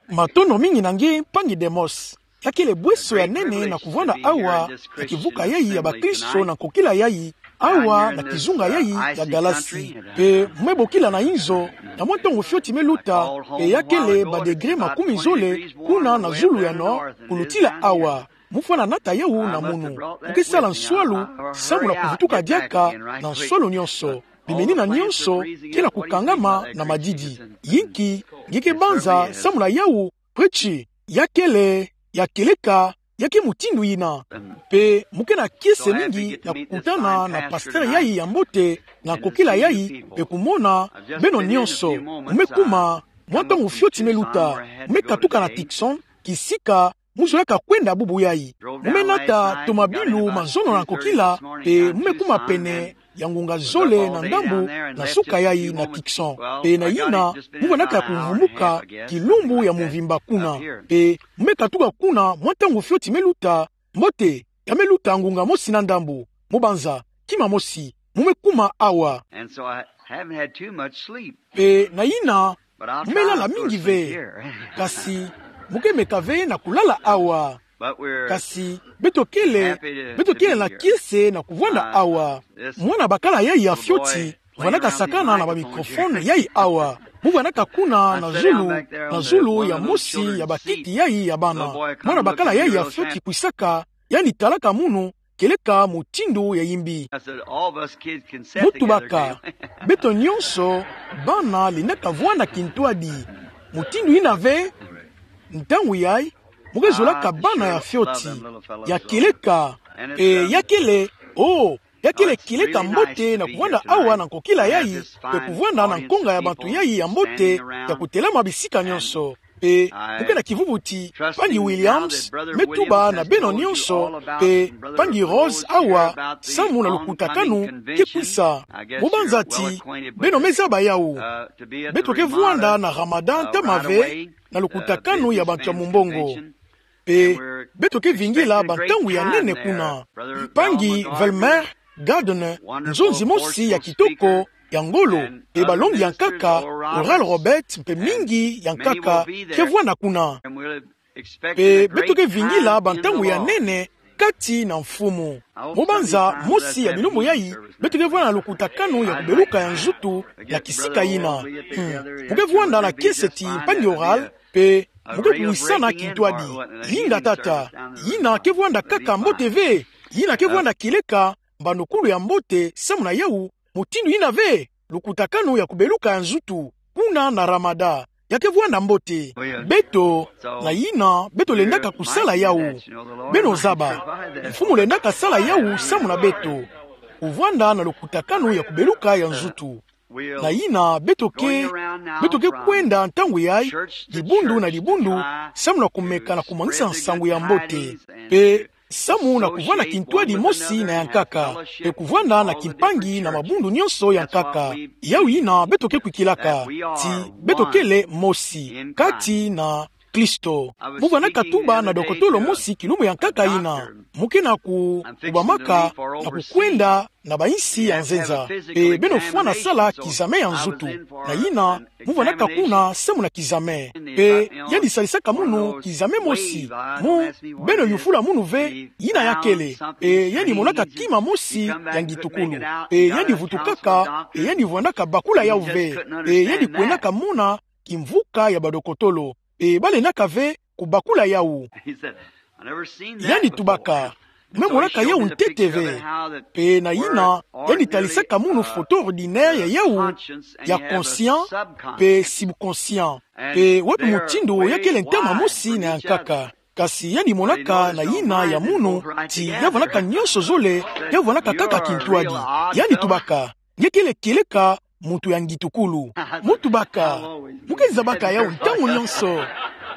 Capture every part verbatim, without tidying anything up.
Matondo mingi na nge mpangi Demos. Ya kele bweso ya nene na kuvwanda awa na kivuka yayi ya bakristo na nkokila yayi, awa na kizunga yayi ya galasi. Pe mu me bokila na inzo, na mwa ntangu fioti me luta, pe ya kele ba degré makumi zole kuna na zulu ya nord, kulutila awa. Mu fwana nata yawu na munu. Mu ke sala nswalu, samu na kuvutuka diaka na nswalu nyonso. Bimenina nyonso ke na kukangama na madidi. Yinki nge ke banza samu na yawu, pweti, ya kele, ya kieleka, ya ke mutindu yina. Pe mu ke na kiese mingi na kukutana na pasteur yayi ya mbote, na nkokila yayi, pe kumona beno nyonso. Mu me kuma, mwa ntangu fioti me luta, mu me katuka na Tucson, kisika mu zolaka kwenda bubu yayi. Mu me nata tomabilu mazono na nkokila, pe mu me kuma pene ya ngunga zole na ndambu na suka yayi na Tucson. Pe na yina, mu vwandaka kumvumuka kilumbu ya mvimba kuna. Pe mu me katuka kuna mwa ntangu fioti me luta, mbote, ya me luta ngunga mosi na ndambu. Mu banza, kima mosi, mu me kuma awa. Pe na yina, mu me lala mingi ve. Kasi, mu ke meka ve na kulala awa. Kasi, beto kele, beto kele na kiese na kuvwanda awa. Mwana bakala yayi ya fioti, vwandaka sakana na ba microphone yayi awa. Mu vwandaka kuna na zulu, na zulu ya mosi ya bakiti yayi ya bana. Mwana bakala yayi ya fioti kwisaka, yandi talaka munu, kieleka mutindu ya yimbi. Mu tubaka, beto nyonso, bana lendaka vwanda kintwadi. Mutindu yina ve, ntangu yayi, mu ke zolaka bana ya fioti, ya kieleka, pe ya kele, oh, ya kele kieleka mbote na kuvwanda awa na nkokila yayi, pe kuvwanda na nkonga ya bantu yayi ya mbote, ya kutelama bisika nyonso. Pe, mu ke na kivuvu ti, mpangi Williams me tuba na beno nyonso, pe, mpangi Rose awa, samu na lukutakanu ke kwisa. Mu banza ti, beno me zaba yawu. Beto ke vwanda na Ramadan ntama ve, na lukutakanu ya bantu ya mumbongo. Pe, beto ke vingila bantangu ya nene kuna. Mpangi Velmer Gardner, nzonzi mosi ya kitoko, ya ngolo, pe balongi ya nkaka, Oral Roberts, mpe mingi ya nkaka, ke vwanda kuna. Pe beto ke vingila bantangu ya nene, kati na Mfumu. Mu banza, mosi ya bilumbu yayi, beto ke vwanda na lukutakanu ya kubeluka ya nzutu, ya kisika yina. Hmm. Mu ke vwanda na kiese ti mpangi Oral, pe mu ke kuwisana kintwadi. Linga tata, yina ke vwanda kaka mbote ve, yina ke vwanda kieleka, mbanukulu ya mbote, samu na yawu, mutindu yina ve, lukutakanu ya kubeluka ya nzutu, kuna na Ramadan, ya ke vwanda mbote. Beto, na yina, beto lendaka kusala yawu. Beno zaba, Mfumu lendaka sala yawu samu na beto. Kuvwanda na lukutakanu ya kubeluka ya nzutu. Na yina, beto ke, beto ke kwenda ntangu yayi, dibundu na dibundu, samu na kumeka na kumwangisa nsangu ya mbote. Pe, samu na kuvwanda kintwadi mosi na ya nkaka, pe kuvwanda na kimpangi na mabundu nyonso ya nkaka. Yawu yina beto ke kwikilaka, ti beto kele mosi, kati na Kristo. Mu vwandaka tuba na dokotolo mosi kilumbu ya nkaka yina. Mu ke na ku, kubamaka, na kukwenda, na bainsi ya nzenza. Pe beno fwana sala kizame ya nzutu. Na yina, mu vwandaka kuna samu na kizame. Pe, yandi salisaka munu kizame mosi. Mu, beno yufula munu ve, yina ya kele. Pe, yandi monaka kima mosi ya ngitukulu. Pe, yandi vutukaka, pe, yandi vwandaka bakula yawu ve. Pe, yandi kwendaka mona kimvuka ya badokotolo. Pe, balendaka ve kubakula yawu. Yandi tubaka, me monaka yawu ntete ve. Pe na yina, yandi talisaka munu foto ordinaire ya yawu, ya conscient, pe subconscient. Pe wapi mutindu ya kele ntama mosi na ya nkaka. Kasi yandi monaka na yina ya munu, ti ya vwandaka nyonso zole, ya vwandaka kaka kintwadi. Yandi tubaka, nge kele kieleka, muntu ya ngitukulu. Mu tubaka. Mu ke zabaka yawu ntangu nyonso.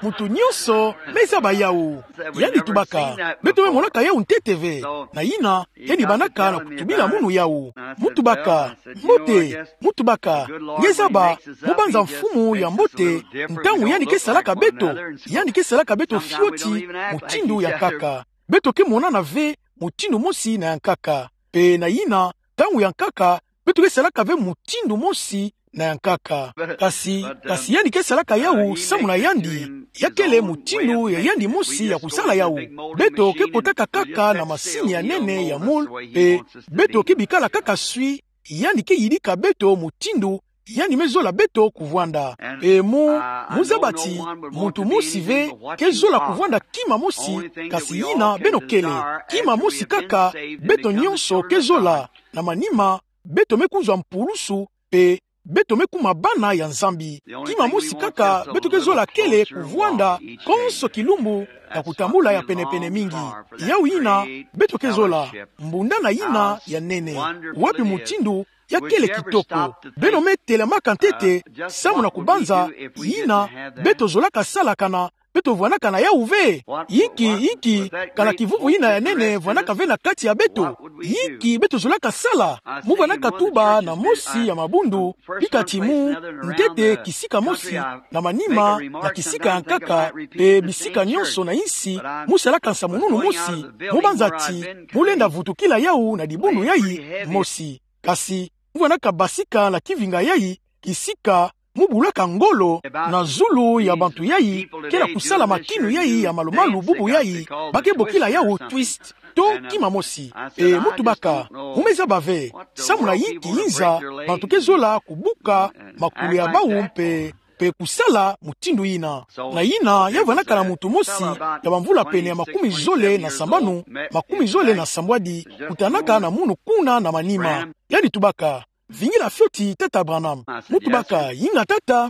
Muntu nyonso me zaba yawu. Yandi tubaka. Beto me monaka yawu ntete ve. Na yina, yandi bandaka na kutubila munu yawu. Mu tubaka. Mbote. Mu tubaka. Nge zaba. Mu banza mfumu ya mbote. Ntangu yandi ke salaka beto. Yandi ke salaka beto fioti. Mutindu ya nkaka. Beto ke monana ve. Mutindu mosi na ya nkaka. Pe na yina. Ntangu ya nkaka. Beto ke salaka ve mutindu mosi na ya nkaka. Kasi, kasi yandi ke salaka yawu samu na yandi. Ya kele mutindu ya yandi mosi ya kusala yawu. Beto ke kotaka kaka na masini ya nene ya moule, mpe beto ke bikala kaka sui, yandi ke yidika beto mutindu yandi me zola beto kuvwanda. Mpe mu, mu zaba ti muntu mosi ve ke zola kuvwanda kima mosi, kasi yina beno kele. Kima mosi kaka beto nyonso ke zola, na manima beto me kuzwa mpulusu, mpe beto me kuma bana ya Nzambi. Kima mosi kaka beto ke zola kele kuvwanda konso kilumbu, na kutambula ya penepene mingi. Yawu yina beto ke zola, mbundana yina ya nene. Wapi mutindu ya kele kitoko! Beno me telamaka ntete, samu na kubanza, yina beto zolaka sala kana beto vwanaka na yawu ve. Inki, inki, kana kivuvu yina ya nene vwanaka ve na kati ya beto? Inki beto zolaka sala? Mu vwanaka tuba na mosi ya mabundu, pika ti mu, ntete kisika mosi, na manima na kisika ya nkaka, mpe bisika nyonso na insi, mu salaka nsamununu mosi, mu banza ti mu lenda vutukila yawu na dibundu yayi mosi. Kasi mu vwanaka basika na kivinga yayi, kisika mu bulaka ngolo na zulu ya bantu yayi ke na kusala makinu yayi ya malumalu bubu yayi, ba ke bokila yawu twist, to kima mosi. Mpe mu tubaka, mu me zaba ve, samu na inki yinza bantu ke zola kubuka makulu ya bawu mpe, mpe kusala mutindu yina. Na yina ya vwanaka na muntu mosi ya bamvula pene ya makumi zole na sambanu, makumi zole na sambwadi, kutanaka na munu kuna na manima. Yandi tubaka: Vingila fioti, Tata Branham. Mu tubaka: Inga, Tata.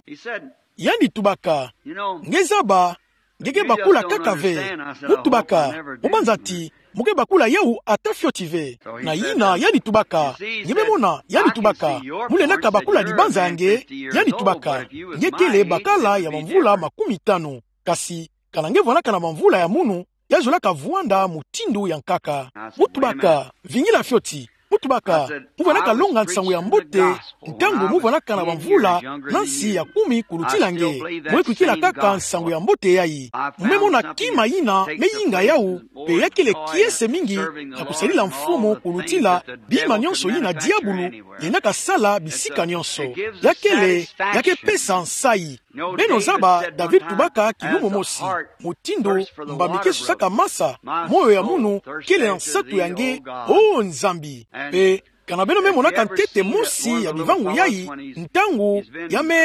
Yandi tubaka: Nge zaba, nge ke bakula kaka ve. Mu tubaka: Mu banza ti mu ke bakula yawu ata fioti ve? Na yina yandi tubaka: Nge me mona, yandi tubaka, mu lendaka bakula dibanza ya nge. Yandi tubaka: Nge kele bakala ya bamvula makumi tanu. Kasi kana nge vwanaka na bamvula ya munu, ya zolaka vwanda mutindu ya nkaka. Mu tubaka: Vingila fioti. Mu tubaka: Mu vwanaka longa nsangu ya mbote ntangu mu vwanaka na bamvula na nsi ya kumi kulutila nge. Mu me kwikila kaka nsangu ya mbote yayi. Mu me mona kima yina me yinga yawu, mpe ya kele kiese mingi na kusadila Mfumu kulutila bima nyonso yina diabulu lendaka sala bisika nyonso. Ya kele, ya ke pesa nsayi. Beno zaba, David tubaka kilumbu mosi: Mutindu mbambi ke sosaka masa, moyo ya munu kele na nsatu ya nge, o Nzambi. Mpe kana beno me monaka ntete mosi ya bivangu yayi, ntangu ya me,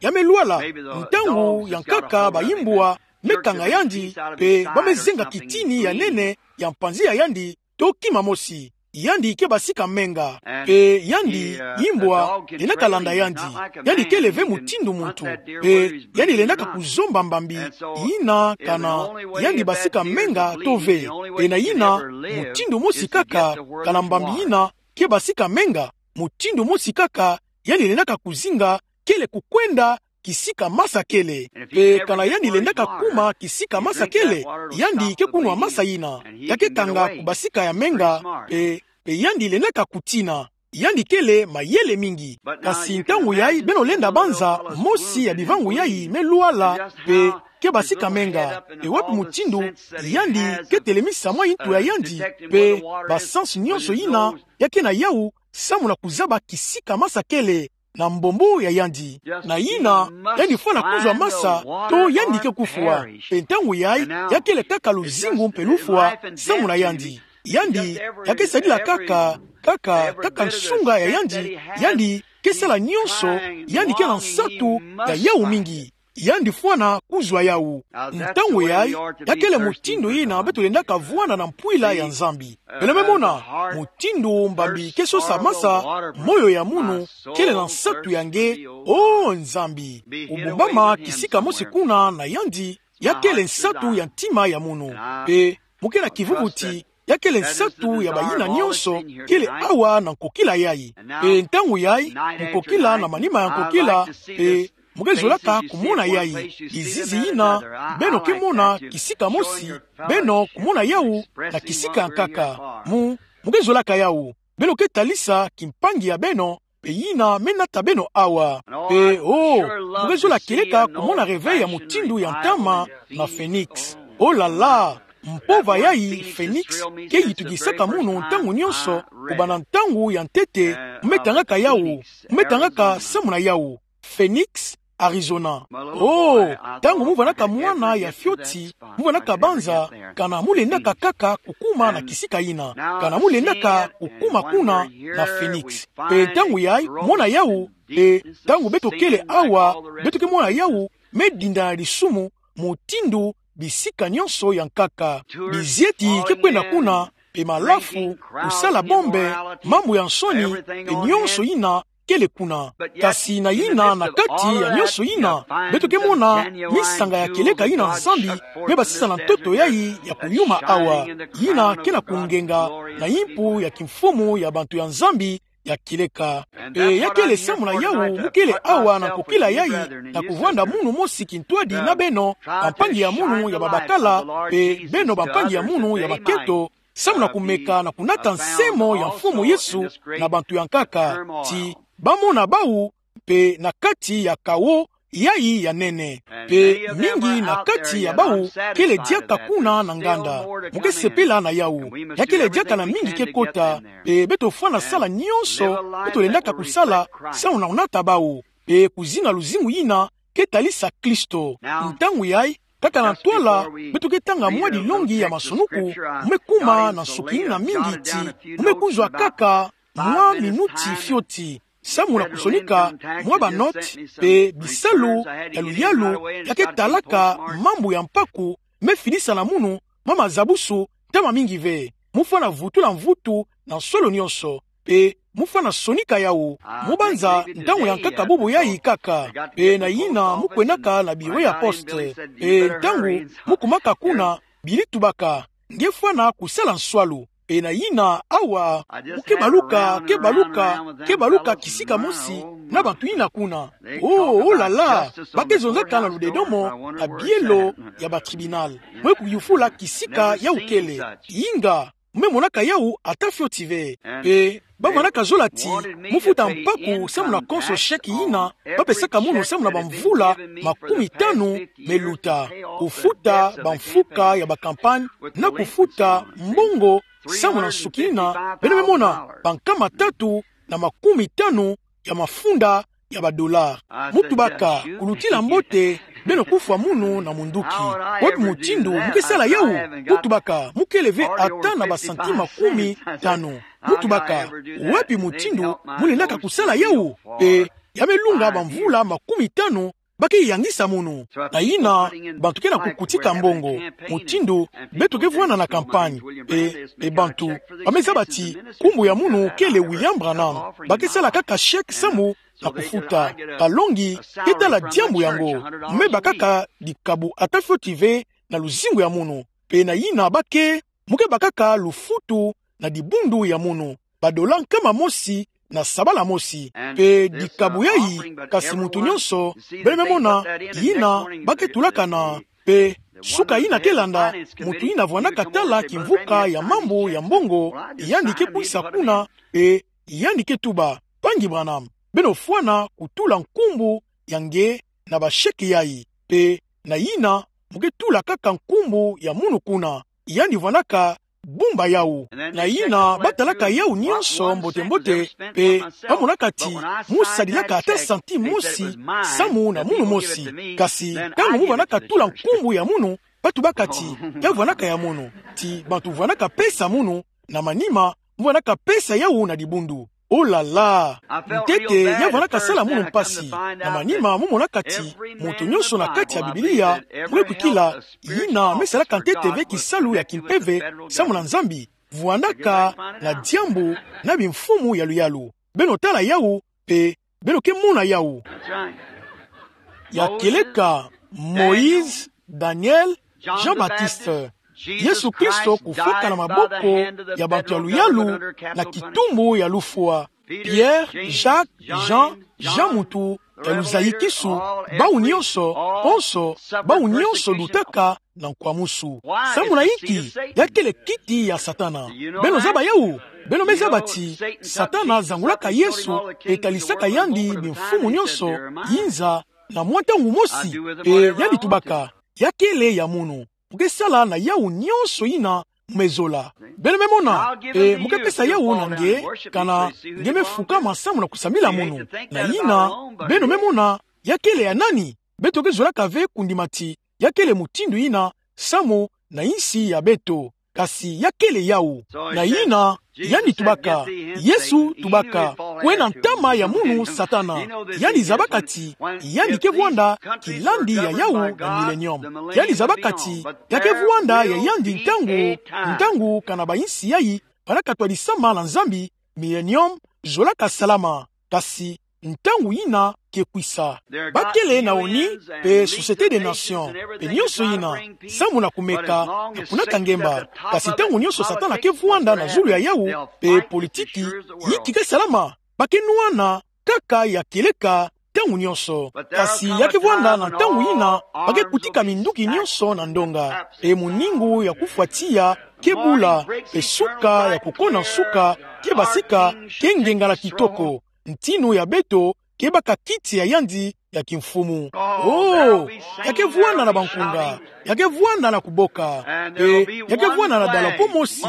ya me lwala, ntangu ya nkaka bayimbwa me kanga yandi, mpe ba me zenga kitini ya nene ya mpanzi ya yandi, to kima mosi, yandi ke basika menga. Mpe yandi, yimbwa lendaka landa yandi. Yandi kele ve mutindu muntu. Mpe yandi lendaka kuzomba mbambi yina kana yandi basika menga to ve. Mpe na yina, mutindu mosi kaka, kana mbambi yina ke basika menga, mutindu mosi kaka yandi lendaka kuzinga kele kukwenda kisika masa kele. Mpe kana yandi lendaka kuma kisika masa kele, yandi ke kunwa masa yina. Ya ke kanga kubasika ya menga, mpe, mpe yandi lendaka kutina. Yandi kele mayele mingi. Kasi ntangu yayi beno lenda banza mosi ya bivangu yayi me lwala, mpe ke basika menga. Mpe wapi mutindu yandi ke telemisa mwa intu ya yandi, mpe ba sens nyonso yina ya ke na yawu, samu na kuzaba kisika masa kele na mbombo ya yandi. Na yina, yandi fwana kuzwa masa, to yandi ke kufwa. Mpe ntangu yayi, ya kele kaka luzingu mpe lufwa samu na yandi. Yandi, ya ke sadila kaka, kaka, kaka nsunga ya yandi, yandi ke sala nyonso, yandi ke na nsatu ya yawu mingi. Yandi fwana kuzwa yawu. Ntangu yayi, ya kele mutindu yina beto lendaka vwanda na mpwila ya Nzambi. Beno me mona, mutindu mbambi ke sosa masa, moyo ya munu kele na nsatu ya nge, o Nzambi. Kubumbama kisika mosi kuna na yandi, ya kele nsatu ya ntima ya munu. Mpe mu ke na kivuvu ti ya kele nsatu ya bayina nyonso kele awa na nkokila yayi. Mpe ntangu yayi, nkokila na manima ya nkokila, mpe mu ke zolaka kumona yayi, bizizi yina beno ke mona kisika mosi, beno kumona yawu na kisika ya nkaka. Mu, mu ke zolaka yawu. Beno ke talisa kimpangi ya beno, mpe yina me nata beno awa. Mpe, o, mu ke zola kieleka kumona réveil ya mutindu ya ntama na Phoenix. Oh là là! Mpova yayi, Phoenix, ke yitukisaka munu ntangu nyonso, kubanda ntangu ya ntete, mu me tangaka yawu, mu me tangaka samu na yawu. Phoenix, Arizona. Oh, ntangu mu vanaka mwana ya fioti, mu vanaka banza kana mu lendaka kaka kukuma na kisika yina, kana mu lendaka kukuma kuna na Phoenix. Mpe ntangu yayi, mona yawu, mpe ntangu beto kele awa, beto ke mona yawu me dinda na lisumu, mutindu bisika nyonso ya nkaka. Bizieti ke kwenda kuna, mpe malafu, kusala bombe, mambu ya nsoni, mpe nyonso yina kele kuna. Kasi na yina, na kati ya nyonso yina, beto ke mona misanga ya kieleka yina Nzambi me basisa na ntoto yayi ya kuyuma awa, yina ke na kungenga na yimpu ya kimfumu ya bantu ya Nzambi ya kieleka. Mpe ya kele samu na yawu mu kele awa na nkokila yayi, na kuvwanda munu mosi kintwadi na beno, bampangi ya munu ya babakala, mpe beno bampangi ya munu ya makento, samu na kumeka na kunata nsemo ya Mfumu Yesu na bantu ya nkaka, ti bamona bawu, mpe na kati ya kawo yayi ya nene. Mpe mingi na kati ya bawu kele diaka kuna na nganda. Mu ke sepela na yawu. Ya kele diaka na mingi ke kota, mpe beto fwana sala nyonso beto lendaka kusala, samu na kunata bawu, mpe kuzina luzingu yina ke talisa Kristo. Ntangu yayi, kaka na ntwala, beto ke tanga mwa dilongi ya masonuku, mu me kuma na nsukini na mingi ti, mu me kuzwa kaka mwa minuti fioti, samu na kusonika mwa banoti, mpe bisalu ya luyalu ya ke talaka mambu ya mpaku me fidisa na munu, mwa mazabusu, ntama mingi ve. Mu fwana vutula mvutu na nsolo nyonso, mpe mu fwana sonika yawu. Mu banza ntangu ya nkaka bubu yayi kaka, mpe na yina mu kwendaka na biro ya poste, mpe ntangu mu kumaka kuna, bili tubaka: Nge fwana kusala nswalu. Mpe na yina awa, mu ke baluka, ke baluka, ke baluka kisika mosi na bantu yina kuna. Oh, oh là là, ba ke zonzaka na ludedomo na bielo ya ba tribunal. Mu ye kuyufula kisika yawu kele. Inga, mu me monaka yawu ata fioti ve. Mpe ba vandaka zola ti, mu futa mpaku samu na konso chèque yina ba pesaka munu samu na bamvula makumi tanu me luta. Kufuta bamfuka ya ba campagne, na kufuta mbongo samu na nsukini na, beno me mona, bankama tatu na makumi tanu ya mafunda ya ba dollars. Mu tubaka: Kulutila mbote, beno kufwa munu na munduki. Wapi mutindu mu ke sala yawu? Mu tubaka: Mu kele ve ata na ba centimes makumi tanu. Mu tubaka: Wapi mutindu mu lendaka kusala yawu? Mpe ya me lunga bamvula makumi tanu ba ke yangisa munu. Na yina, bantu ke na kukutika mbongo, mutindu beto ke vwanda na campagne. Mpe, mpe bantu ba me zaba ti nkumbu ya munu kele William Branham. Ba ke sala kaka chèque samu na kufuta. Kalongi ke tala diambu yango. Mu me bakaka dikabu ata fioti ve na luzingu ya munu. Mpe na yina ba ke, mu ke bakaka lufutu na dibundu ya munu, ba dollars nkama mosi na sabala mosi. Mpe dikabu yayi, kasi muntu nyonso, beno me mona, yina ba ke tulaka na, mpe suka yina ke landa, muntu yina vwandaka tala kimvuka ya mambu ya mbongo, yandi ke kwisa kuna, mpe yandi ke tuba: Mpangi Branham, beno fwana kutula nkumbu ya nge na ba chèques yayi. Mpe na yina, mu ke tula kaka nkumbu ya munu kuna. Yandi vwandaka bumba yawu. Na yina, ba talaka yawu nyonso mbote-mbote, mpe ba monaka ti mu sadilaka ata centime mosi samu na munu mosi. Kasi ntangu mu vwandaka tula nkumbu ya munu, ba tubaka ti: Ya vwandaka ya munu. Ti bantu vwandaka pesa munu, na manima, mu vwandaka pesa yawu na dibundu. Oh là là! Ntete ya vwandaka sala munu mpasi. Na manima, mu monaka ti muntu nyonso na kati ya Biblia, mu ye kwikila, yina me salaka ntete ve kisalu ya kimpeve samu na Nzambi, vwandaka na diambu na bimfumu ya luyalu. Beno tala yawu, mpe beno ke mona yawu. Ya kieleka: Moïse, Daniel, Jean-Baptiste. Yesu Kristo kufwaka na maboko ya bantu ya luyalu na kitumbu ya lufwa. Pierre, Jacques, Jean, Jean muntu ya luzayikisu, bawu nyonso, konso, bawu nyonso lutaka na nkwamusu. Samu na inki? Ya kele kiti ya Satana. Beno zaba yawu? Beno me zaba ti Satana zangulaka Yesu, mpe talisaka yandi bimfumu nyonso, yinza, na mwa ntangu mosi, mpe yandi tubaka: Ya kele ya munu. Mu ke sala na yawu nyonso yina mu me zola. Beno me mona, mpe mu ke pesa yawu na nge, kana nge me fukama samu na kusambila munu. Na yina, beno me mona, ya kele ya nani? Beto ke zolaka ve kundima ti ya kele mutindu yina samu na yinsi ya beto. Kasi ya kele yawu. Na yina, yandi tubaka, Yesu tubaka, kwena ntama ya munu Satana. Yandi zabaka ti yandi ke vwanda kilandi ya yawu na millennium. Yandi zabaka ti ya ke vwanda ya yandi ntangu, ntangu kana bayinsi yayi bana katwa disama na Nzambi, millennium, zolaka salama. Kasi ntangu yina ke kwisa. Ba kele na oni pe Société des Nations, pe nyonso yina, samu na kumeka na kunaka ngemba. Kasi ntangu nyonso Satana ke vwanda na zulu ya yawu, pe politiki, yinki ke salama, ba ke nwana kaka ya kieleka ntangu nyonso. Kasi ya ke vwanda na ntangu yina ba ke kutika minduki nyonso na ndonga. Pe muningu ya kufwa tiya ke bula, pe suka ya kukona nsuka ke basika, ke ngengala kitoko. Ntinu ya beto ke baka kiti ya yandi ya kimfumu. Oh, ya ke vwanda na bankunga, ya ke vwanda na kuboka, pe ya ke vwanda na dalapo mosi,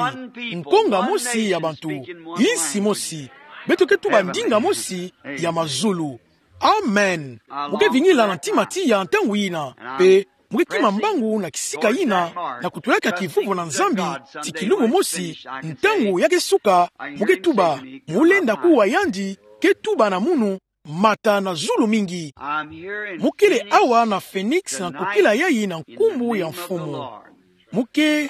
nkonga mosi ya bantu, yinsi mosi. Beto ke tuba ndinga mosi ya mazulu. Amen. Mu ke vingila na ntima tiya ntangu yina, pe mu ke kima mbangu na kisika yina, na kutulaka kivuvo na Nzambi, ti kilumbu mosi, ntangu ya ke suka, mu ke tuba, mu lenda kuwa yandi ke tuba na munu, mata na zulu mingi. Mu kele awa na Phoenix na nkokila yayi na nkumbu ya Mfumu. Mu ke,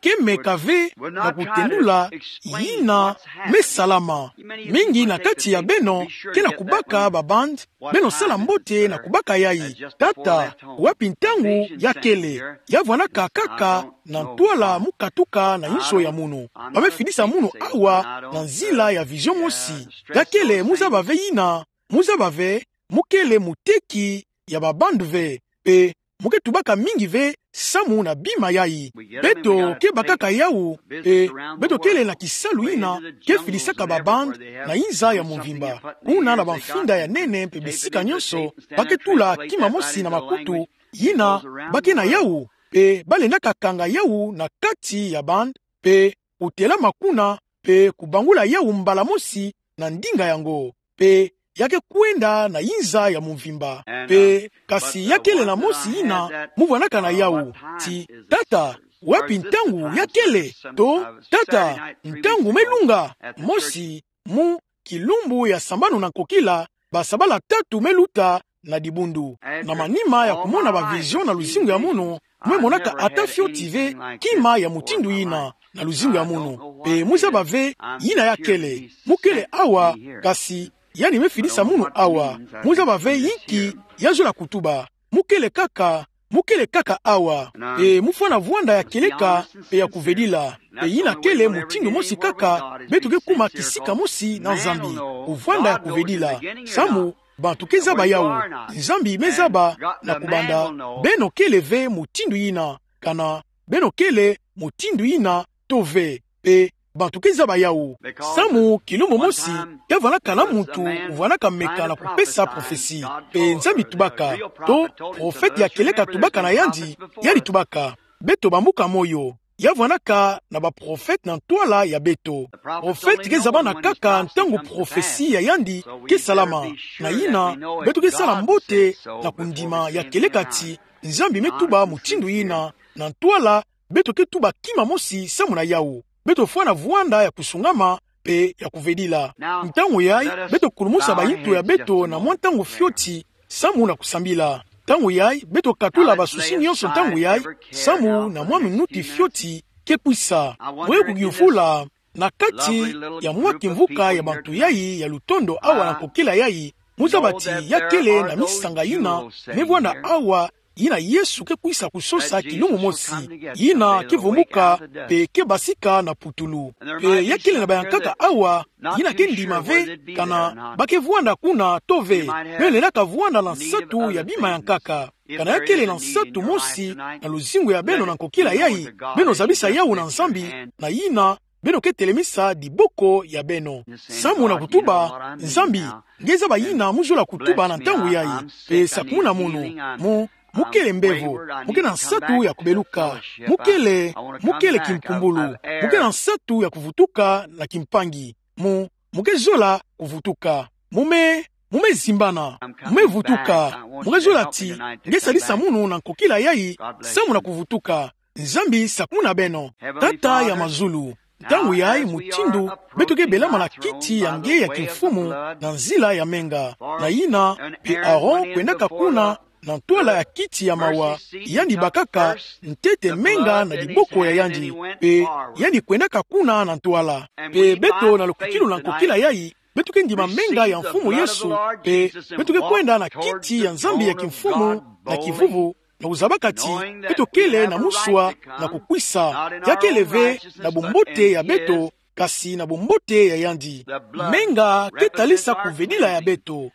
ke meka ve na kutendula yina me salama. Mingi na kati ya beno ke na kubaka ba bande, beno sala mbote na kubaka yayi. Tata, wapi ntangu ya kele? Ya vwanaka kaka na ntwala mu katuka na inzo ya munu. Ba me fidisa munu awa na nzila ya vision mosi. Ya kele, mu zaba ve yina, mu zaba ve, mu kele muteki ya ba bande ve, pe mu ke tubaka mingi ve samu na bima yayi. Beto ke bakaka yawu, pe beto kele na kisalu yina ke fidisaka ba bande na inza ya mvimba. Kuna na ba mfinda ya nene pe bisika nyonso, ba ke tula kima mosi na makutu, yina ba ke na yawu, pe ba lendaka kanga yawu na kati ya bande, pe kutelama kuna, pe kubangula yawu mbala mosi na ndinga yango, pe ya ke kwenda na inza ya mvimba. Pe, kasi ya kele na mosi yina mu vwanaka na yawu, ti, tata, wapi ntangu ya kele? To, tata, ntangu me lunga? Mosi, mu kilumbu ya sambanu na nkokila, ba sabala tatu me luta na dibundu. Na manima ya kumona ba vision na luzingu ya munu, mu me monaka ata fioti ve kima ya mutindu yina na luzingu ya munu. Pe mu zaba ve yina ya kele. Mu kele awa, kasi yandi me fidisa munu awa. Mu zaba ve yinki ya zola kutuba. Mu kele kaka, mu kele kaka awa. Pe mu fwana vwanda ya kieleka pe ya kuvedila. Pe yina kele mutindu mosi kaka beto ke kuma kisika mosi na Nzambi. Kuvwanda ya kuvedila. Samu bantu ke zaba yawu. Nzambi me zaba na kubanda. Beno kele ve mutindu yina, kana beno kele mutindu yina to ve. Pe bantu ke zaba yawu. Samu kilumbu mosi, ya vwanaka na muntu uvwanaka meka na kupesa prophetie. Pe Nzambi tubaka, to, prophète ya kieleka tubaka na yandi, yandi tubaka. Beto bambuka moyo. Ya vwanaka na ba prophète na ntwala ya beto. Prophète ke zabana kaka ntangu prophetie ya yandi ke salama. Na yina, beto ke sala mbote na kundima ya kieleka ti Nzambi me tuba mutindu yina, na ntwala beto ke tuba kima mosi samu na yawu. Beto fwana vwanda ya kusungama pe ya kuvedila. Ntangu yayi, beto kulumusa ba yintu ya beto na mwa ntangu fioti, samu na kusambila. Ntangu yayi, beto katula ba souci nyonso ntangu yayi, samu na mwa minuti fioti ke kwisa. Moyo kugiyufula, na kati ya mwa kimvuka ya bantu yayi ya lutondo awa na nkokila yayi, mu zaba ti ya kele na misanga yina me vwanda awa, yina Yesu ke kwisa kusosa kilumbu mosi, yina ke vumbuka pe ke basika na putulu. Pe ya kele na bayankaka awa yina ke ndima ve kana ba ke vwanda kuna to ve. Beno lendaka vwanda na nsatu ya bima ya nkaka. Kana ya kele na nsatu mosi na luzingu ya beno na nkokila yayi, beno zabisa yawu na Nzambi, na yina beno ke telemisa diboko ya beno. Samu na kutuba, Nzambi, nge zaba yina mu zola kutuba na ntangu yayi, pe sakumuna munu, mu, mu kele mbevo, mu kele na nsatu ya kubeluka, mu kele, mu kele kimpumbulu, mu kele na nsatu ya kuvutuka na kimpangi, mu, mu ke zola kuvutuka. Mu me, Mo me zimbana. Mo me vutuka. Mo ke zola ti nge salisa munu na nkokila yayi, samu na kuvutuka. Nzambi sakumuna beno. Tata ya mazulu, ntangu yayi mutindu beto ke belama na kiti ya nge ya kimfumu na nzila ya menga, na yina mpe Aaron kwendaka kuna na ntwala ya kiti ya mawa, yandi bakaka ntete menga na diboko ya yandi, mpe yandi kwendaka kuna na ntwala. Mpe beto na lukwikilu na nkokila yayi, beto ke ndima menga ya Mfumu Yesu, mpe beto ke kwenda na kiti ya Nzambi ya kimfumu na kivuvu, na kuzabaka ti beto kele na muswa na kukwisa, ya kele ve na bumbote ya beto, kasi na bumbote ya yandi. Menga ke talisa kuvedila ya beto.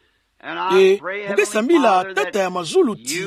E, mo ke sambila Tata ya mazulu ti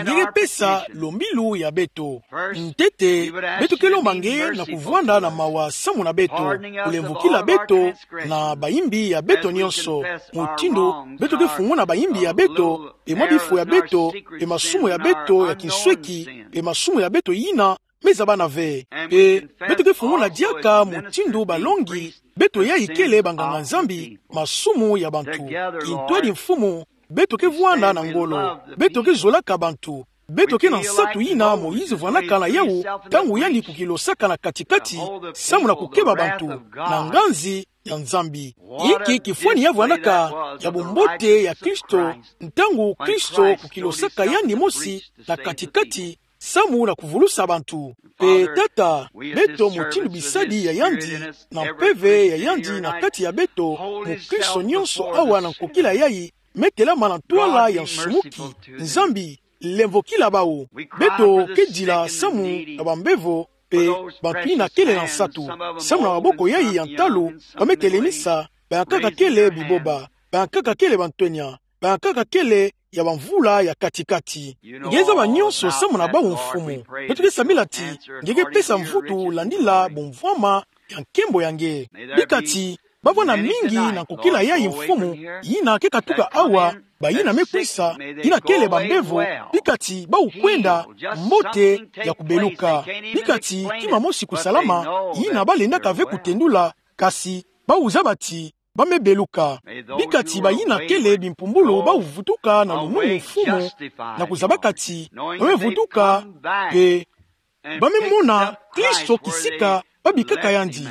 nge ke pesa lombilu ya beto. Ntete, beto ke lomba nge na kuvwanda na mawa samu na beto, kulemvokila beto na bayimbi ya beto nyonso, mutindu beto ke funguna bayimbi ya beto, mpe mwa bifo ya beto, mpe masumu ya beto ya kinsweki, mpe masumu ya beto yina me zabana ve. Mpe beto ke funguna diaka mutindu balongi beto yayi kele banganga-Nzambi, masumu ya bantu. Kintwadi Mfumu, beto ke vwanda na ngolo, beto ke zolaka bantu, beto ke na nsatu yina Moïse vwandaka na yawu, ntangu yandi kukilosaka na kati-kati, samu na kukeba bantu na nganzi ya Nzambi. Inki kifwani ya vwandaka ya bumbote ya Kristo, ntangu Kristo kukilosaka yandi mosi na kati-kati, samu na kuvulusa bantu. Mpe Tata, beto mutindu bisadi ya yandi, na mpeve ya yandi na kati ya beto, mukristo nyonso awa na nkokila yayi, me telama na ntwala ya nsumuki. Nzambi, lemvokila bawu. Beto ke dila samu na bambevo, mpe bantu yina kele na nsatu. Samu na maboko yayi ya ntalu, ba me telemisa, bankaka kele biboba, bankaka kele bantwenya, bankaka kele ya bamvula ya kati-kati. Nge zaba nyonso samu na bawu Mfumu. Beto ke sambila ti nge ke pesa mvutu landila bumvwama ya nkembo ya nge. Bika ti ba vwanda mingi na nkokila yayi Mfumu, yina ke katuka awa, bayina me kwisa, yina kele bambevo, bika ti bawu kwenda mbote ya kubeluka. Bika ti kima mosi kusalama, yina ba lendaka ve kutendula, kasi bawu zaba ti ba me beluka. Bika ti bayina kele bimpumbulu bawu vutuka na lumunu Mfumu, na kuzabaka ti ba me vutuka, mpe ba me mona Kristo kisika ba bikaka yandi.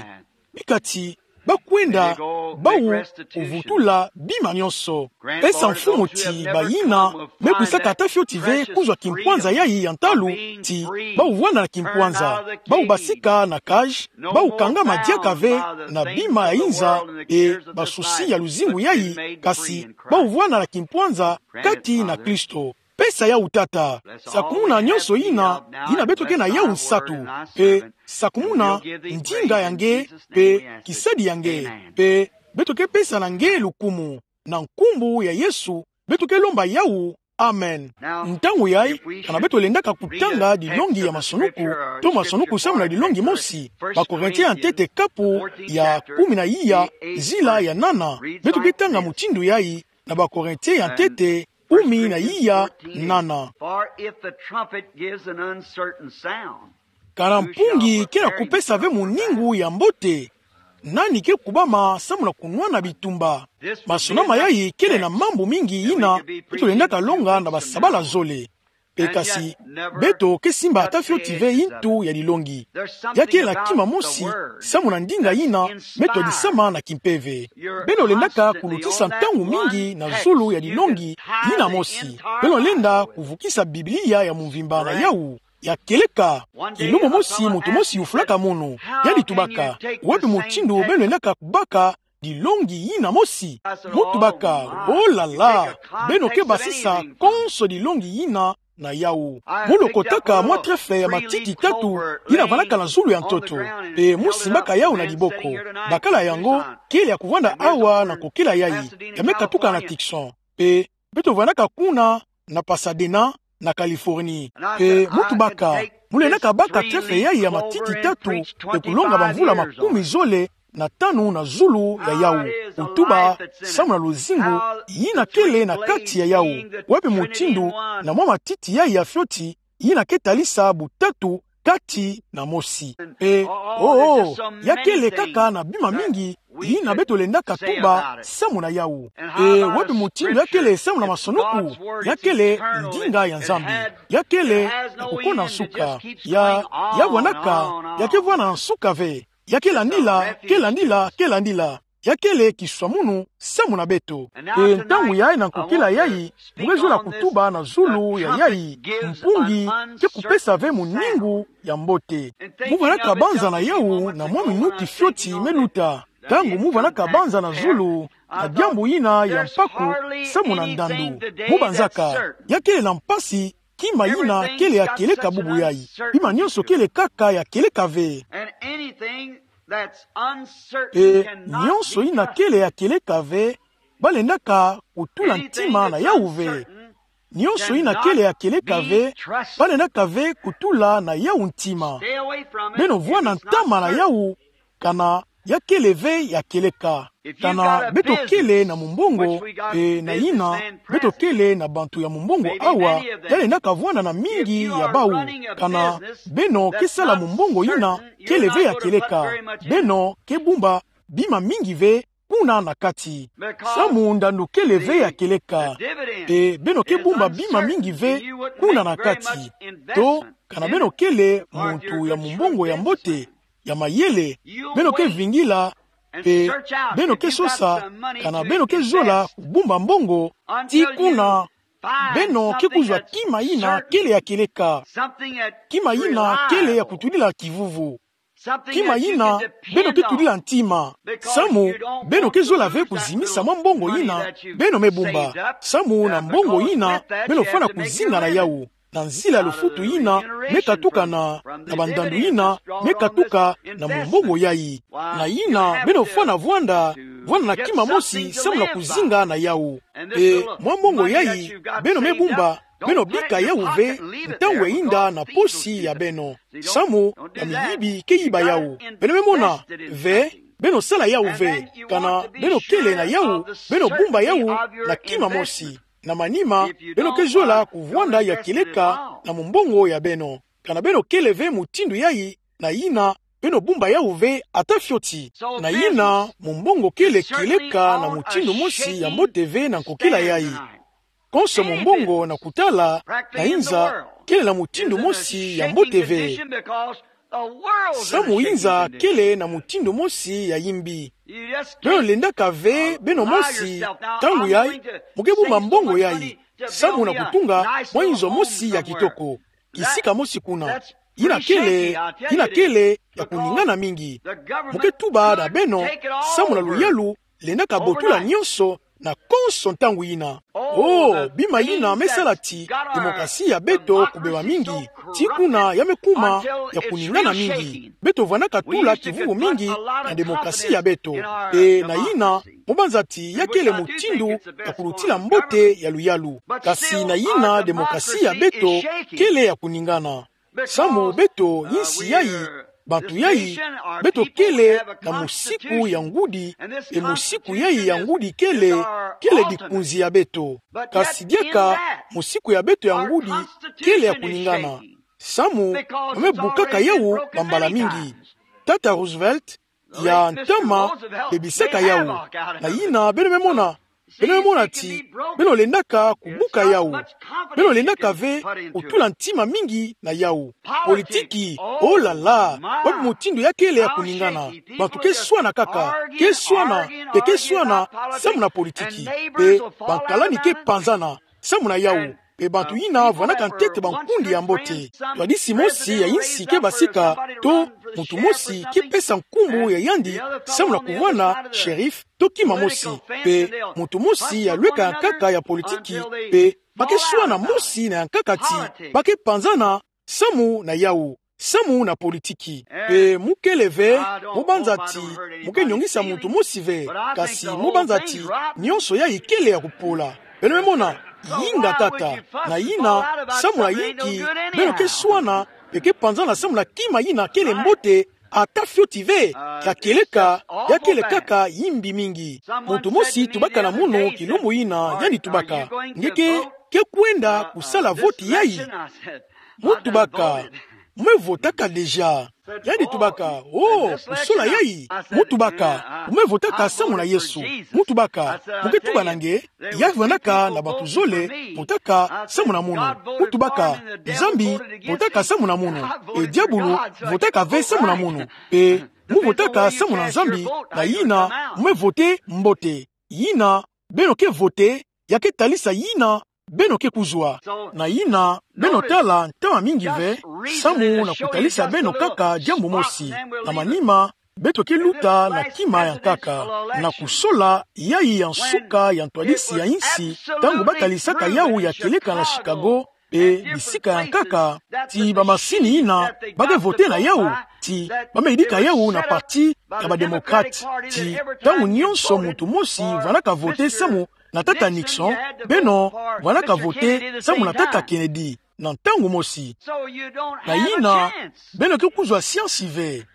Bika ti ba kwenda, bawu kuvutula bima nyonso. Pesa Mfumu ti bayina me kwisaka ata fioti ve kuzwa kimpwanza yayi ya ntalu, ti bawu vwanda na kimpwanza, bawu basika na cage, bawu kangama diaka ve na bima ya inza, e basusi ya luzingu yayi, kasi bawu vwanda na kimpwanza kati na Kristo. Pesa yawu Tata. Sakumuna nyonso yina, yina beto ke na yawu nsatu. Mpe sakumuna ndinga ya nge, mpe kisadi ya nge. Mpe beto ke pesa na nge lukumu. Na nkumbu ya Yesu, beto ke lomba yawu. Amen. Ntangu yayi, kana beto lendaka kutanga dilongi ya masonuku, to masonuku samu na dilongi mosi, Bakorentien ya ntete kapu ya kumi na iya, nzila ya nana, beto ke tanga mutindu yayi, na Bakorentien ya ntete kumi na iya nana. For if the trumpet gives an uncertain sound, kana mpungi ke na kupesa ve muningu ya mbote, nani ke kubama samu na kunwana bitumba? Masonama yayi kele na mambu mingi yina beto lendaka longa na basabala zole. Mpe kasi, beto ke simba ata fioti ve intu ya dilongi. Ya kele na kima mosi samu na ndinga yina me twadisama na kimpeve. Beno lendaka kulutisa ntangu mingi na zulu ya dilongi yina mosi. Beno lenda kuvukisa Biblia ya mvimba na yawu. Ya kieleka, kilumbu mosi muntu mosi yufulaka munu. Yandi tubaka: Wapi mutindu beno lendaka kubaka dilongi yina mosi? Mu tubaka: Oh là là, beno ke basisa konso dilongi yina na yawu. Mu lokotaka mwa trèfle ya matiti tatu yina vandaka na zulu ya ntoto, mpe mu simbaka yawu na diboko. Bakala yango kele ya kuvanda awa na kokela yayi, ya me katuka na Tucson. Mpe beto vandaka kuna na Pasadena, na Californie. Mpe mu tubaka: Mu lendaka baka trèfle yayi ya matiti tatu, mpe kulonga bamvula makumi zole na tanu na zulu ya yawu, kutuba samu na luzingu yina kele na kati ya yawu. Wapi mutindu na mwa matiti yayi ya fioti yina ke talisa butatu kati na mosi. E, oh, oh, ya kele kaka na bima mingi yina beto lendaka tuba samu na yawu. E, wapi mutindu ya kele samu na masonuku? Ya kele ndinga ya Nzambi. Ya kele na kukona nsuka. Ya, ya vwanaka, ya ke vwana nsuka ve. Ya ke landila, ke landila, ke landila. Ya kele kiswamunu samu na beto. E ntangu yayi na nkokila yayi, mu ke zola kutuba na zulu ya yayi, mpungi ke kupesa ve muningu ya mbote. Mu vwanaka banza na yawu na mwa minuti fioti me luta. Ntangu mu vwanaka banza na zulu, na diambu yina ya mpaku samu na ndandu. Mu banzaka, ya kele na mpasi, kima yina kele ya kieleka bubu yayi. Bima nionso kele kaka ya kieleka ve. And anything that's uncertain E, cannot nionso be yina trusted. Kele ya kieleka ve, ba lendaka kutula ntima na yawu ve. Nionso yina kele ya kieleka ve, ba lendaka ve kutula na yawu ntima. Beno vwanda ntama na yawu, kana ya kele ve ya kieleka. Kana beto kele na mumbongo, e, na yina beto kele na bantu ya mumbongo awa, ya lendaka vwanda na mingi ya bawu. Kana beno ke sala mumbongo yina kele ve ya kieleka, beno ke bumba bima mingi ve kuna na kati. Samu ndandu kele ve ya kieleka. E, beno ke bumba bima mingi ve kuna na kati. To, kana beno kele muntu ya mumbongo ya mbote, ya mayele, beno ke vingila, mpe beno ke sosa kana beno ke zola kubumba mbongo, tii kuna beno ke kuzwa kima yina kele ya kieleka. Kima yina kele ya kutudila kivuvu. Kima yina beno ke tudila ntima. Samu beno ke zola ve kuzimisa mwa mbongo yina beno me bumba. Samu na mbongo yina beno fwana kuzinga na yawu, na nzila lufutu yina me katuka na, na bandandu yina me katuka na mumbongo yayi. Na yina beno fwana vwanda, vwanda na kima mosi samu na kuzinga na yawu. E, mwa mbongo yayi beno me bumba, beno bika yawu ve ntangu eyinda na posi ya beno. Samu na miyibi ke yiba yawu. Beno me mona ve, beno sala yawu ve. Kana beno kele na yawu, beno bumba yawu na kima mosi. Na manima, beno ke zola kuvwanda ya kieleka na mumbongo ya beno. Kana beno kele ve mutindu yayi, na yina beno bumba yawu ve ata fioti. Na yina mumbongo kele kieleka na mutindu mosi ya mbote ve na nkokila yayi. Konso mumbongo na kutala na inza kele na mutindu mosi ya mbote ve. Samu inza kele na mutindu mosi ya yimbi. Beno lendaka ve beno mosi, ntangu yayi mu ke bumba mbongo yayi samu na kutunga mwa inzo mosi ya kitoko, kisika mosi kuna. Yina kele, yina kele ya kuningana mingi. Mu ke tuba na beno, samu na luyalu lendaka botula nionso na konso ntangu yina. Oh, bima yina me sala ti demokrasi ya beto kubeba mingi, tii kuna ya me kuma ya kuningana mingi. Beto vwanaka tula kivuvu mingi na demokrasi ya beto. E, na yina, mu banza ti ya kele mutindu ya kulutila mbote ya luyalu. Kasi na yina demokrasi ya beto kele ya kuningana. Samu beto, insi yayi, bantu yayi, beto kele na musiku ya ngudi, e musiku yayi ya ngudi kele, kele dikunzi ya beto. Kasi diaka musiku ya beto ya ngudi kele ya kuningana. Samu ba me bukaka yawu bambala mingi. Tata Roosevelt ya ntama bebisaka yawu. Na yina beno me mona, beno me mona ti beno lendaka kubuka yawu. Beno lendaka ve kutula ntima mingi na yawu. Politiki, oh là là, wapi mutindu ya kele ya kuningana. Bantu ke swana kaka, ke swana, mpe ke swana samu na politiki. Mpe bankalani ke panzana samu na yawu. Mpe bantu yina vwanaka ntete bankundi ya mbote. Twadisi mosi ya insi ke basika, to muntu mosi ke pesa nkumbu ya yandi samu na kuvwanda shérif to kima mosi. Mpe muntu mosi ya lweka yankaka ya politiki, mpe ba ke swana mosi na yankaka ti ba ke panzana samu na yawu, samu na politiki. Mpe mu kele ve, mu banza ti mu ke nyongisa muntu mosi ve, kasi mu banza ti nionso yayi kele ya kupola. Beno me mona, yinga tata, na yina, samu na yinki beno ke swana, mpe ke panzana samu na kima yina kele mbote, ata fioti ve, ya kieleka, ya kele kaka yimbi mingi. Muntu mosi tubaka na munu kilumbu yina, yandi tubaka: Nge ke, ke kwenda kusala voti yayi? Mu tubaka: mu me votaka déjà. Yandi tubaka: Oh, kusola yayi? Mu tubaka: Mu me votaka samu na Yesu. Mu tubaka: Mu ke tuba na nge, ya vandaka na bantu zole votaka samu na munu. Mu tubaka: Nzambi votaka samu na munu, e diabulu votaka ve samu na munu. Pe mu votaka samu na Nzambi, na yina mu me voter mbote. Yina beno ke voter, ya ke talisa yina beno ke kuzwa. Na yina beno tala ntama mingi ve, samu na kutalisa beno kaka diambu mosi. Na manima, beto ke luta na kima ya nkaka, na kusola yayi ya nsuka ya ntwadisi ya insi, ntangu ba talisaka yawu ya kieleka na Chicago, pe bisika ya nkaka, ti bamasini yina ba ke voter na yawu, ti ba me yidika yawu na parti ya ba Démocrate, ti ntangu nyonso muntu mosi vandaka voter samu na tata Nixon, beno vandaka voter samu na tata Kennedy, na ntangu mosi. Na yina, beno ke kuzwa chance ve.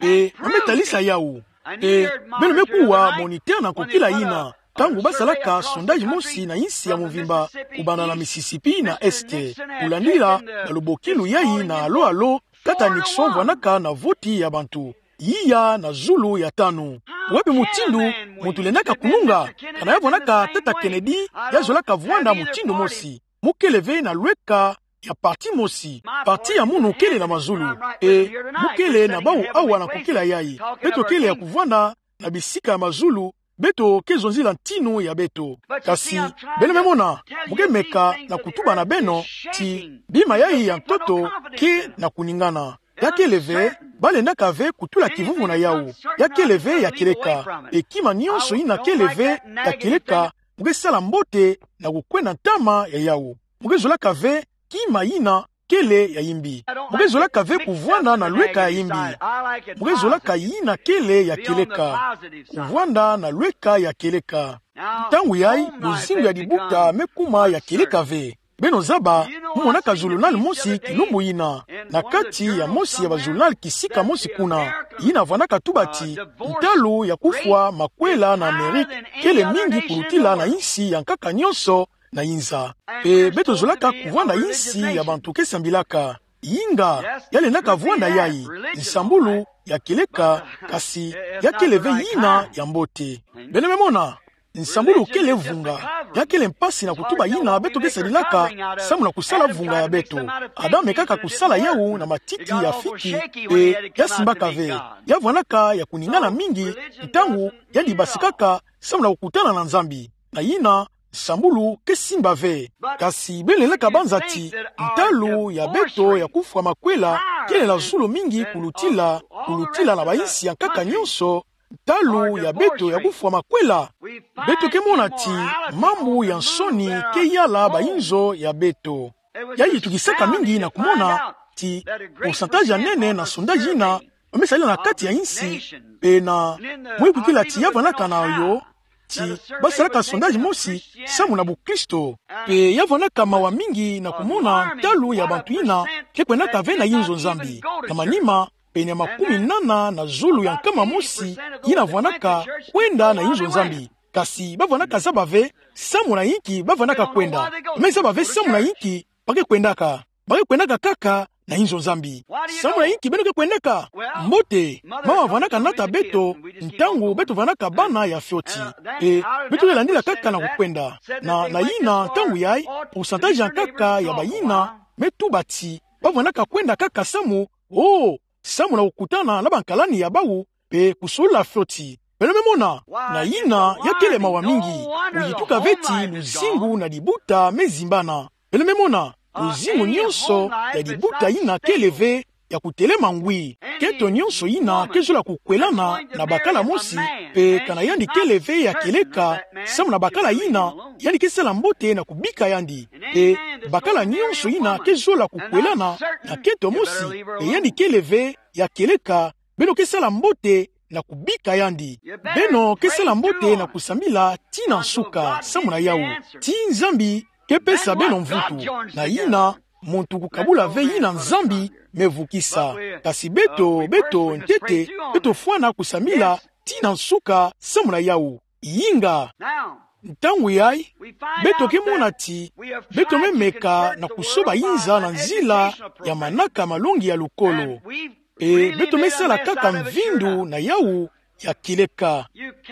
E, ba me talisa yawu. E, beno me kuwa moniteur na nkokila yina, ntangu ba salaka sondage mosi na insi ya mvimba, kubanda na Mississippi na Est, kulandila na lubokilu yayi na alo alo, tata Nixon vandaka na voti ya bantu iya na zulu ya tanu. Wapi mutindu muntu lendaka kununga? Kana ya vandaka tata Kennedy, ya zolaka vwanda mutindu mosi. Mu kele ve na lweka ya parti mosi. Parti ya munu kele na mazulu. E, mu kele na bawu awa na nkokila yayi. Beto kele ya kuvwanda na bisika ya mazulu, beto ke zonzila ntinu ya beto. Kasi, beno me mona, mu ke meka na kutuba na beno ti bima yayi ya ntoto ke na kuningana. Ya kele ve, ba lendaka ve kutula kivuvu na yawu. Ya kele ve ya kieleka. E kima nyonso yina kele ve ya kieleka, mu ke sala mbote na kukwenda ntama ya yawu. Mu ke zolaka ve kima yina kele ya yimbi. Mu ke zolaka ve kuvwanda na lweka ya yimbi. Mu ke zolaka yina kele ya kieleka. Kuvwanda na lweka ya kieleka. Ntangu yayi, luzingu ya dibuta me kuma ya kieleka ve. Beno zaba, mu monaka zulunal mosi kilumbu yina, na kati ya mosi ya bazulunal kisika mosi kuna, yina vandaka tuba ti ntalu ya kufwa makwela na Amerike kele mingi kulutila na insi ya nkaka nyonso na inza. Pe beto zolaka kuvwanda insi ya bantu ke sambilaka. Yinga, ya lendaka vwanda yayi, nsambulu ya kieleka, kasi ya kele ve yina ya mbote. Beno me mona, nsambulu kele vunga. Ya kele mpasi na kutuba yina beto ke sadilaka samu na kusala vunga ya beto. Adam mekaka kusala yawu na matiti ya fiti, pe ya simbaka ve. Ya vwandaka ya kuningana mingi ntangu yandi basikaka samu na kukutana na Nzambi. Na yina, nsambulu ke simba ve. Kasi beno lendaka banza ti ntalu ya beto ya kufwa makwela kele na zulu mingi kulutila, kulutila na bainsi ya nkaka nyonso, ntalu ya beto ya kufwa makwela. Beto ke mona ti mambu ya nsoni ke yala bainzo ya beto. Yayi tukisaka mingi na kumona ti pourcentage ya nene na sondage yina ba me sadila na kati ya insi, pe na mwikukila ti ya vandaka na yo, ti ba salaka sondage mosi samu na bukristo. Pe ya vandaka mawa mingi na kumona ntalu ya bantu yina ke kwendaka ve na inzo Nzambi. Na manima, pene ya makumi nana na zulu ya nkama mosi yina vandaka kwenda na inzo Nzambi. Kasi ba vandaka zaba ve samu na inki ba vandaka kwenda. Ba me zaba ve samu na inki ba ke kwendaka. Ba ke kwendaka kaka na inzo Nzambi. Samu na inki beno ke kwendaka? Mbote, mama vandaka nata beto ntangu beto vandaka bana ya fioti. E, beto ke landila kaka na kukwenda. Na, na yina ntangu yayi, pourcentage ya nkaka ya bayina me tuba ti ba vandaka kwenda kaka samu, oh, samu na kukutana na bankalani ya bawu, pe kusolula fioti. Beno me mona, na yina ya kele mawa mingi. Wuyituka ve ti luzingu na dibuta me zimbana. Beno me mona, luzingu nyonso ya dibuta yina kele ve ya kutelema ngwi. Keto nyonso yina ke zola kukwelana na bakala mosi, pe kana yandi kele ve ya kieleka samu na bakala yina, yandi ke sala mbote na kubika yandi. Pe bakala nyonso yina ke zola kukwelana na keto mosi, pe yandi kele ve ya kieleka, beno ke sala mbote na kubika yandi. Beno ke sala mbote na kusambila tii na nsuka samu na yawu. Ti Nzambi ke pesa beno mvutu. Na yina, muntu kukabula ve yina Nzambi me vukisa. Kasi beto, beto ntete, beto fwana kusambila tii na nsuka samu na yawu. Yinga. Ntangu yai, beto ke mona ti beto memeka na kusoba inza na nzila ya manaka malongi ya lukolo. E beto mesala kaka mvindu na yau ya kileka.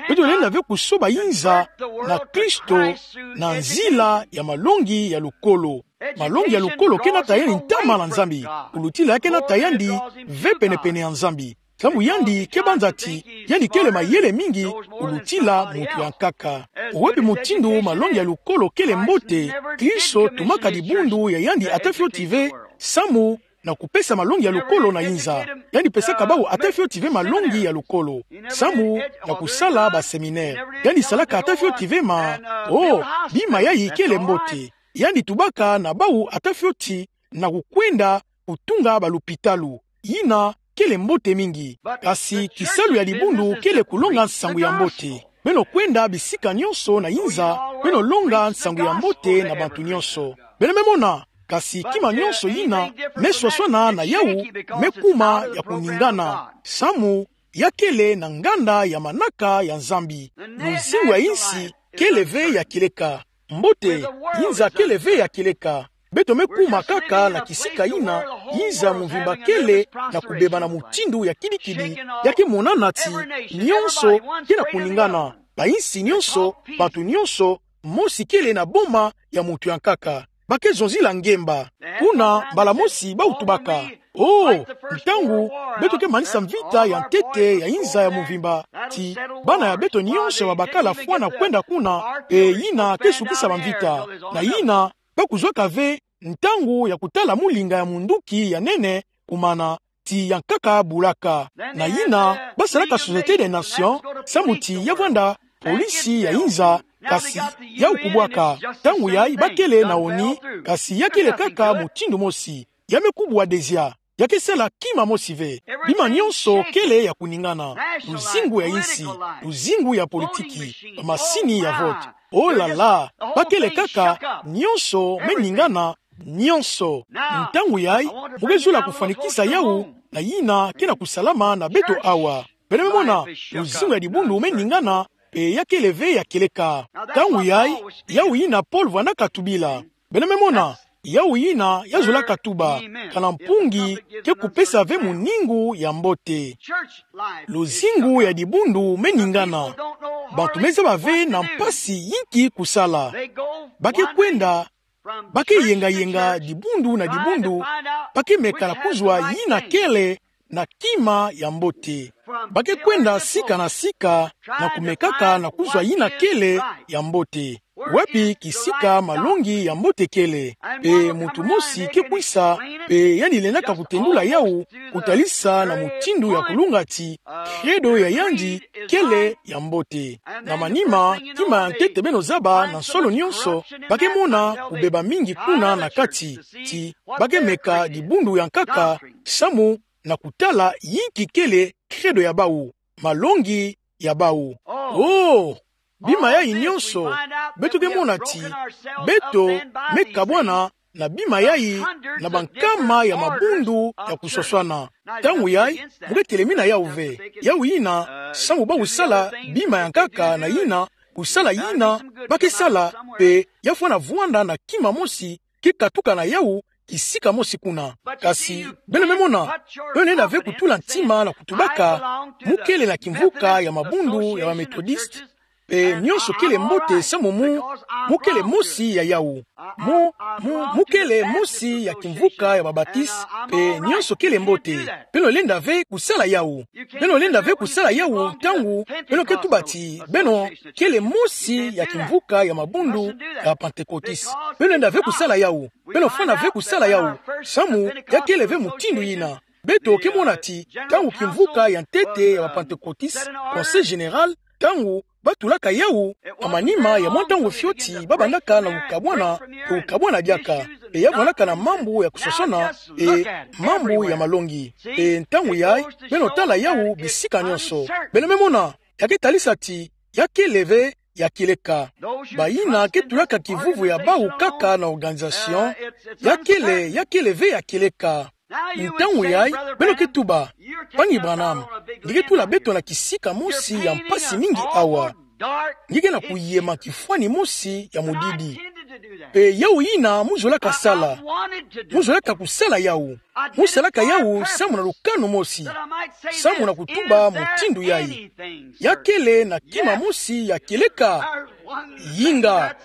Beto lenda ve kusoba inza na Kristo na nzila ya malongi ya lukolo. Malongi ya lukolo ke nata yandi ntama na Nzambi. Kulutila ya ke nata yandi ve penepene ya Nzambi. Samu yandi ke banza ti yandi kele mayele mingi kulutila muntu ya nkaka. Wapi mutindu malongi ya lukolo kele mbote, Kristo tumaka dibundu ya yandi ata fioti ve, samu na kupesa malongi ya lukolo na inza. Yandi pesaka bau ata fioti ve malongi ya lukolo, samu na kusala ba séminaire. Yandi salaka ata fioti ve ma, oh, bima yai kele mbote. Yandi tubaka na bau ata fioti na kukwenda kutunga ba lupitalu. Yina kele mbote mingi. Kasi kisalu ya dibundu kele kulonga nsangu ya mbote. Beno kwenda bisika nyonso na inza, beno longa nsangu ya mbote na bantu nyonso. Beno memona, kasi kima nyonso yina meswaswana na yau mekuma ya kuningana. Samu ya kele na nganda ya manaka ya Nzambi. Luzingu ya insi kele ve ya kileka. Mbote, inza kele ve ya kileka. Beto mekuma kaka na kisika yina inza muvimba kele na kubeba na mutindu ya kidikidi, ya ke monana ti nyonso ke na kuningana. Ba insi nyonso, bantu nyonso, mosi kele na boma ya muntu ya nkaka. Ba ke zonzila ngemba. Kuna mbala mosi bau tubaka: Oh, ntangu beto ke manisa mvita ya ntete ya inza ya muvimba, ti bana ya beto nyonso ya babakala fwana kwenda kuna, e yina ke sukisa bamvita. Na yina ba kuzwaka ve ntangu ya kutala mulinga ya munduki ya nene, kumana ti ya nkaka bulaka. Na yina ba salaka Société des Nations, samu ti ya vwanda polisi ya inza, kasi yau kubwaka. Ntangu yai ba kele na ONU, kasi ya kele kaka mutindu mosi. Ya mekubwa dezia. Ya ke sala kima mosi ve. Bima nyonso kele ya kuningana. Luzingu ya insi, luzingu ya politiki, ba masini ya vote. Oh là là, ba kele kaka, nyonso meningana, nyonso. Ntangu yai, mu ke zola kufwanikisa yau na yina ke na kusalama na beto awa. Beno memona, luzingu ya dibundu meningana, pe ya kele ve ya kileka. Ntangu yai, yau yina Paul vwandaka tubila. Beno memona, yau yina ya zolaka tuba: Kana mpungi ke kupesa ve muningu ya mbote. Luzingu ya dibundu meningana. Bantu mezaba ve na mpasi yinki kusala. Ba ke kwenda, ba ke yengayenga dibundu na dibundu, ba ke meka na kuzwa yina kele na kima ya mbote. Ba ke kwenda sika na sika na kumekaka na kuzwa yina kele ya mbote. Wapi kisika malongi ya mbote kele? Pe muntu mosi ke kwisa, pe yandi lendaka kutendula yau, kutalisa na mutindu ya kulunga ti credo ya yandi kele ya mbote. Na manima, kima ya ntete beno zaba na nsolo nyonso, ba ke mona kubeba mingi kuna na kati, ti ba ke meka dibundu ya nkaka, samu na kutala yinki kele credo ya bau, malongi ya bau. Oh, bima yai nyonso, beto ke mona ti beto mekabwana na bima yai na bankama ya mabundu ya kuswaswana. Ntangu yai, mu ke telemina yau ve. Yau yina, samu bau sala bima ya nkaka na yina, kusala yina ba ke sala, pe ya fwana vwanda na kima mosi ke katuka na yau kisika mosi kuna. Kasi beno memona, beno lenda ve kutula ntima na kutubaka: Mu kele na kimvuka ya mabundu ya ba Methodiste, pe nyonso kele mbote samu mu, mu kele mosi ya yau. Mu, mu, mu kele mosi ya kimvuka ya ba Baptiste, pe nyonso kele mbote. Beno lenda ve kusala yau. Beno lenda ve kusala yau ntangu beno ke tuba ti beno kele mosi ya kimvuka ya mabundu ya Pentecôtiste. Beno lenda ve kusala yau. Beno fwana ve kusala yau, samu ya kele ve mutindu yina. Beto ke mona ti ntangu kimvuka ya ntete ya ba Pentecôtiste, Conseil général, ntangu ba tulaka yau, na manima ya mwa ntangu fioti ba bandaka na kukabwana, kukabwana diaka, pe ya vwandaka na mambu ya kuswaswana, e mambu ya malongi. Pe ntangu yai, beno tala yau bisika nyonso. Beno memona, ya ke talisa ti ya kele ve ya kileka. Bayina ke tulaka kivuvu ya bau kaka na organisation, ya kele, ya kele ve ya kileka. Ntangu yai, beno ke tuba: Mpangi Branham, nge ke tula beto na kisika mosi ya mpasi mingi awa. Ngikena kuyema kifwani mosi ya mudidi. Pe yawu yina mu zolaka sala. Mu zolaka kusala yawu. Mu salaka yawu samu na lukanu mosi. Samu na kutuba mutindu yayi. Ya kele na kima mosi ya kieleka. Yinga.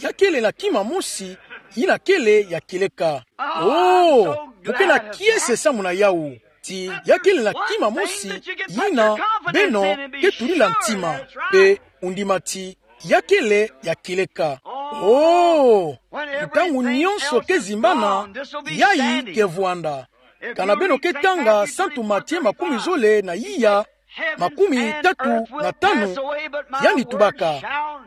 Ya kele na kima mosi yina kele ya kieleka. Oh, mu kena kiese samu na yawu. Ti ya kele na kima mosi yina beno ke tulila ntima. Pe undima ti ya kele ya kieleka. Oh, ntangu nyonso ke zimbana, yayi ke vwanda. Kana beno ke tanga Santu Matie makumi zole na iya, makumi tatu na tanu, yandi tubaka: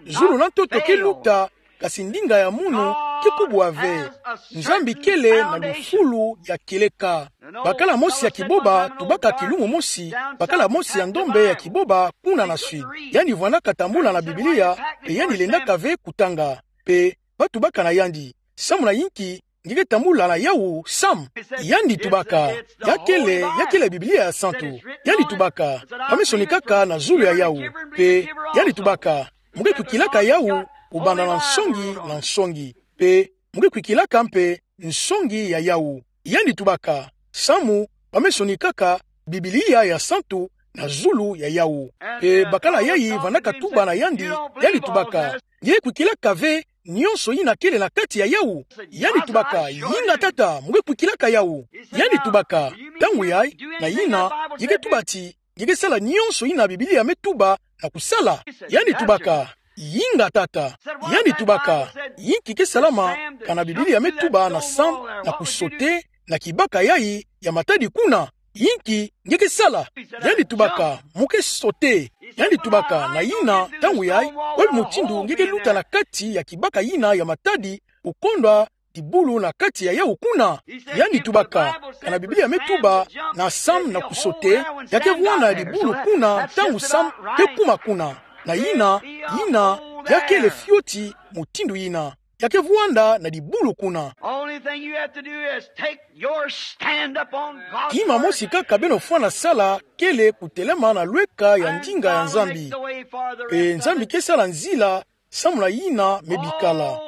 Zulu na ntoto ke luta, kasi ndinga ya munu ke kubwa ve. Nzambi kele na lufulu ya kieleka. Bakala mosi ya kiboba tubaka kilumbu mosi, bakala mosi ya ndombe ya kiboba kuna na sud. Yandi vwandaka tambula na Biblia, pe yandi lendaka ve kutanga. Pe ba tubaka na yandi: Samu na yinki nge ke tambula na yawu, Sam? Yandi tubaka: Ya kele, ya kele Biblia ya santu. Yandi tubaka: Ba me sonikaka na zulu ya yawu. Pe yandi tubaka: Mu ke kwikilaka yawu kubanda na nsongi na nsongi. Pe mu ke kwikilaka mpe nsongi ya yawu. Yandi tubaka: Samu ba me sonikaka Biblia ya santu na zulu ya yawu. Pe bakala yayi vandaka tuba na yandi, yandi tubaka: Nge ke kwikilaka ve nyonso yina kele na kati ya yawu? Yandi tubaka: Yinga, Tata, mu ke kwikilaka yawu. Yandi tubaka: Ntangu yayi, na yina, nge ke tuba ti nge ke sala nyonso yina Biblia me tuba na kusala. Yandi tubaka: Yinga, Tata. Yandi tubaka: Yinki ke salama kana Biblia me tuba na Sam na kusote na kibaka yayi ya matadi kuna? Yinki nge ke sala? Yandi tubaka: Mu ke sote. Yandi tubaka: Na yina, ntangu yayi, bwe mutindu nge ke luta na kati ya kibaka yina ya matadi, kukondwa dibulu na kati ya yawu kuna? Yandi tubaka: Kana Biblia me tuba na Sam na kusote, ya ke vwanda na dibulu kuna ntangu Sam ke kuma kuna. Na yina, yina, ya kele fioti mutindu yina. Ya ke vwanda na dibulu kuna. Only thing you have to do is take your stand up on God's word. Kima mosi kaka beno fwana sala kele kutelema na lweka ya ndinga ya Nzambi. Pe Nzambi ke sala nzila samu na yina me bikala.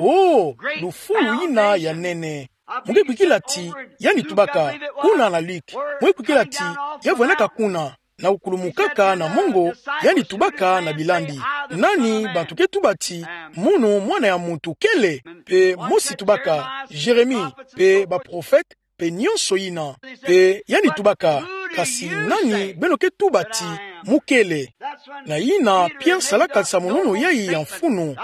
Oh, lufulu yina ya nene. Mu ke kwikila ti yandi tubaka kuna na Luke. Mu ke kwikila ti ya vwandaka kuna na kukulumukaka na mongo, yandi tubaka na bilandi: Nani bantu ke tuba ti munu, Mwana ya Muntu, kele? Pe mosi tubaka: Jérémie, pe baprofete, pe nyonso yina. Pe yandi tubaka: Kasi nani beno ke tuba ti mu kele? Na yina Pierre salaka nsamununu yayi ya mfunu: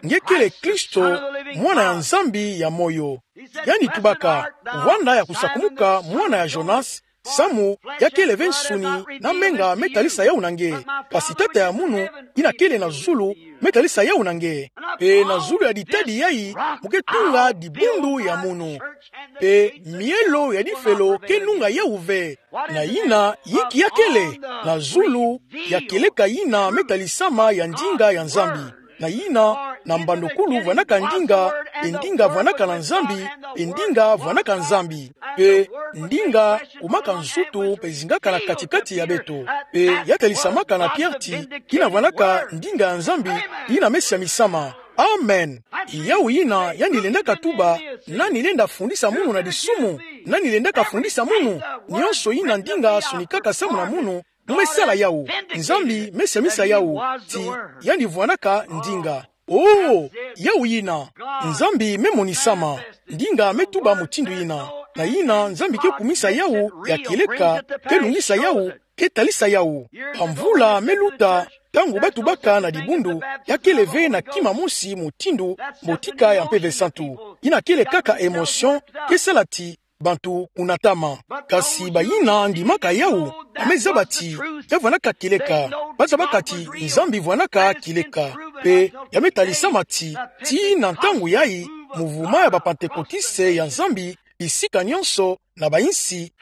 Nge kele Kristo, Mwana ya Nzambi ya moyo. Yandi tubaka: Vwanda ya kusakumuka mwana ya Jonas, samu ya kele ve nsuni na menga me talisa yawu na nge, kasi Tata ya munu yina kele na zulu me talisa yawu na nge. Pe na zulu ya ditadi yayi mu ke tunga dibundu ya munu. Pe mielo ya difelo ke nunga yawu ve. Na yina, yinki ya kele? Na zulu ya kieleka yina me talisama ya ndinga ya Nzambi. Na yina, na mbandokulu vwandaka ndinga, pe ndinga vwandaka na Nzambi, pe ndinga vwandaka Nzambi. Pe ndinga kumaka nzutu pe zingaka na kati-kati ya beto. Pe ya talisamaka na Pierre ti yina vwandaka ndinga ya Nzambi, yina me siamisama. Amen. Yawu yina yandi lendaka tuba: Nani lenda fundisa munu na disumu? Nani lendaka fundisa munu? Nyonso yina ndinga sonikaka samu na munu, mu me sala yawu. Nzambi me siamisa yawu ti yandi vwandaka ndinga. Oh, yawu yina. Nzambi me monisama. Ndinga me tuba mutindu yina. Na yina Nzambi ke kumisa yawu ya kieleka, ke lungisa yawu, ke talisa yawu. Bamvula me luta, ntangu ba tubaka na dibundu, ya kele ve na kima mosi mutindu mbotika ya Mpeve Santu. Yina kele kaka émotion, ke sala ti bantu kunatama. Kasi bayina ndimaka yawu, ba me zaba ti ya vwandaka kieleka. Ba zabaka ti Nzambi vwandaka kieleka. Pe ya me talisama ti, tii na ntangu yayi, muvuma ya ba Pantekotiste ya Nzambi, bisika nyonso na bayinsi,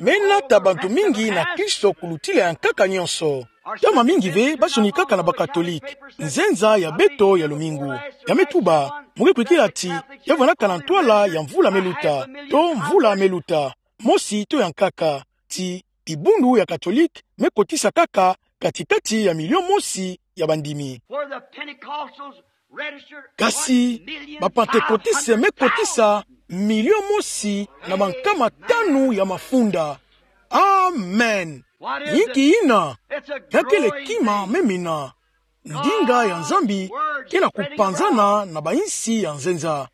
me nata bantu mingi na Kristo kulutila ya nkaka nyonso. Ntama mingi ve ba sonikaka na ba Katolike, nzenza ya beto ya lumingu. Ya me tuba, mu ke kwikila ti ya vwandaka na ntwala ya mvula me luta, to mvula me luta, mosi to ya nkaka, ti dibundu ya Katolike me kotisa kaka kati-kati ya milio mosi ya bandimi. Kasi ba-Pantekotiste me kotisa milio mosi na bankama tanu ya mafunda. Amen. Inki ina? Ya kele kima me mina. Ndinga ya Nzambi ke na kupanzana na bainsi ya nzenza.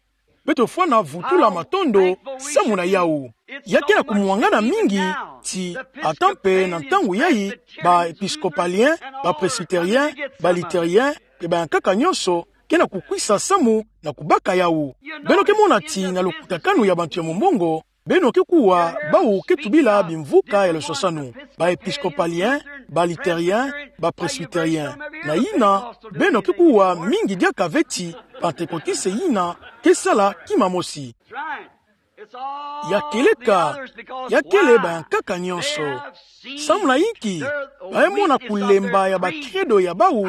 Beto fwana vutula matondo samu na yawu. Ya ke na kumwangana mingi ti, ata mpe na ntangu yayi, ba-Episcopalien, ba-Presbytérien, ba-Lutherien, mpe bayankaka nyonso ke na kukwisa samu na kubaka yawu. Beno ke mona ti na lokutakanu ya bantu ya mombongo, beno ke kuwa bawu ke tubila bimvuka ya lusosanu, ba-Episcopalien, ba-Lutherien, ba-Presbytérien. Na ina, beno ke kuwa mingi diaka ve ti Pantekotiste ina ke sala kima mosi. Ya kieleka, ya kele bayankaka nyonso. Samu na inki? Ba me mona kulemba ya ba-credo ya bawu,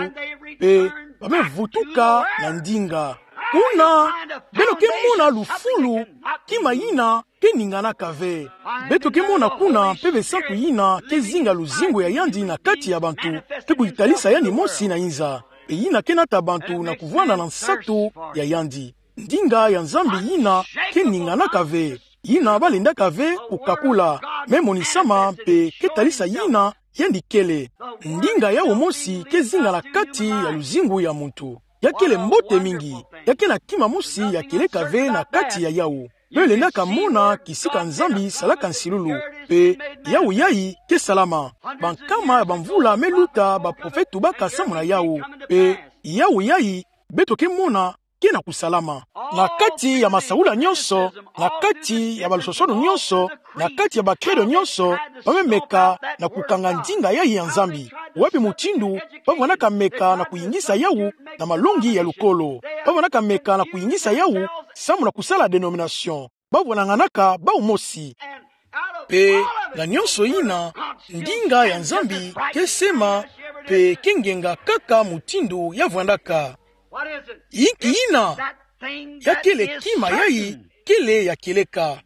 mpe ba me vutuka na ndinga. Kuna, beno ke mona lufulu, kima ina ke ninganaka ve. Beto ke mona kuna mpeve santu ina ke zinga luzingu ya yandi na kati ya bantu, mpe kuyitalisa yandi mosi na inza. Mpe ina ke nata bantu na kuvwanda na nsatu ya yandi. Ndinga ya Nzambi ina ke ninganaka ve. Ina ba lendaka ve kukakula, me monisama mpe ke talisa ina yandi kele. Ndinga yawu mosi ke zinga na kati ya luzingu ya muntu. Ya kele mbote mingi. Ya ke na kima mosi ya kieleka ve na kati ya yawu. Beno lendaka mona kisika Nzambi salaka nsilulu. Mpe yawu yayi ke salama. Bankama ya bamvula me luta baprofete tubaka samu na yawu. Mpe yawu yayi beto ke mona ke na kusalama. Na kati ya masaula nyonso, na kati ya balusosonu nyonso, na kati ya ba-credo nyonso, ba me meka na kukanga ndinga yayi ya Nzambi. Wapi mutindu ba vwanaka meka na kuyingisa yawu na malongi ya lukolo? Ba vwanaka meka na kuyingisa yawu samu na kusala dénomination. Ba vwananganaka bawu mosi. Mpe na nyonso ina, ndinga ya Nzambi ke sema, mpe ke ngenga kaka mutindu ya vwandaka. Inki ina? Ya kele kima yayi kele ya kieleka.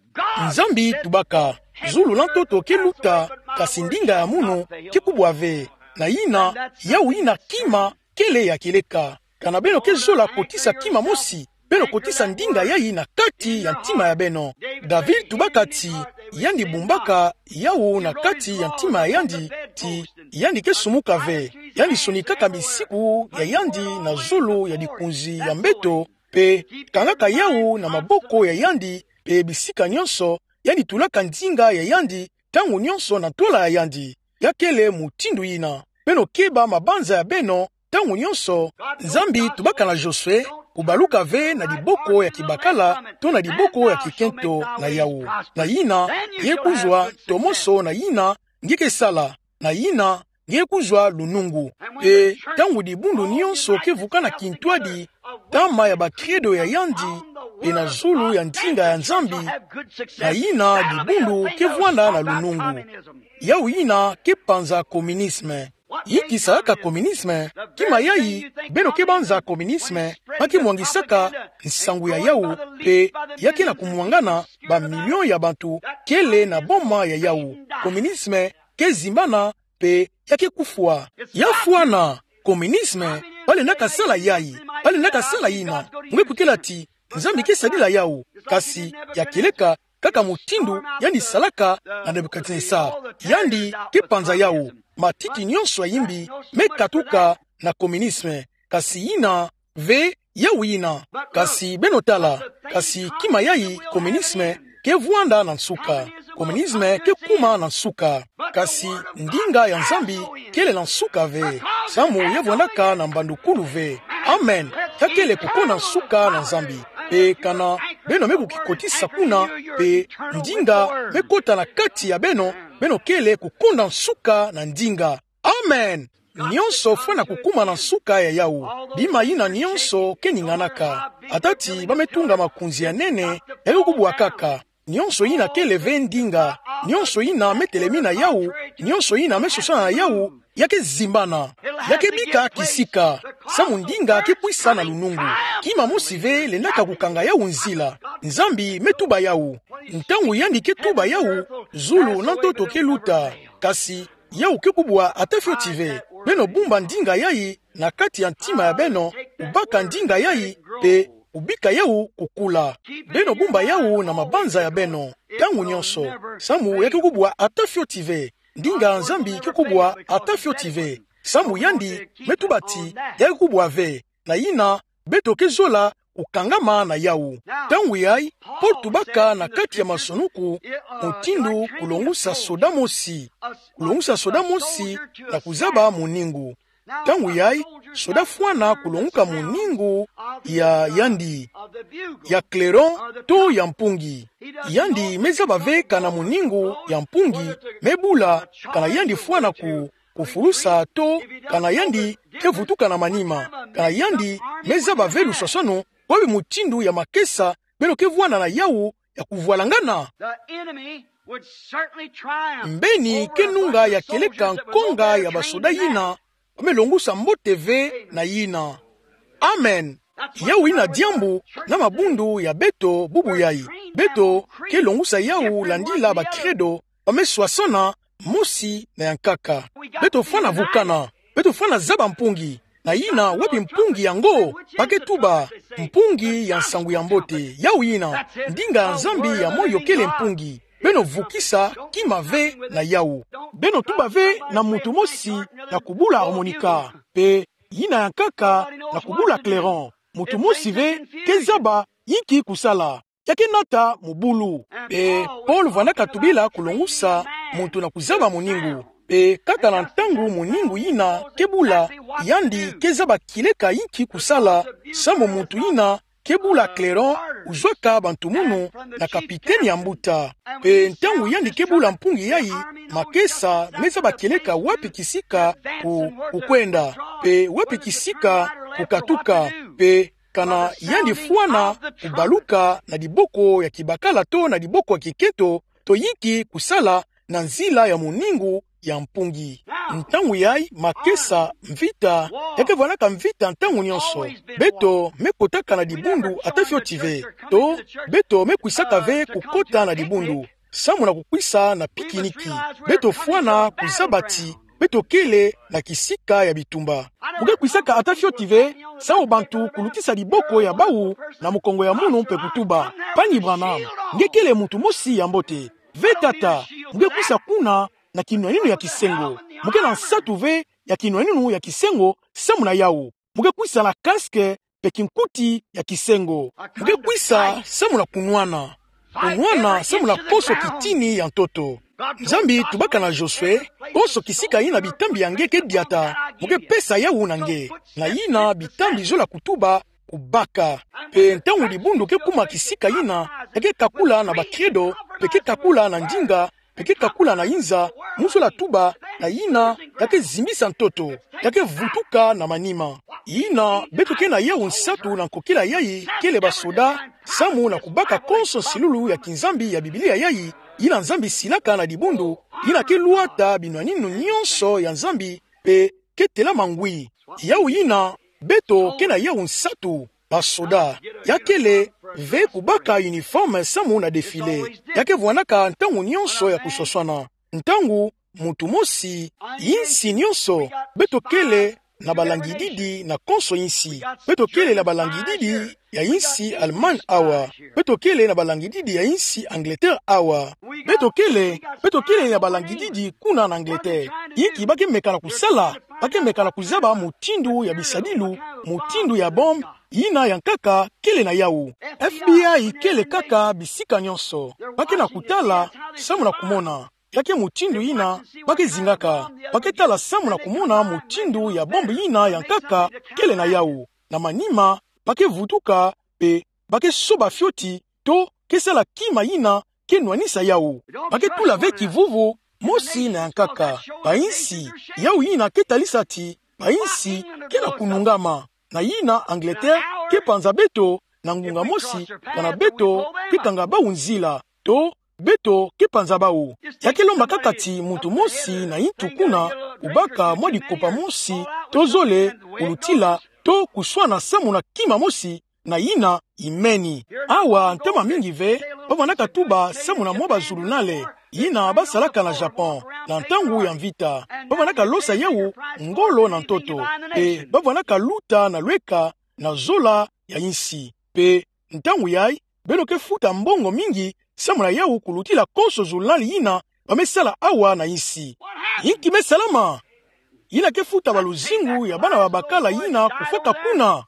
Nzambi tubaka, zulu na ntoto ke luta, kasi ndinga ya munu ke kubwa ve. Na ina, yawu ina kima kele ya kieleka. Kana beno ke zola kotisa kima mosi, beno kotisa ndinga yayi na kati ya ntima ya beno. David tubaka ti yandi bumbaka yawu na kati ya ntima ya yandi, ti yandi ke sumuka ve. Yandi sonikaka misiku ya yandi na zulu ya likunzi ya mbeto, mpe kangaka yawu na maboko ya yandi, mpe bisika nyonso yandi tulaka ndinga ya yandi, ntangu nyonso na ntwala ya yandi. Ya kele mutindu ina. Beno keba mabanza ya beno ntangu nyonso. Nzambi tubaka na Josue, kubaluka ve na liboko ya kibakala to na liboko ya kikento na yawu. Na ina, nge kuzwa ntomoso na ina nge ke sala. Na ina, nge kuzwa lunungu. Mpe ntangu dibundu nyonso ke vukana kintwadi, ntama ya ba-credo ya yandi, mpe na zulu ya ndinga ya Nzambi, na ina dibundu ke vwanda na lunungu. Yawu ina ke panza communisme. Inki salaka communisme? Kima yayi beno ke banza communisme, ma ke mwangisaka nsangu ya yawu, mpe ya ke na kumwangana, ba million ya bantu kele na boma ya yawu. Communisme ke zimbana, mpe ya ke kufwa. Ya fwana, communisme, ba lendaka sala yayi, ba lendaka sala ina. Nge kukila ti Nzambi ke sadila yawu, kasi ya kieleka kaka mutindu yandi salaka na Nebukadnesar. Yandi ke panza yawu, matiti nyonso ya yimbi me katuka na communisme. Kasi ina ve yawu ina. Kasi beno tala, kasi kima yayi, communisme ke vwanda na nsuka. Communisme ke kuma na nsuka. Kasi ndinga ya Nzambi kele na nsuka ve. Samu ya vwandaka na mbandukulu ve. Amen. Ya kele kukonda nsuka na Nzambi. Mpe kana beno me kukikotisa kuna, mpe ndinga me kota na kati ya beno, beno kele kukonda nsuka na ndinga. Amen. Nyonso fwana kukuma na nsuka ya yawu. Bima yina nyonso ke ninganaka. Ata ti ba me tunga makunzi ya nene, ya ke kubwa kaka. Nyonso yina kele ve ndinga. Nyonso yina me telemina yawu, nyonso yina me sosana na yawu, ya ke zimbana. Ya ke bika kisika. Samu ndinga ke kwisa na lunungu. Kima mosi ve lendaka kukanga yawu nzila. Nzambi me tuba yawu. Ntangu yandi ke tuba yawu, zulu na ntoto ke luta. Kasi yawu ke kubwa ata fioti ve. Beno bumba ndinga yayi na kati ya ntima ya beno, kubaka ndinga yayi, pe kubika yawu kukula. Beno bumba yawu na mabanza ya beno, ntangu nyonso. Samu ya ke kubwa ata fioti ve. Ndinga ya Nzambi ke kubwa ata fioti ve. Samu yandi me tuba ti, ya ke kubwa ve. Na yina, beto kezola kukangama na yawu. Ntangu yayi, Paul tubaka na kati ya Masanuku, mutindu kulongusa soda mosi. Kulongusa soda mosi na kuzaba muningu. Ntangu yayi, soda fwana kulonguka muningu ya yandi, ya clairon to ya mpungi. Yandi me zaba ve kana muningu ya mpungi me bula, kana yandi fwana ku, kufulusa to kana yandi ke vutuka na manima, kana yandi me zaba ve luswaswanu, kwa bi mutindu ya makesa beno ke vwanda na yawu ya kuvwalangana. The enemy would certainly triumph. Mbeni ke nunga ya kieleka nkonga ya basoda yina, ba me longusa mbote ve na yina. Amen. Yawu yina diambu na mabundu ya beto bubu yayi. Beto ke longusa yawu landila ba credo, ba me swasana mosi na ya nkaka. Beto fwana vukana. Beto fwana zaba mpungi. Na yina wapi mpungi yango? Ba ke tuba, mpungi ya nsangu ya mbote. Yawu yina, ndinga ya Nzambi ya moyo kele mpungi. Beno vukisa kima ve na yawu. Beno tuba ve na muntu mosi na kubula harmonica, pe yina ya nkaka na kubula clairon. Muntu mosi ve ke zaba inki kusala. Ya ke nata mubulu. Pe Paul vwandaka tubila kulongusa muntu na kuzaba muningu. Pe kaka na ntangu muningu yina ke bula, yandi ke zaba kieleka inki kusala, samu muntu yina ke bula clairon uzwaka bantumunu na kapiteni ya mbuta. Pe ntangu yandi ke bula mpungi yayi, makesa me zaba kieleka wapi kisika ku, kukwenda, pe wapi kisika kukatuka, pe kana yandi fwana kubaluka na diboko ya kibakala to na diboko ya kikento, to inki kusala na nzila ya muningu ya mpungi. Ntangu yayi makesa, mvita, ya ke vwandaka mvita ntangu nyonso. Beto me kotaka na dibundu ata fioti ve. To, beto me kwisaka ve kukota na dibundu samu na kukwisa na pikiniki. Beto fwana kuzaba ti beto kele na kisika ya bitumba. Mu ke kwisaka ata fioti ve samu bantu kulutisa diboko ya bawu na mukongo ya munu mpe kutuba: Pani Branham, nge kele muntu mosi ya mbote. Ve tata, mu ke kwisa kuna na kinwaninu ya kisengo. Mu ke na nsatu ve ya kinwaninu ya kisengo samu na yawu. Mu ke kwisa na casque pe kinkuti ya kisengo. Mu ke kwisa samu na kunwana. Kunwana samu na konso kitini ya ntoto. Nzambi tubaka na Josue: Konso kisika yina bitambi ya nge ke diata, mu ke pesa yawu na nge. Na yina bitambi zola kutuba: Kubaka. Pe ntangu dibundu ke kuma kisika yina, ya ke kakula na ba credo, pe ke kakula na ndinga, pe ke kakula na inza, mu zola tuba, na yina ya ke zimbisa ntoto, ya ke vutuka na manima. Yina beto ke na yawu nsatu na nkokila yayi kele basoda, samu na kubaka konso nsilulu ya kinzambi ya Biblia yayi, yina Nzambi silaka na dibundu, yina ke lwata binwaninu nyonso ya Nzambi, pe ke telama ngwi. Yawu yina, beto ke na yawu nsatu, basoda. Ya kele ve kubaka uniforme samu na défilé. Ya ke vwandaka ntangu nyonso ya kuswaswana. Ntangu muntu mosi, insi nyonso, beto kele na balangididi na konso insi. Beto kele na balangididi ya insi Allemagne awa. Beto kele na balangididi ya insi Angleterre awa. Beto kele, beto kele na balangididi kuna na Angleterre. Inki ba ke meka na kusala? Ba ke meka na kuzaba mutindu ya bisadilu, mutindu ya bombe, yina ya nkaka kele na yawu. F B I kele kaka bisika nyonso. Ba ke na kutala samu na kumona. Ya ke mutindu yina ba ke zingaka. Ba ke tala samu na kumona mutindu ya bombe yina ya nkaka kele na yawu. Na manima, ba ke vutuka, pe ba ke soba fioti, to ke sala kima yina ke nwanisa yawu. Ba ke tula ve kivuvu mosi na ya nkaka. Bainsi, yawu yina ke talisa ti bainsi ke na kunungama. Na yina Angleterre ke panza beto na ngunga mosi, kana beto ke kanga bawu nzila, to beto ke panza bawu. Ya ke lomba kaka ti muntu mosi na yintu kuna kubaka mwa dikopa mosi, to zole kulutila, to kuswana samu na kima mosi, na yina imeni. Awa, ntama mingi ve, ba vwandaka tuba samu na mwa bazulunale yina ba salaka na Japon. na ntangu ya mvita. Bavwandaka losa yawu ngolo na ntoto. Pe bavwandaka luta na lweka na zola ya insi. Pe ntangu yayi, beno ke futa mbongo mingi samu na yawu kulutila konso zulunali yina bamesala awa na insi. Inki mesalama? Yina ke futa baluzingu ya bana babakala yina kufwaka kuna.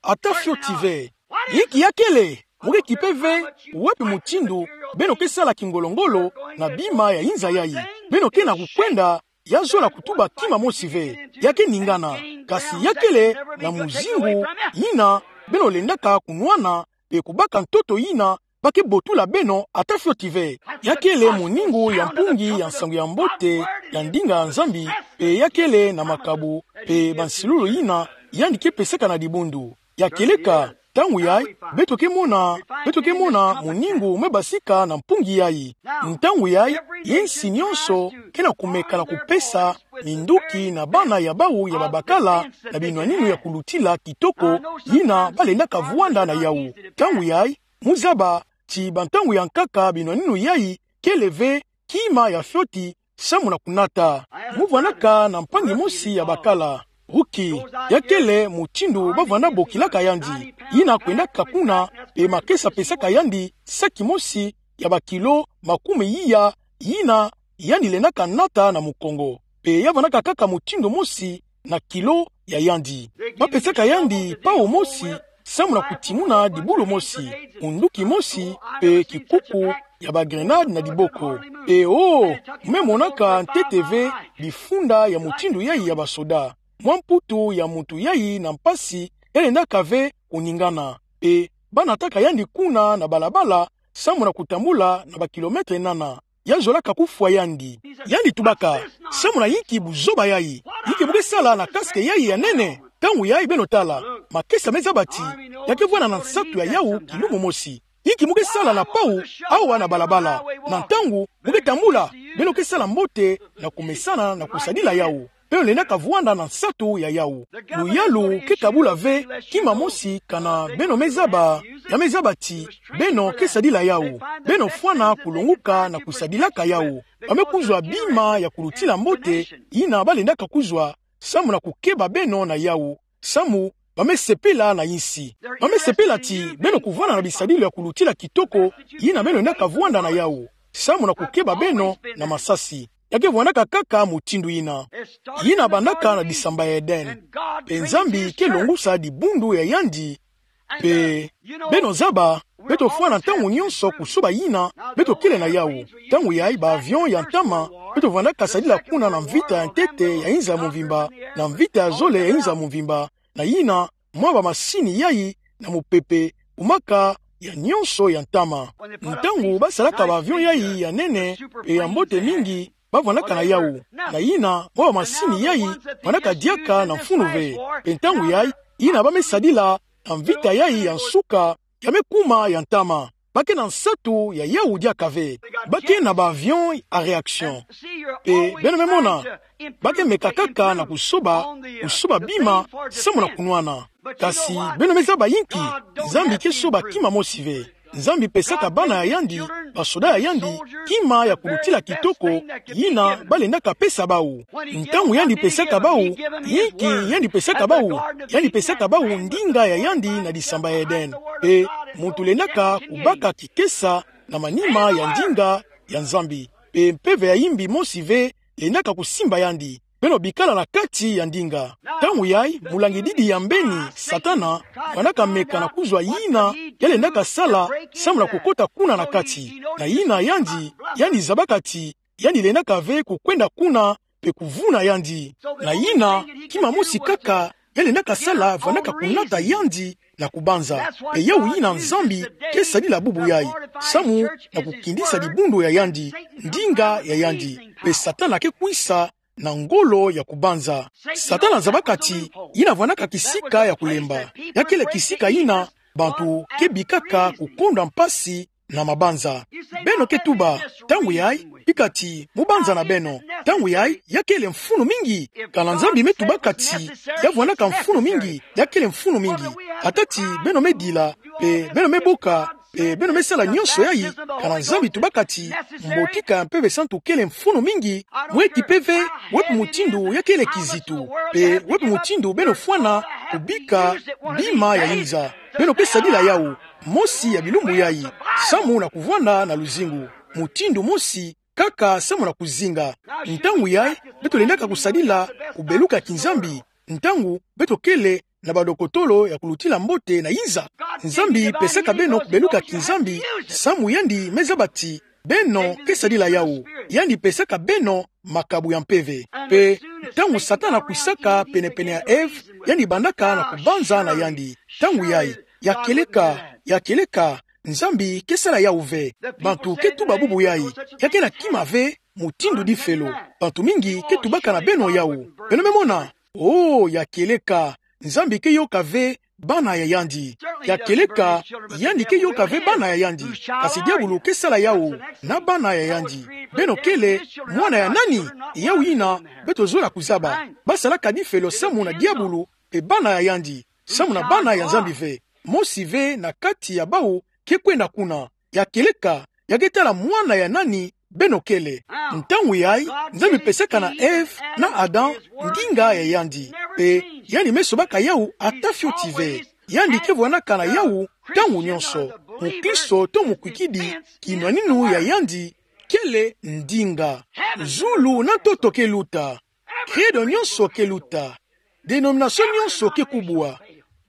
Ata fioti ve. Inki ya kele? Mu ke kipe ve wapi mutindu beno ke sala kingolo-ngolo na bima ya inza yayi. Beno ke na kukwenda ya zola kutuba kima mosi ve. Ya ke ningana. Kasi ya kele na muzingu yina beno lendaka kunwana pe kubaka ntoto yina ba ke botula beno ata fioti ve. Ya kele moningo ya mpungi ya nsangu ya mbote ya ndinga ya Nzambi, pe ya kele na makabu pe bansilulu yina yandi ke pesaka na dibundu. Ya keleka, ntangu yayi, beto ke mona, beto ke mona moningo me basika na mpungi yayi. Ntangu yayi, ye nsi nyonso ke na kumeka na kupesa minduki na bana ya bawu ya babakala na binwaninu ya kulutila kitoko yina balendaka vwanda na yawu. Ntangu yayi, mu zaba ti bantangu ya nkaka binwaninu yayi kele ve kima ya fioti samu na kunata. Mu vwandaka na mpangi mosi ya bakala. Huki, ya kele mutindu bavwanda bokilaka yandi. Yina kwendaka kuna, pe makesa pesaka yandi saki mosi ya bakilo makumi iya, yina yandi lendaka nata na mukongo. Pe ya vwandaka kaka mutindu mosi na kilo ya yandi. Bapesaka yandi pawu mosi samu na kutimuna dibulu mosi, munduki mosi, pe kikuku ya bagrenade na diboko. Pe oh, me monaka ntete ve bifunda ya mutindu yayi ya basoda. Mwa mputu ya muntu yayi na mpasi ya lendaka ve kuningana. Pe banataka yandi kuna na balabala samu na kutambula na bakilometre nana. Ya zolaka kufwa yandi. Yandi tubaka: Samu na inki buzoba yayi? Inki mu ke sala na casque yayi ya nene? Ntangu yayi, beno tala, makesa me zaba ti ya ke vwanda na nsatu ya yawu kilumu mosi. Inki mu ke sala na pawu awa na balabala? Na ntangu mu ke tambula, beno ke sala mbote na kumesana na kusadila yawu. Beno lendaka vwanda na nsatu ya yawu. Luyalu ke kabula ve kima mosi kana beno me zaba, ya me zaba ti beno ke sadila yawu. Beno fwana kulonguka na kusadilaka yawu. Ba me kuzwa bima ya kulutila mbote yina balendaka kuzwa samu na kukeba beno na yawu, samu ba me sepela na insi. Ba me sepela ti beno kuvwanda na bisadilu ya kulutila kitoko yina beno lendaka vwanda na yawu, samu na kukeba beno na masasi. Ya ke vwandaka kaka mutindu yina. Yina bandaka na disamba ya Eden. Pe Nzambi ke longusa dibundu ya yandi. Pe beno zaba, beto fwana ntangu nyonso kusoba yina beto kele na yawu. Ntangu yayi, ba avion ya ntama, beto vwandaka sadila kuna na mvita ya ntete ya inza mvimba, na mvita ya zole ya inza mvimba, na yina mwa bamasini yayi na mupepe, kumaka ya nyonso ya ntama. Ntangu basalaka ba avion yayi ya nene pe ya mbote mingi, ba vwandaka na yawu. Na yina mwa bamasini yayi vwandaka diaka na mfunu ve. Pe ntangu yayi, yina ba me sadila na mvita yayi ya nsuka, ya me kuma ya ntama. Ba ke na nsatu ya yawu diaka ve. Ba ke na ba avion à réaction. Pe beno me mona, ba ke meka kaka na kusoba, kusoba bima samu na kunwana. Kasi beno me zaba inki? Nzambi ke soba kima mosi ve. Nzambi pesaka bana ya yandi, basoda ya yandi, kima ya kulutila kitoko yina balendaka pesa bawu. Ntangu yandi pesaka bawu, inki yandi pesaka bawu? Yandi pesaka bawu ndinga ya yandi na disamba ya Eden. Pe muntu lendaka kubaka kikesa na manima ya ndinga ya Nzambi. Pe mpeve ya imbi mosi ve lendaka kusimba yandi. Beno bikala na kati ya ndinga. Ntangu yayi, mulangi didi ya mbeni, Satana, vwandaka meka na kuzwa yina ya lendaka sala samu na kukota kuna na kati. Na yina yandi, yandi zabaka ti yandi lendaka ve kukwenda kuna pe kuvuna yandi. Na yina, kima mosi kaka ya lendaka sala vwandaka kunata yandi na kubanza. Pe yawu yina Nzambi ke sadila bubu yayi, samu na kukindisa dibundu ya yandi, ndinga ya yandi. Pe Satana ke kwisa na ngolo ya kubanza. Satana zabaka ti yina vwandaka kisika ya kulemba. Ya kele kisika yina bantu ke bikaka kukonda mpasi na mabanza. Beno ke tuba, ntangu yayi, bika ti mu banza na beno. Ntangu yayi, ya kele mfunu mingi. Kana Nzambi me tubaka ti ya vwandaka mfunu mingi, ya kele mfunu mingi. Ata ti beno me dila, pe beno me boka, Pe beno me sala nyonso yayi, kana Nzambi tubaka ti mbotika ya Mpeve Santu kele mfunu mingi, mweti mpeve, wepi mutindu ya kele kizito, pe wepi mutindu beno fwana kubika bima ya inza. Beno ke sadila yawu, mosi ya bilumbu yayi, samu na kuvwanda na luzingu. Mutindu mosi kaka samu na kuzinga. Ntangu yayi, beto lendaka kusadila kubeluka kinzambi, ntangu beto kele na badokotolo ya kulutila mbote na inza. Nzambi pesaka beno kubeluka kinzambi, samu yandi me zaba ti beno ke sadila yawu. Yandi pesaka beno makabu ya mpeve. Pe ntangu Satana kwisaka penepene ya Ève, yandi bandaka na kubanza na yandi. Ntangu yayi, ya kieleka, ya kieleka, Nzambi ke sala yawu ve. Bantu ke tuba bubu yayi, ya ke na kima ve, mutindu difelo. Bantu mingi ke tubaka na beno yawu. Beno me mona, oh, ya kieleka, Nzambi ke yoka ve bana ya yandi. Ya kieleka, yandi ke yoka ve bana ya yandi. Kasi diabulu ke sala yawu na bana ya yandi. Beno kele mwana ya nani? Yawu yina beto zola kuzaba. Ba salaka difelo samu na diabulu pe bana ya yandi, samu na bana ya Nzambi ve. Mosi ve na kati ya bawu ke kwenda kuna. Ya kieleka, ya ke tala mwana ya nani beno kele. Ntangu yayi, Nzambi pesaka na Ève na Adam ndinga ya yandi. Pe yandi me sobaka yawu ata fioti ve. Yandi ke vwandaka na yawu ntangu nyonso. Mukristo to mukwikidi, kinwaninu ya yandi kele ndinga. Zulu na ntoto ke luta. Credo nyonso ke luta. Dénomination nyonso ke kubwa.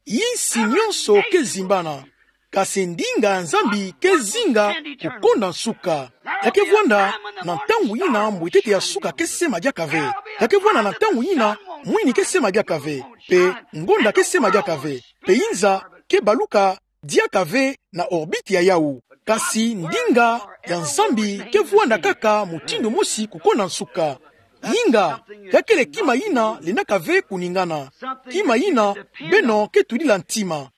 Insi nyonso ke zimbana. Kasi ndinga ya Nzambi ke zinga kukonda nsuka. Ya ke vwanda na ntangu yina mbwetete ya suka ke sema diaka ve. Ya ke vwanda na ntangu yina mwini ke sema diaka ve. Pe ngonda ke sema diaka ve. Pe inza ke baluka diaka ve na orbite ya yawu. Kasi ndinga ya Nzambi ke vwanda kaka mutindu mosi kukonda nsuka. Inga, ya kele kima yina lendaka ve kuningana. Kima yina beno ke tudila ntima.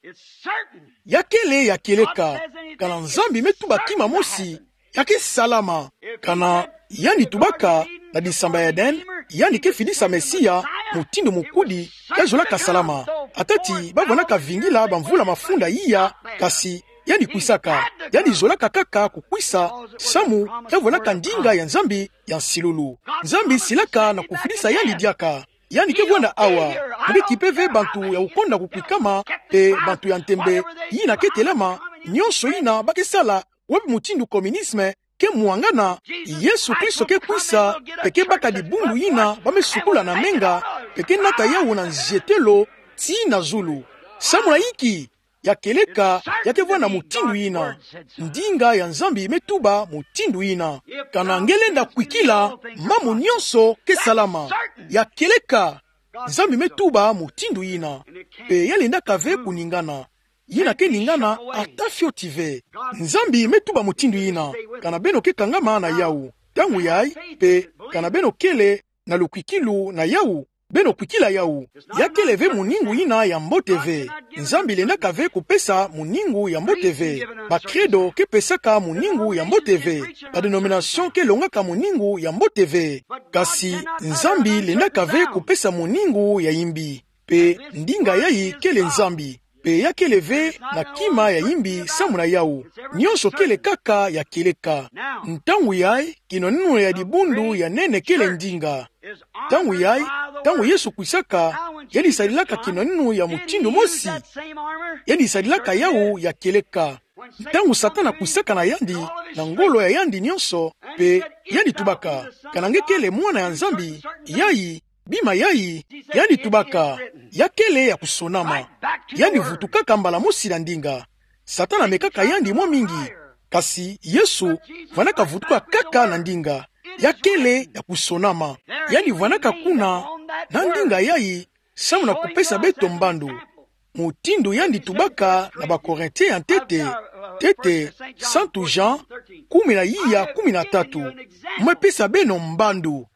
Ya kele ya kieleka, kana Nzambi me tuba kima mosi, ya ke salama. Kana yandi tubaka na disamba ya Eden, yandi ke fidisa Mesia, mutindu mukudi, ya zolaka salama. Ata ti ba vwandaka vingila bamvula mafunda iya, kasi yandi kwisaka. Yandi zolaka kaka kukwisa, samu ya vwandaka ndinga ya Nzambi ya nsilulu. Nzambi silaka na kufidisa yandi diaka. Yandi ke vwanda awa. Mu ke kipe ve bantu ya kukonda kukwikama, pe bantu ya ntembe yina ke telama, nyonso yina ba ke sala, wapi mutindu communisme ke mwangana. Yesu Kristo ke kwisa, pe ke baka dibundu yina ba me sukula na menga, pe ke nata yawu na nzietelo tii na zulu. Samu na inki? Ya kieleka, ya ke vwanda mutindu yina. Ndinga ya Nzambi me tuba mutindu yina. Kana nge lenda kwikila, mamu nyonso ke salama. Ya kieleka, Nzambi me tuba mutindu yina. Pe ya lendaka ve kuningana. Yina ke ningana ata fioti ve. Nzambi me tuba mutindu yina. Kana beno ke kangama na yawu. Ntangu yayi, pe kana beno kele na lukwikilu na yawu, beno kwikila yawu. Ya kele ve muningu yina ya mbote ve. Nzambi lendaka ve kupesa muningu ya mbote ve. Ba credo ke pesaka muningu ya mbote ve. Ba dénomination ke longaka muningu ya mbote ve. Kasi Nzambi lendaka ve kupesa muningu ya imbi. Pe ndinga yayi kele Nzambi. Pe ya kele ve na kima ya imbi samu na yawu. Nyonso kele kaka ya kieleka. Ntangu yayi, kinwaninu ya dibundu ya nene kele ndinga. Ntangu yayi, ntangu Yesu kwisaka, yandi sadilaka kinwaninu ya mutindu mosi. Yandi sadilaka yawu ya kieleka. Ntangu Satana kwisaka na yandi, na ngolo ya yandi nyonso, pe yandi tubaka: Kana nge kele mwana ya Nzambi, yayi, bima yayi. Yandi tubaka: Ya kele ya kusonama. Yandi vutukaka mbala mosi na ndinga. Satana mekaka yandi mwa mingi. Kasi Yesu vwandaka vutuka kaka na ndinga. Ya kele ya kusonama. Yandi vwandaka kuna na ndinga yayi, samu na kupesa beto mbandu. Mutindu yandi tubaka na ba Corinthiens ya ntete, ntete, Santu Jean, kumi na iya, kumi na tatu. Mwe pesa beno mbandu.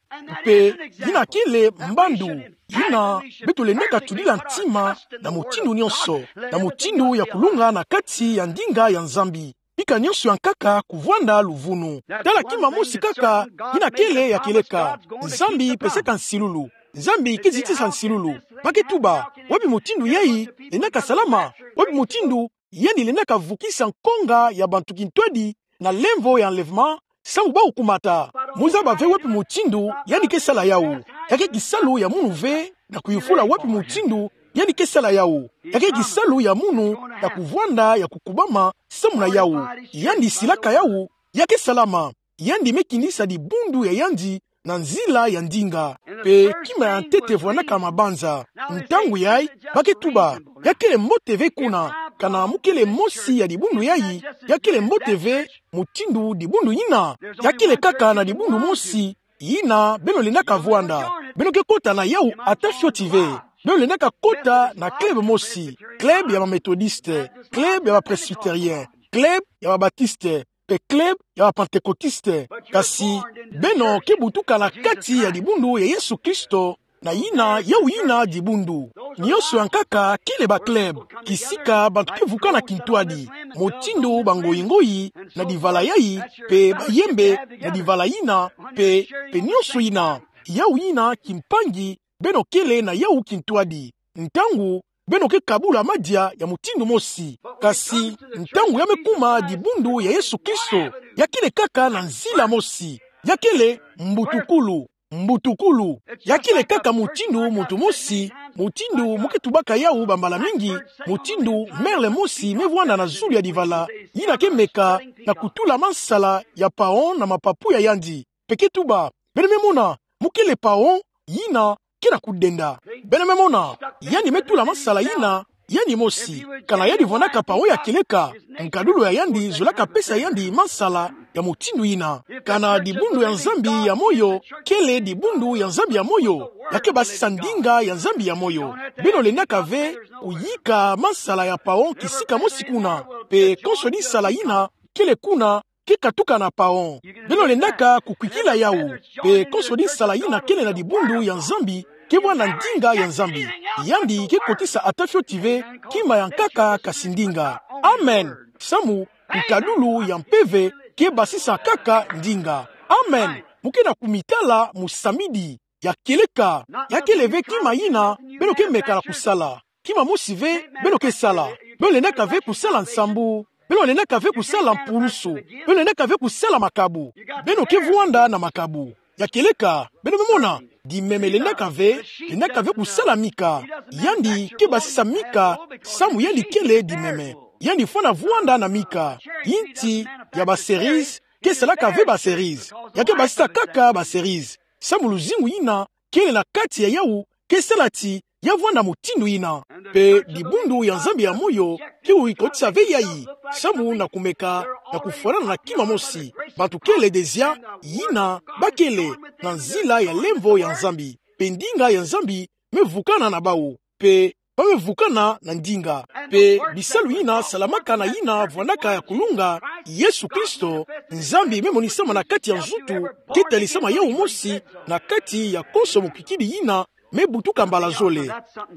Pe yina kele mbandu yina beto lendaka tudila ntima na mutindu nyonso, na mutindu ya kulunga na kati ya ndinga ya Nzambi. Bika nyonso ya nkaka kuvwanda luvunu. Tala kima mosi kaka, yina kele ya kieleka: Nzambi pesaka nsilulu. Nzambi ke zitisa nsilulu. Ba ke tuba: Wapi mutindu yayi lendaka salama? Wapi mutindu yandi lendaka vukisa nkonga ya bantu kintwadi na lemvo ya enlèvement, samu bawu kumata. Muzaba ve wapi mutindu yandi ke sala yawu. Ya ke kisalu ya munu ve na kuyufula wapi mutindu yandi ke sala yawu. Ya ke kisalu ya munu ya kuvwanda ya kukubama samu na yawu. Yandi silaka yawu, ya ke salama. Yandi me kinisa dibundu ya yandi na nzila ya ndinga. Pe kima ya ntete vwandaka mabanza. Ntangu yayi, ba ke tuba, ya kele mbote ve kuna, kana mu kele mosi ya dibundu yayi, ya kele mbote ve mutindu dibundu yina. Ya kele kaka na dibundu mosi yina beno lendaka vwanda. Beno ke kota na yawu ata fioti ve. Beno lendaka kota na club mosi, club ya ba Methodiste, club ya ba Presbytérien, club ya ba Batiste, pe club ya ba Pentecôtiste. Kasi beno ke butuka na kati ya dibundu ya Yesu Kristo, na yina, yawu yina dibundu. Nionso ya nkaka kele ba club, kisika bantu ke vukana kintwadi, mutindu bangoyi-ngoyi na divala yayi, pe bayembe na divala yina, pe, pe nionso yina. Yawu yina kimpangi beno kele na yawu kintwadi. Ntangu beno ke kabula madia ya mutindu mosi. Kasi ntangu ya me kuma dibundu ya Yesu Kristo, ya kele kaka na nzila mosi. Ya kele mbutukulu. Mbutukulu. Ya kele kaka mutindu muntu mosi, mutindu mu ke tubaka yawu bambala mingi, mutindu merle mosi me vwanda na zulu ya divala, yina ke meka na kutula mansala ya paon na mapapu ya yandi. Pe ke tuba, beno me mona, mu kele paon, yina ke na kudenda. Beno me mona, yandi me tula mansala yina, yandi mosi. Kana yandi vwandaka paon ya kieleka, nkadulu ya yandi zolaka pesa yandi mansala ya mutindu yina. Kana dibundu ya Nzambi ya moyo kele dibundu ya Nzambi ya moyo, ya ke basisa ndinga ya Nzambi ya moyo. Beno lendaka ve kuyika mansala ya paon kisika mosi kuna, pe konso dinsala yina kele kuna ke katuka na paon. Beno lendaka kukwikila yawu. Pe konso dinsala yina kele na dibundu ya Nzambi ke vwanda ndinga ya Nzambi. Yandi ke kotisa ata fioti ve kima ya nkaka kasi ndinga. Amen. Samu nkadulu ya mpeve ke basisa kaka ndinga. Amen. Mu ke na kumitala musamidi. Ya kieleka, ya kele ve kima yina beno ke meka na kusala. Kima mosi ve beno ke sala. Beno lendaka ve kusala nsambu. Beno lendaka ve kusala mpulusu. Beno lendaka ve kusala makabu. Beno ke vwanda na makabu. Ya kieleka, beno me mona, dimeme lendaka ve, lendaka ve kusala mika. Yandi ke basisa mika, samu yandi kele dimeme. Yandi fwana vwanda na mika. Inti ya ba cerise ke salaka ve ba cerise. Ya ke basisa kaka ba cerise. Samu luzingu yina kele na kati ya yawu ke sala ti ya vwanda mutindu yina. Pe dibundu ya Nzambi ya moyo ke kotisa ve yayi, samu na kumeka na kufwanana na kima mosi. Bantu kele dezia yina ba kele na nzila ya lemvo ya Nzambi. Pe ndinga ya Nzambi me vukana na bawu. Pe ba me vukana na ndinga. Pe bisalu yina salamaka na yina vwandaka ya kulunga, Yesu Kristo, Nzambi me monisama na kati ya nzutu, ke talisama yawu mosi na kati ya konso mukwikidi yina me butuka mbala zole.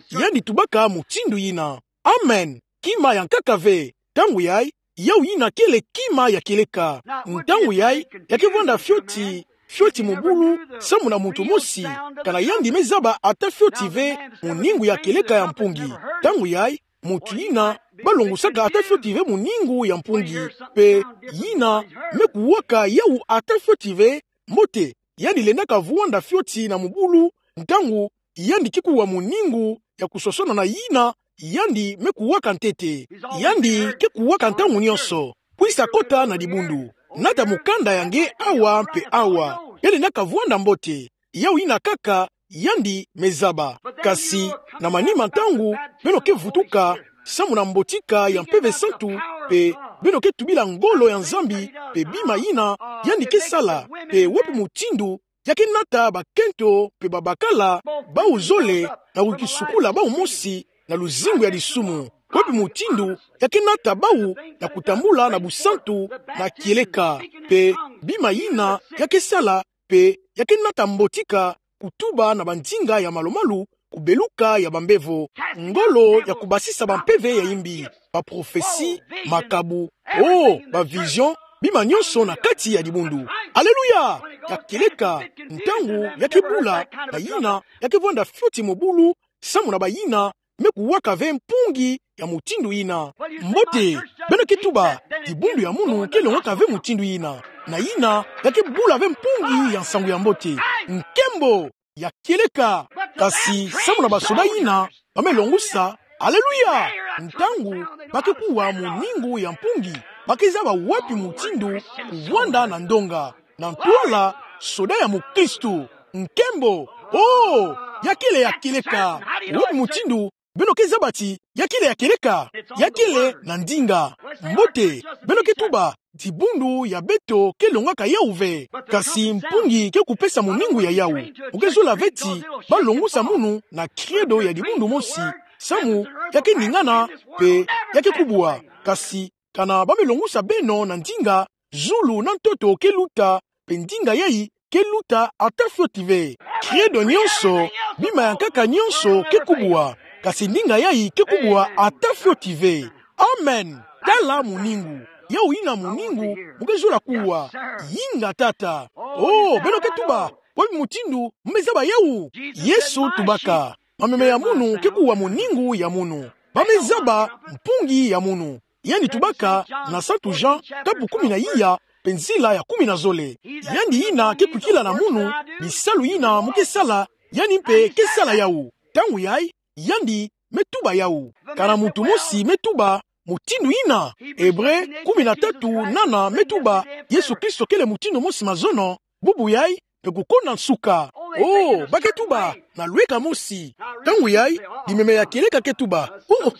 Yandi tubaka mutindu yina. Amen. Kima ya nkaka ve. Ntangu yayi, yawu yina kele kima ya kieleka. Ntangu yayi, ya ke vwanda fioti, fioti mubulu, samu na muntu mosi, kana yandi me zaba ata fioti ve muningu ya kieleka ya mpungi. Ntangu yayi, muntu yina ba longosaka ata fioti ve muningu ya mpungi, pe yina me kuwaka yawu ata fioti ve mbote. Yandi lendaka vwanda fioti na mubulu, ntangu yandi ke kuwa muningu ya kusosona na yina yandi me kuwaka ntete. Yandi ke kuwaka ntangu nionso. Kwisa kota na dibundu. Nata mukanda ya nge awa mpe awa. Ya lendaka vwanda mbote. Yawu yina kaka yandi me zaba. Kasi na manima ntangu, beno ke vutuka samu na mbotika ya Mpeve Santu, pe beno ke tubila ngolo ya Nzambi, pe bima yina yandi ke sala, pe wapi mutindu ya ke nata bakento pe babakala bawu zole na kukisukula bawu mosi na luzingu ya disumu. Wapi mutindu ya ke nata bawu na kutambula na busantu na kieleka, pe bima yina ya ke sala, pe ya ke nata mbotika kutuba na bandinga ya malu-malu, kubeluka ya bambevo, ngolo ya kubasisa bampeve ya imbi, baprophesie, makabu, oh, bavision, bima nionso na kati ya dibundu. Aleluya! Ya kieleka, ntangu ya ke bula na yina ya ke vwanda fioti mubulu, samu na bayina me kuwaka ve mpungi ya mutindu yina. Mbote, beno ke tuba, dibundu ya munu ke longwaka ve mutindu yina. Na yina, ya ke bula ve mpungi ya nsangu ya mbote. Nkembo, ya kieleka. Kasi samu na basoda yina ba me longusa, aleluya! Ntangu ba ke kuwa muningu ya mpungi, ba ke zaba wapi mutindu kuvwanda na ndonga, na ntwala soda ya mukristu. Nkembo, oh, ya kele ya kieleka. Wapi mutindu beno ke zaba ti ya kele ya kieleka? Ya kele na ndinga. Mbote, beno ke tuba, dibundu ya beto ke longaka yawu ve. Kasi mpungi ke kupesa muningu ya yawu. Mu ke zola ve ti ba longusa munu na credo ya dibundu mosi, samu ya ke ningana, mpe ya ke kubwa. Kasi kana ba me longusa beno na ndinga, zulu na ntoto ke luta, mpe ndinga yayi ke luta ata fioti ve. Credo nyonso, bima ya nkaka nyonso ke kubwa, kasi ndinga yayi ke kubwa ata fioti ve. Amen. Tala muningu. Yawu yina muningu mu ke zola kuwa. Yinga tata. Oh, beno ke tuba, wapi mutindu mu me zaba yawu? Yesu tubaka, mameme ya munu ke kuwa muningu ya munu. Ba me zaba mpungi ya munu. Yandi tubaka na Santu Jean, kapu kumi na iya, mpe nzila ya kumi na zole. Yandi yina ke kwikila na munu, bisalu yina mu ke sala, yandi mpe ke sala yawu. Ntangu yayi, yandi me tuba yawu. Kana muntu mosi me tuba mutindu yina? Ebre kumi na tatu nana me tuba, Yesu Kristo kele mutindu mosi, mazono, bubu yayi, mpe kukonda nsuka. Oh, ba ke tuba, na lweka mosi. Ntangu yayi, bimeme ya kieleka ke tuba, oh,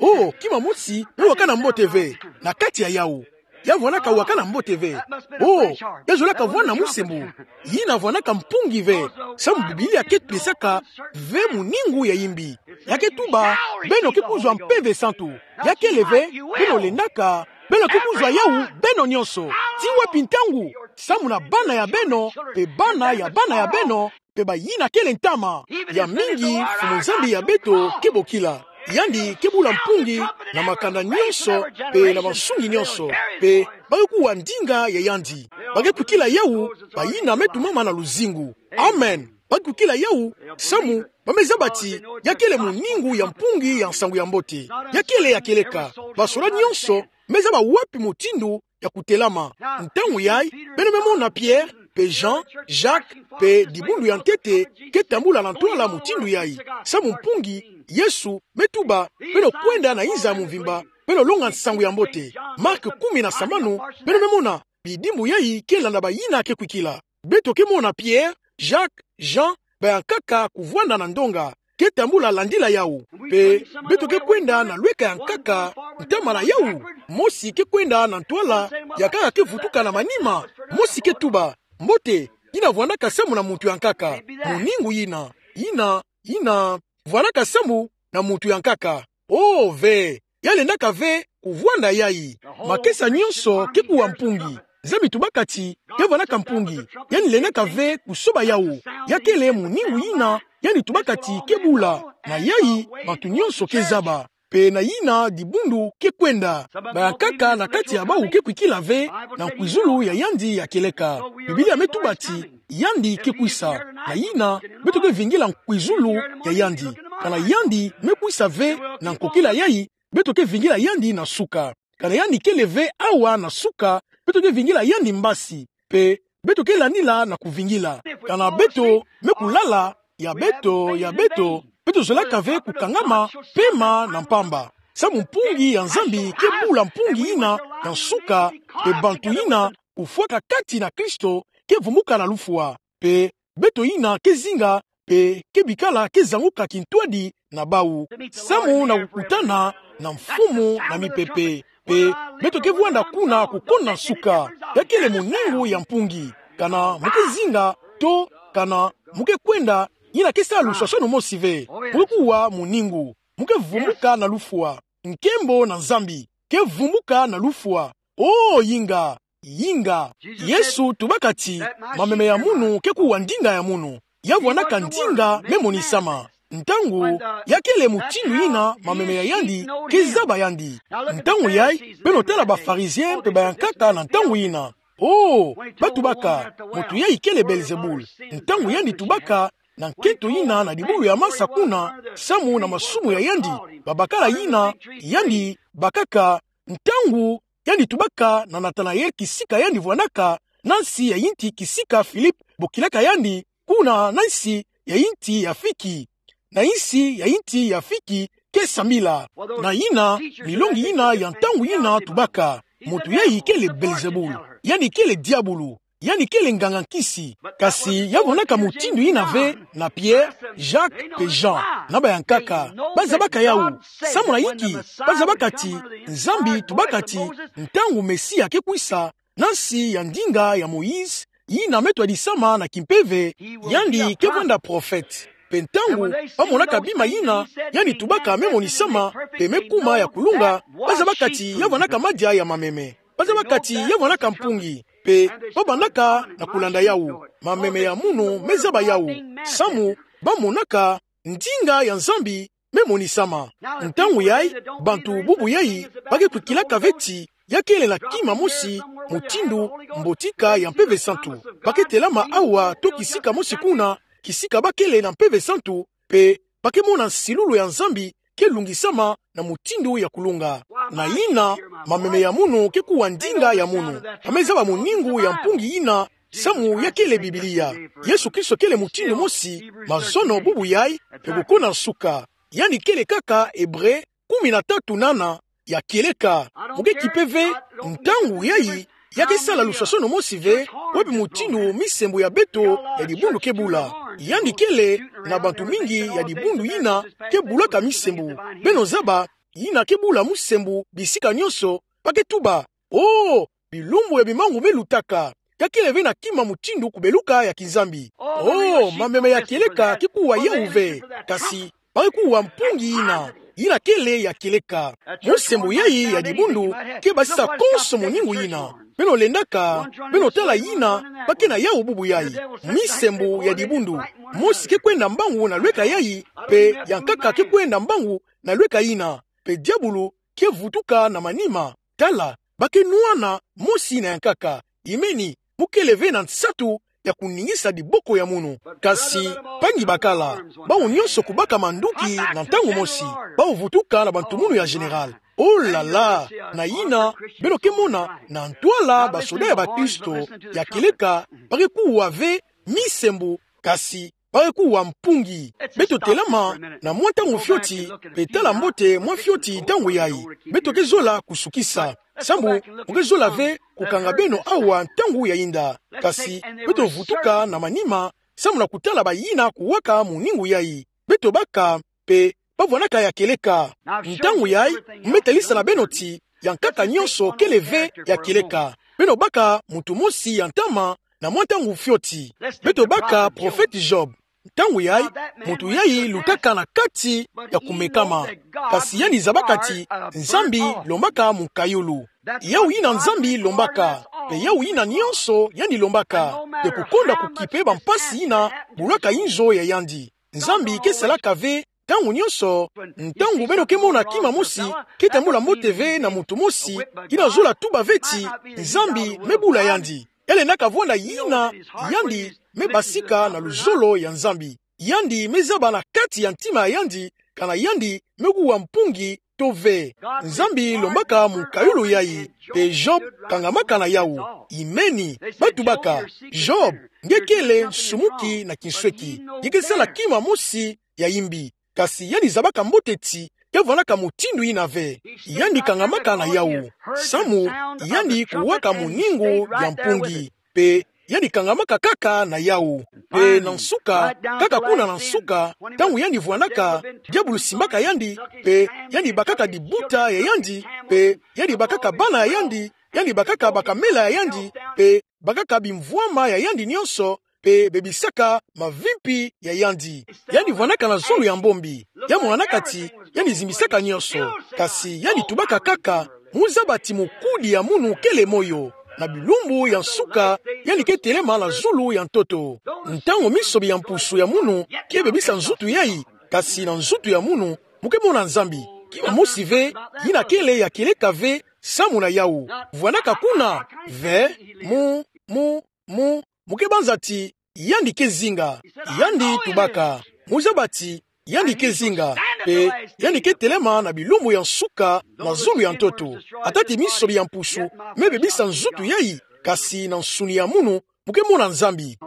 oh, oh, kima mosi me wakana mbote ve na kati ya yawu. Ya vwanaka wakana mbote ve. Oh, ya zolaka vwanda musembo. Yina vwanaka mpungi ve. Samu Biblia ke tulisaka ve muningu ya yimbi. Ya ke tuba, beno ke kuzwa mpeve santu. Ya kele ve, beno lendaka, beno ke kuzwa yawu beno nyonso. Ti wapi ntangu? Samu na bana ya beno, mpe bana ya bana ya beno, mpe bayina kele ntama. Ya mingi Mfumu Nzambi ya beto ke bokila. Yandi ke bula mpungi na makanda nyonso, mpe na bansungi nyonso, mpe ba ke kuwa ndinga ya yandi. Ba ke kwikila yawu, bayina me tumama na luzingu. Amen. Ba ke kwikila yawu, samu ba me zaba ti ya kele muningu ya mpungi ya nsangu ya mbote. Ya kele ya kieleka. Basoda nyonso me zaba wapi mutindu ya kutelama. Ntangu yayi, beno me mona Pierre, mpe Jean, Jacques, mpe dibundu ya ntete, ke tambula na ntwala mutindu yayi. Samu mpungi, Yesu, me tuba, beno kwenda na inza ya mvimba, beno longa nsangu ya mbote. Marc kumi na sambanu, beno me mona, bidimbu yayi ke landa bayina ke kwikila. Beto ke mona Pierre, Jacques, Jean, bayankaka kuvwanda na ndonga, ke tambula landila yawu. Mpe beto ke kwenda na lweka ya nkaka, ntama na yawu. Mosi ke kwenda na ntwala, ya nkaka ke vutuka na manima. Mosi ke tuba, mbote, yina vwandaka samu na muntu ya nkaka. Muningu yina, yina, yina vwandaka samu na muntu ya nkaka. Oh, ve. Ya lendaka ve kuvwanda yayi. Makesa nyonso ke kuwa mpungi. Nzambi tubaka ti ya vwandaka mpungi. Yandi lendaka ve kusoba yawu. Ya kele muningu yina yandi tubaka ti ke bula. Na yayi, bantu nyonso ke zaba. Mpe na yina dibundu ke kwenda. Bayankaka na kati ya bawu ke kwikila ve na nkwizulu ya yandi ya kieleka. Biblia me tuba ti yandi ke kwisa. Na yina, beto ke vingila nkwizulu ya yandi. Kana yandi me kwisa ve na nkokila yayi, beto ke vingila yandi na suka. Kana yandi kele ve awa na suka, beto ke vingila yandi mbasi. Mpe beto ke landila na kuvingila. Kana beto me kulala, ya beto, ya beto, beto zolaka ve kukangama pema na mpamba. Samu mpungi ya Nzambi ke bula mpungi yina ya nsuka, mpe bantu yina kufwaka kati na Kristo ke vumbuka na lufwa. Mpe beto yina ke zinga, mpe ke bikala ke zanguka kintwadi na bawu. Samu na kukutana na Mfumu na mipepe. Mpe beto ke vwanda kuna kukonda nsuka. Ya kele muningu ya mpungi. Kana mu ke zinga, to kana mu ke kwenda, yina ke sa luswaswanu mosi ve. Mu ke kuwa muningu. Mu ke vumbuka na lufwa. Nkembo na Nzambi. Ke vumbuka na lufwa. Oh, yinga, yinga. Yesu tubaka ti, mameme ya munu ke kuwa ndinga ya munu. Ya vwandaka ndinga me monisama. Ntangu ya kele mutindu yina mameme ya yandi ke zaba yandi. Ntangu yayi, beno tala ba Pharisiens mpe bayankaka na ntangu yina. Oh, ba tubaka, muntu yayi kele Belzebul. Ntangu yandi tubaka, na nkento yina na dibulu ya masa kuna, samu na masumu ya yandi, babakala yina yandi bakaka, ntangu yandi tubaka na Natanael kisika yandi vwanaka, na nsi ya inti kisika Filipe bokilaka yandi, kuna na nsi ya inti ya fiki. Na nsi ya inti ya fiki ke sambila. Na yina, milongi yina ya ntangu yina tubaka: Muntu yayi kele Belzebul. Yandi kele diabulu. Yandi kele nganga nkisi. Kasi ya vwanaka mutindu yina ve na Pierre, Jacques pe Jean, na bayankaka. Bazabaka yawu. Samu na inki? Bazabaka ti Nzambi tubaka ti ntangu Mesia ke kwisa, na nsi ya ndinga ya Moïse, yina me twadisama na kimpeve, yandi ke vwanda prophète. Pe ntangu bamonaka bima yina yandi tubaka me monisama, pe me kuma ya kulunga, bazabaka ti ya vwanaka madia ya mameme. Bazabaka ti ya vwanaka mpungi. Pe babandaka na kulanda yawu. Mameme ya munu me zaba yawu. Samu bamonaka ndinga ya Nzambi me monisama. Ntangu yayi, bantu bubu yayi ba ke kwikilaka ve ti ya kele na kima mosi, mutindu mbotika ya Mpeve Santu. Ba ke telama awa to kisika mosi kuna, kisika ba kele na Mpeve Santu, pe ba ke mona nsilulu ya Nzambi ke lungisama na mutindu ya kulunga. Na yina, mameme ya munu ke kuwa ndinga ya munu. Ba me zaba muningu ya mpungi yina, samu ya kele Biblia. Yesu Kristo kele mutindu mosi, mazono, bubu yayi, pe bukuna nsuka. Yandi kele kaka Ebre kumi na tatu nana, ya kieleka. Mu ke kipe ve ntangu yayi ya ke sala luswasono mosi ve, wapi mutindu misembu ya beto ya dibundu ke bula. Yandi kele na bantu mingi ya dibundu yina ke bulaka misembu. Beno zaba, yina ke bula musembu bisika nyonso, ba ke tuba: Oh, bilumbu ya bimangu me lutaka. Ya kele ve na kima mutindu kubeluka ya kinzambi. Oh, mameme ya kieleka ke kuwa yawu ve. Kasi ba ke kuwa mpungi yina, yina kele ya kieleka. Musembu yayi ya dibundu ke basisa konso muningu yina. Beno lendaka, beno tala yina ba ke na yawu bubu yayi. Misembu ya dibundu. Mosi ke kwenda mbangu na lweka yayi, pe ya nkaka ke kwenda mbangu na lweka yina. Pe diabulu ke vutuka na manima. Tala, ba ke nwana, mosi na ya nkaka. Imeni, mu kele ve na nsatu ya kuningisa diboko ya munu. Kasi, mpangi bakala, bawu nyonso kubaka manduki na ntangu mosi. Bawu vutuka na bantumunu ya général. Oh là là, na yina, beno ke mona, na ntwala basoda ya bakristo ya kieleka, ba ke kuwa ve misembu, kasi ba ke kuwa mpungi. Beto telama na mwa ntangu fioti, pe tala mbote mwa fioti ntangu yayi. Beto ke zola kusukisa. Samu mu ke zola ve kukanga beno awa ntangu ya yinda. Kasi beto vutuka na manima, samu na kutala bayina kuwaka muningu yayi. Beto baka, pe ba vwanaka ya kieleka. Ntangu yayi, mu me talisa na beno ti ya nkaka nyonso kele ve ya kieleka. Beno baka muntu mosi ya ntama na mwa ntangu fioti. Beto baka prophète Job. Ntangu yayi, muntu yayi lutaka na kati ya kumekama. Kasi yandi zabaka ti Nzambi lombaka mukayulu. Yawu yina Nzambi lombaka, pe yawu yina nyonso yandi lombaka. Pe kukonda kukipe bampasi yina bulaka inzo ya yandi, Nzambi ke salaka ve ntangu nyonso. Ntangu beno ke mona kima mosi ke tambula mbote ve na muntu mosi, yina zola tuba ve ti Nzambi me bula yandi. Ya lendaka vwanda yina yandi me basika na luzolo ya Nzambi. Yandi me zaba na kati ya ntima ya yandi, kana yandi me kuwa mpungi to ve. Nzambi lombaka mukayulu yayi, pe Job kangamaka na yawu. Imeni, ba tubaka: Job, nge kele nsumuki na kinsweki. Nge ke sala kima mosi ya yimbi. Kasi yandi zabaka mbote ti ya vwanaka mutindu yina ve. Yandi kangamaka na yawu. Samu yandi kuwaka muningu ya mpungi. Pe yandi kangamaka kaka na yawu. Pe na nsuka, kaka kuna na nsuka, ntangu yandi vwanaka, diabulu simbaka yandi, pe yandi bakaka dibuta ya yandi, pe yandi bakaka bana ya yandi, yandi bakaka bakamela ya yandi, pe bakaka bimvwama ya yandi nyonso, pe bebisaka mavimpi ya yandi. Yandi vwanaka na zulu ya mbombi. Ya mwanaka ti yandi zimbisaka nyonso. Kasi yandi tubaka kaka: Mu zaba ti mukudi ya munu kele moyo, na bilumbu ya nsuka yandi ke telema na zulu ya ntoto. Ntangu misobi ya mpusu ya munu ke bebisa nzutu yayi, kasi na nzutu ya munu mu ke mona Nzambi. Kima mosi ve yina kele ya kieleka ve samu na yawu. Vwanaka kuna ve, mu, mu, mu, mu ke banza ti yandi ke zinga. Yandi tubaka, mu zaba ti yandi ke zinga, mpe yandi ke telema na bilumbu ya nsuka na zulu ya ntoto. Atati miso bia mpusu, me bebisa nzutu yayi, kasi na nsuni ya munu, mu ke mona Nzambi.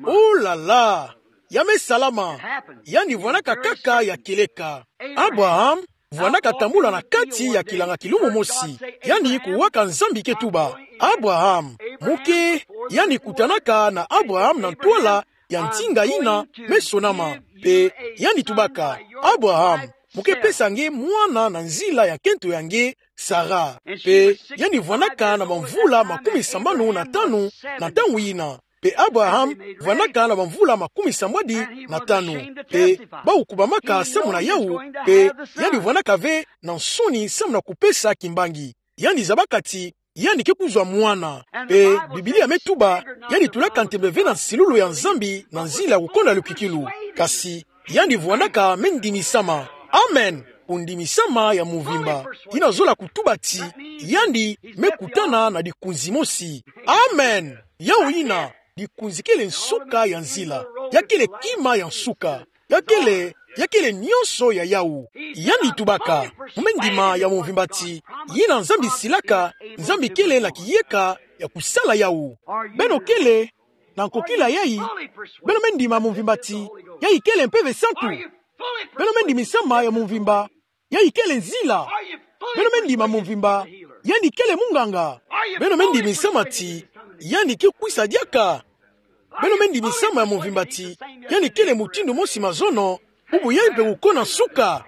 Oh là là! Ya me salama. Yandi vwanaka kaka ya kieleka. Abraham vwanaka tambula na kati ya kilanga kilumbu mosi. Yandi kuwaka Nzambi ke tuba: Abraham. Mu ke, yandi kutanaka na Abraham na ntwala ya nzinga yina me sonama. Mpe yandi tubaka: Abraham, mu ke pesa nge mwana na nzila ya nkento ya nge, Sara. Mpe yandi vwanaka na bamvula makumi sambanu na tanu na ntangu yina. Mpe Abraham vwanaka na bamvula makumi sambwadi na tanu. Mpe bawu kubamaka samu na yawu, mpe yandi vwanaka ve na nsoni samu na kupesa kimbangi. Yandi zabaka ti yandi ke kuzwa mwana. Mpe Biblia me tuba, yandi tulaka ntembe ve na nsilulu ya Nzambi na nzila ya kukonda lukikilu. Kasi yandi vwanaka me ndimisama. Amen. Kundimisama ya mvimba. Yina zola kutuba ti yandi me kutana na dikunzi mosi. Amen. Yawu yina, dikunzi kele nsuka ya nzila. Ya kele kima ya nsuka. Ya kele, ya kele nyonso ya yawu. Yandi tubaka, mu me ndima ya mvimba ti yina Nzambi silaka, Nzambi kele na kiyeka ya kusala yawu. Beno kele na nkokila yayi? Beno me ndima mvimba ti yayi kele Mpeve Santu? Beno me ndimisama ya mvimba yayi kele nzila? Beno me ndima mvimba yandi kele munganga? Beno me ndimisama ti yandi ke kwisa diaka? Beno me ndimisama ya mvimba ti yandi kele mutindu mosi mazono, bubu yayi mpe kukona nsuka?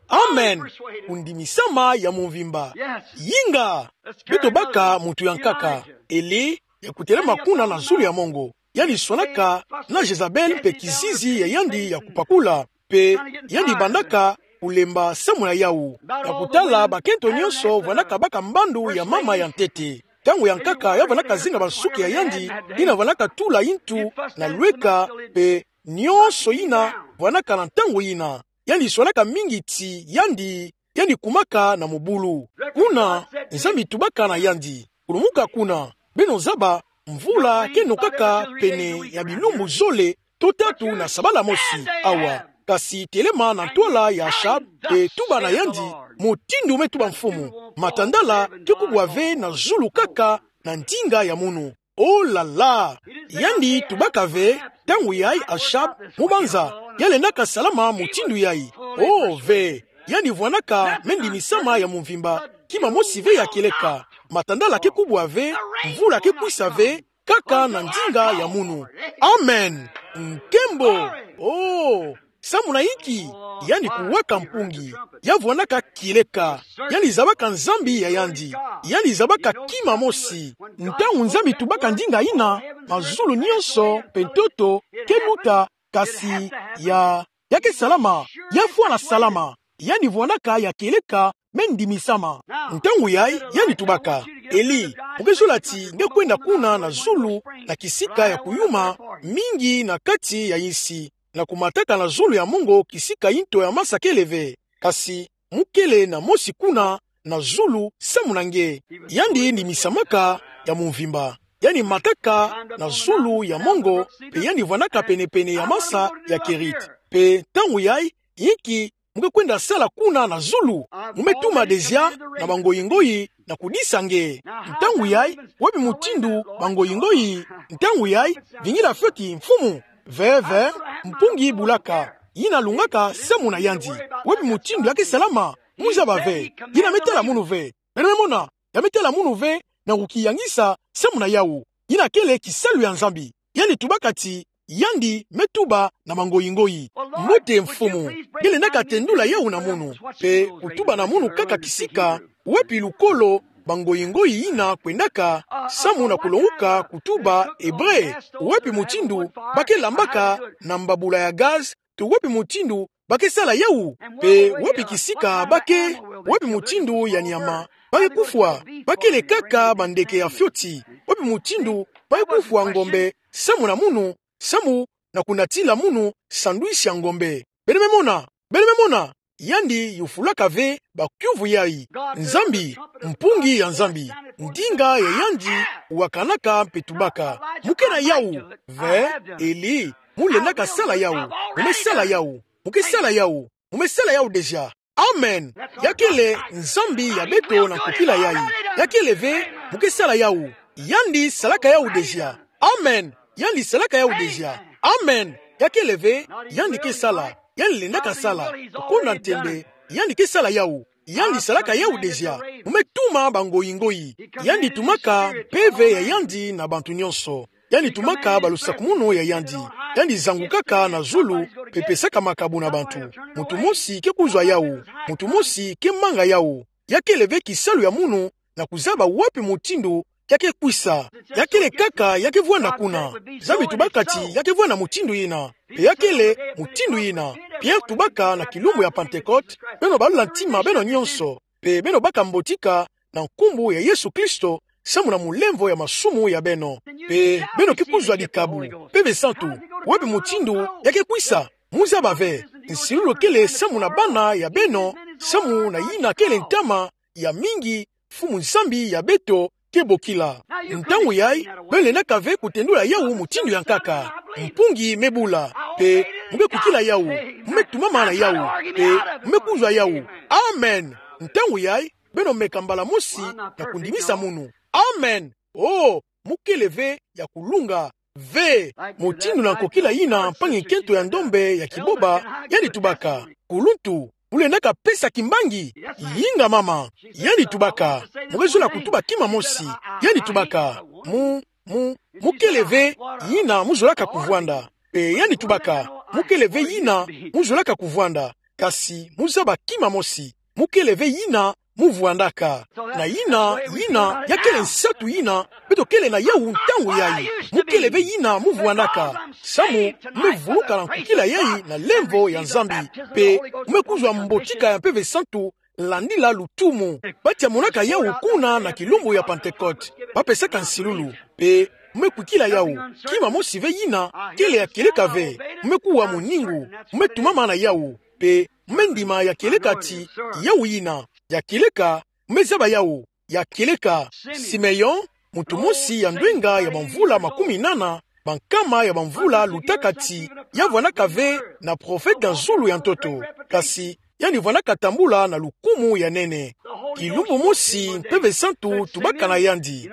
Amen. Kundimisama ya mvimba. Yinga. Beto baka muntu ya nkaka, Eli, ya kutelema kuna na zulu ya mongo. Yandi swanaka na Jezabel mpe kizizi ya yandi ya kupakula. Mpe yandi bandaka kulemba samu na yawu. Ya kutala bakento nyonso vwanaka baka mbandu ya mama ya ntete. Ntangu ya nkaka ya vwanaka zinga bansuki ya yandi, yina vwanaka tula yintu na lweka, mpe nyonso yina vwanaka na ntangu yina. Yandi swanaka mingi ti yandi, yandi kumaka na mobulu. Kuna, Nzambi tubaka na yandi: Kulumuka kuna, beno zaba, mvula ke nokaka pene ya bilumbu zole to tatu na sabala mosi awa. Kasi telema na ntwala ya Achab, mpe tuba na yandi: Mutindu me tuba Mfumu, matandala ke kubwa ve na zulu kaka na ndinga ya munu. Oh là là! Yandi tubaka ve, ntangu yayi Achab, mu banza, ya lendaka salama mutindu yayi. Oh ve, yandi vwanaka me ndimisama ya mvimba, kima mosi ve ya kieleka. Matandala ke kubwa ve, mvula ke kwisa ve, kaka na ndinga ya munu. Amen. Nkembo. Oh, samu na inki? Yandi kuwaka mpungi. Ya vwanaka kieleka. Yandi zabaka Nzambi ya yandi. Yandi zabaka kima mosi. Ntangu Nzambi tubaka ndinga yina, mazulu nyonso mpe ntoto ke luta, kasi ya, ya ke salama. Ya fwana salama. Yandi vwanaka ya kieleka me ndimisama. Ntangu yayi, yandi tubaka: Eli, mu ke zola ti nge kwenda kuna na zulu na kisika ya kuyuma mingi na kati ya insi, na kumataka na zulu ya mongo kisika yinto ya masa kele ve, kasi mu kele na mosi kuna na zulu samu na nge. Yandi ndimisamaka ya mvimba. Yandi mataka na zulu ya mongo, mpe yandi vwanaka pene-pene ya masa ya Kerite. Mpe ntangu yayi, inki mu ke kwenda sala kuna na zulu? Mu me tuma dezia na bangoyi-ngoyi na kudisa nge. Ntangu yayi, wapi mutindu bangoyi-ngoyi? Ntangu yayi, vingila fioti, Mfumu. Ve, ve, mpungi bulaka, yina lungaka samu na yandi. Wapi mutindu ya ke salama? Mu zaba ve. Yina me tala munu ve. Beno me mona, ya me tala munu ve na kukiyangisa samu na yawu. Yina kele kisalu ya Nzambi. Yandi tubaka ti yandi me tuba na bangoyi-ngoyi: Mbote Mfumu, nge lendaka tendula yawu na munu, mpe kutuba na munu kaka kisika wapi lukolo bangoyi-ngoyi yina kwendaka, samu na kulonguka kutuba Ebre. Wapi mutindu ba ke lambaka na mbabula ya gaz, to wapi mutindu ba ke sala yawu, mpe wapi kisika ba ke, wapi mutindu ya nyama ba ke kufwa? Ba kele kaka bandeke ya fioti. Wapi mutindu ba ke kufwa ngombe samu na munu, samu na kunatila munu sandwich ya ngombe? Beno me mona, beno me mona, yandi yufulaka ve bakiuvu yayi. Nzambi, mpungi ya Nzambi, ndinga ya yandi wakanaka mpe tubaka. Mu kena yawu ve, Eli, mu lendaka sala yawu. Mu me sala yawu. Mu ke sala yawu. Mu me sala yawu déjà. Amen. Ya kele Nzambi ya beto na nkokila yayi. Ya kele ve, mu ke sala yawu. Yandi salaka yawu déjà. Amen. Yandi salaka yawu déjà. Amen. Ya kele ve, yandi ke sala. Yandi lendaka sala. Okonda ntembe, yandi ke sala yawu. Yandi salaka yawu déjà. Mu me tuma bangoyi-ngoyi. Yandi tumaka mpeve ya yandi na bantu nyonso. Yandi tumaka balusakumunu ya yandi. Yandi zangukaka na zulu, mpe pesaka makabu na bantu. Muntu mosi ke kuzwa yawu. Muntu mosi ke manga yawu. Ya kele ve kisalu ya munu na kuzaba wapi mutindu ya ke kwisa. Ya kele kaka ya ke vwanda kuna. Nzambi tubaka ti ya ke vwanda mutindu yina. Mpe ya kele mutindu yina. Pierre tubaka na kilumbu ya Pentecôte, beno balula ntima beno nyonso, mpe beno baka mbotika na nkumbu ya Yesu Kristo, samu na mulemvo ya masumu ya beno. Mpe beno ke kuzwa dikabu, Mpeve Santu. Wapi mutindu ya ke kwisa? Mu zaba ve. Nsilulu kele samu na bana ya beno, samu na yina kele ntama ya mingi Mfumu Nzambi ya beto ke bokila. Ntangu yayi, beno lendaka ve kutendula yawu mutindu ya nkaka. Mpungi me bula, mpe mu ke kwikila yawu, mu me tumama na yawu, mpe mu me kuzwa yawu. Amen. Ntangu yayi, beno meka mbala mosi na kundimisa munu. Amen. Oh, mu kele ve ya kulunga. Ve, mutindu na nkokila yina mpangi-nkento ya ndombe ya kiboba, yandi tubaka: Kuluntu, mu lendaka pesa kimbangi? Inga mama, yandi tubaka: Mu ke zola kutuba kima mosi. Yandi tubaka: Mu, mu, mu kele ve yina mu zolaka kuvwanda. Mpe yandi tubaka: Mu kele ve yina mu zolaka kuvwanda. Kasi mu zaba kima mosi: mu kele ve yina mu vwandaka. Na yina, yina ya kele nsatu yina beto kele na yawu ntangu yayi. Mu kele ve yina mu vwandaka. Samu mu me vuluka na nkokila yayi na lemvo ya Nzambi, mpe mu me kuzwa mbotika ya Mpeve Santu, landila lutumu. Bati ya monaka yawu kuna na kilumbu ya Pentecôte, ba pesaka nsilulu, mpe mu me kwikila yawu. Kima mosi ve yina kele ya kieleka ve. Mu me kuwa moningu, mu me tumama na yawu, mpe mu me ndima ya kieleka ti yawu yina ya kieleka. Mu me zaba yawu ya kieleka. Simeon, muntu mosi ya ndwenga ya bamvula makumi nana, bankama ya bamvula lutaka ti ya vwandaka ve na profete ya zulu ya ntoto. Kasi yandi vwandaka tambula na lukumu ya nene. Kilumbu mosi Mpeve Santu tubaka na yandi.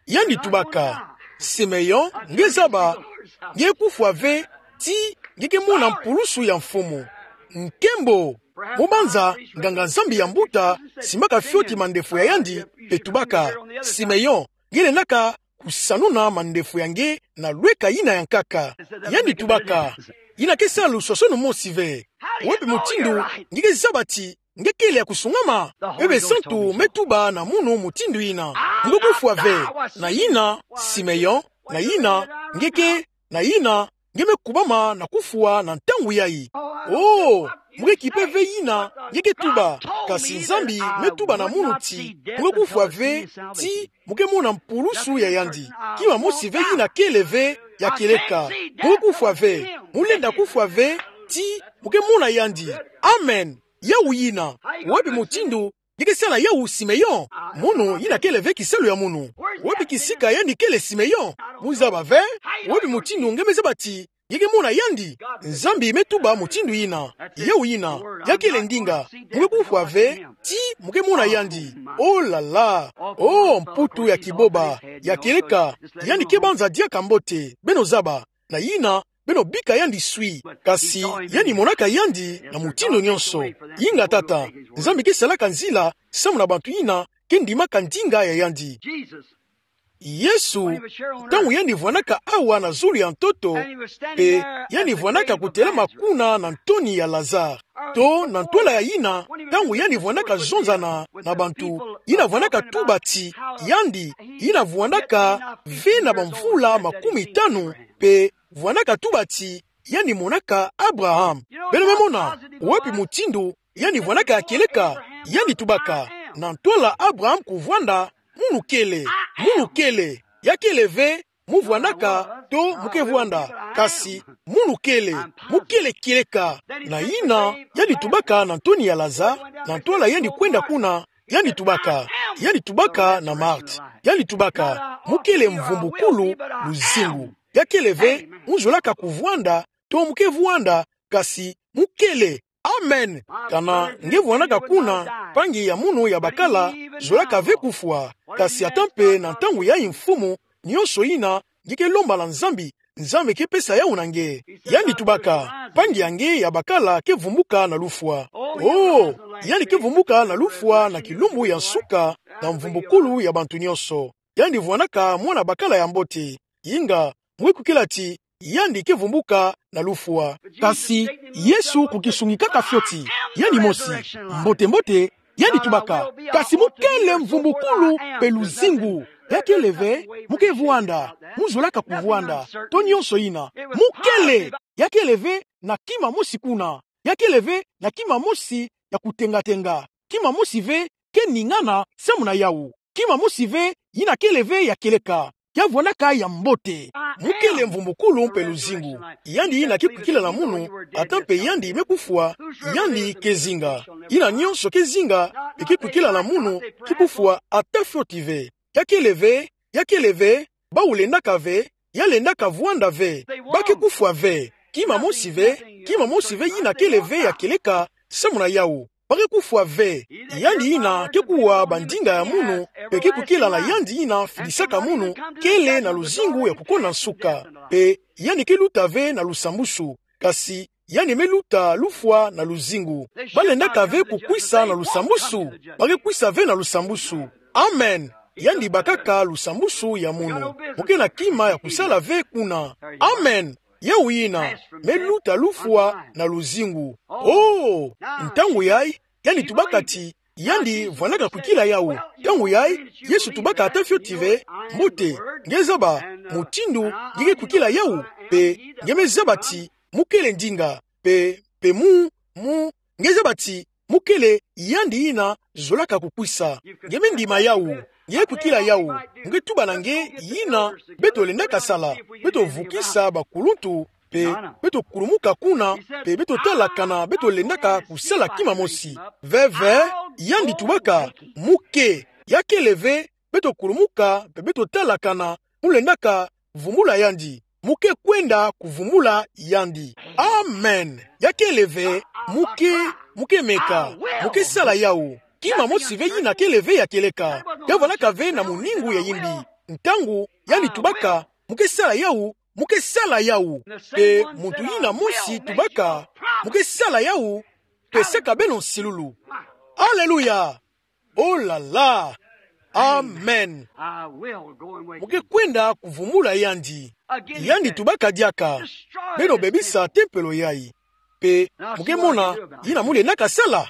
Yandi tubaka: Simeon, nge zaba, nge kufwa ve ti nge ke mona mpulusu ya Mfumu. Nkembo! Mu banza, nganga-Nzambi ya mbuta simbaka fioti mandefu ya yandi, mpe tubaka: Simeon, nge lendaka kusanuna mandefu ya nge na lweka yina ya nkaka. Yandi tubaka: Yina ke sala luswaswanu mosi ve. Wapi mutindu nge ke zaba ti nge kele ya kusungama? Mpeve Santu me tuba na munu mutindu yina: Mu ke kufwa ve. Na yina, Simeon, na yina, nge ke, na yina, nge me kubama na kufwa na ntangu yayi. Oh, mu ke kipe ve yina nge ke tuba. Kasi Nzambi me tuba na munu ti mu ke kufwa ve ti mu ke mona mpulusu ya yandi. Kima mosi ve yina kele ve ya kieleka. Mu ke kufwa ve. Mu lenda kufwa ve ti mu ke mona yandi. Amen. Yawu yina. Wapi mutindu nge ke sala yawu, Simeon? Munu, yina kele ve kisalu ya munu. Wapi kisika yandi kele, Simeon? Mu zaba ve. Wapi mutindu nge me zaba ti nge ke mona yandi? Nzambi me tuba mutindu yina. Yawu yina ya kele ndinga. Mu ke kufwa ve ti mu ke mona yandi. Oh là là. Oh, mputu ya kiboba ya kieleka. Yandi ke banza diaka mbote. Beno zaba. Na yina, beno bika yandi swi. Kasi yandi monaka yandi na mutindu nyonso. Inga tata, Nzambi ke salaka nzila samu na bantu yina ke ndimaka ndinga ya yandi. Yesu, ntangu yandi vwandaka awa na zulu ya ntoto, mpe yandi vwandaka kutelama kuna na ntoni ya Lazare, to na ntwala ya yina, ntangu yandi vwandaka zonzana na bantu, yina vwandaka tuba ti yandi, yina vwandaka ve na bamvula makumi tanu, mpe vwandaka tuba ti yandi monaka Abraham. Beno me mona wapi mutindu yandi vwandaka ya kieleka? Yandi tubaka: Na ntwala Abraham kuvwanda, munu kele, munu kele. Ya kele ve mu vwandaka, to mu ke vwanda, kasi munu kele, mu kele kieleka. Na yina, yandi tubaka na ntoni ya Lazare, na ntwala yandi kwenda kuna, yandi tubaka, yandi tubaka na Marthe, yandi tubaka, mu kele mvumbukulu, luzingu. Ya kele ve, mu zolaka kuvwanda, to mu ke vwanda, kasi mu kele. Amen. Kana nge vwandaka kuna, mpangi ya munu ya bakala zolaka ve kufwa. Kasi ata mpe na ntangu yayi mfumu, nionso yina nge ke lomba na Nzambi, Nzambi ke pesa yawu na nge. Yandi tubaka, mpangi ya nge ya bakala ke vumbuka na lufwa. Oh, yandi ke vumbuka na lufwa na kilumbu ya nsuka, na mvumbukulu ya bantu nionso. Yandi vwandaka mwana bakala ya mbote. Inga, mu ke kwikila ti, yandi ke vumbuka na lufwa. Kasi Yesu ku kisungikaka fioti, yandi mosi, mbote-mbote, yandi tubaka, kasi mu kele mvumbukulu mpe luzingu. Ya kele ve, mu ke vwanda, mu zolaka kuvwanda, to nionso yina. Mu kele, ya kele ve na kima mosi kuna. Ya kele ve na kima mosi ya kutenga-tenga. Kima mosi ve ke ningana samu na yawu. Kima mosi ve yina kele ve ya kieleka. Ya vwandaka ya mbote. Mu kele mvumbukulu mpe luzingu. Yandi yina ke kwikila na munu, ata mpe yandi me kufwa, yandi ke zinga. Yina nionso ke zinga, mpe ke kwikila na munu, ke kufwa ata fioti ve. Ya kele ve, ya kele ve, bawu lendaka ve, ya lendaka vwanda ve, ba ke kufwa ve. Kima mosi ve, kima mosi ve yina kele ve ya kieleka samu na yawu. Ba ke kufwa ve. Yandi yina ke kuwa bandinga ya munu, mpe ke kwikila na yandi yina fidisaka munu, kele na luzingu ya kukonda nsuka. Mpe yandi ke luta ve na lusambusu. Kasi yandi me luta lufwa na luzingu. Ba lendaka ve kukwisa na lusambusu. Ba ke kwisa ve na lusambusu. Amen. Yandi bakaka lusambusu ya munu. Mu ke na kima ya kusala ve kuna. Amen. Yawu yina, me luta lufwa na luzingu. Oh, ntangu yayi, yandi tubaka ti, yandi vwandaka kwikila yawu. Ntangu yayi, Yesu tubaka ata fioti ve, mbote, nge zaba mutindu nge ke kwikila yawu, mpe nge me zaba ti, mu kele ndinga, mpe, mpe mu, mu, nge zaba ti, mu kele yandi yina zolaka kukwisa. Nge me ndima yawu, nge kwikila yawu, nge tuba na nge yina beto lendaka sala, beto vukisa bakuluntu, mpe beto kulumuka kuna, mpe beto tala kana beto lendaka kusala kima mosi. Ve ve, yandi tubaka, mu ke, ya kele ve, beto kulumuka, mpe beto tala kana mu lendaka vumbula yandi. Mu ke kwenda kuvumbula yandi. Amen. Ya kele ve, mu ke, mu ke meka, mu ke sala yawu. Kima mosi ve yina kele ve ya kieleka. Ya vwandaka ve na muningu ya yimbi. Ntangu yandi tubaka, mu ke sala yawu, mu ke sala yawu. Mpe muntu yina mosi tubaka, mu ke sala yawu, mpe saka beno nsilulu. Aleluya. Oh la la. Amen. Mu ke kwenda kuvumbula yandi. Yandi tubaka diaka, beno bebisa tempelo yayi. Mpe mu ke mona yina mu lendaka sala.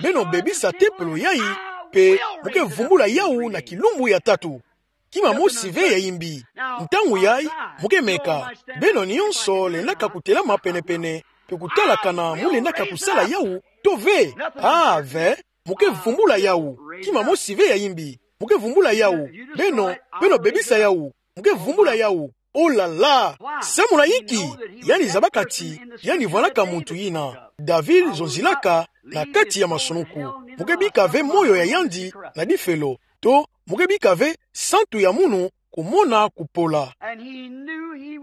Beno bebisa tempelo yayi, mpe mu ke vumbula yawu na kilumbu ya tatu. Kima mosi ve ya yimbi. Ntangu yayi, mu ke meka, beno nionso lendaka kutelama pene-pene, mpe kutala kana mu lendaka kusala yawu, to ve. Ah, ve, mu ke vumbula yawu. Kima mosi ve ya yimbi. Mu ke vumbula yawu. Beno, beno bebisa yawu. Mu ke vumbula yawu. Oh la la. Samu na yinki? Yandi zabaka ti yandi vwandaka muntu yina David zonzilaka na kati ya masunuku. Mu ke bika ve moyo ya yandi na difelo. To, mu ke bika ve santu ya munu kumona kupola.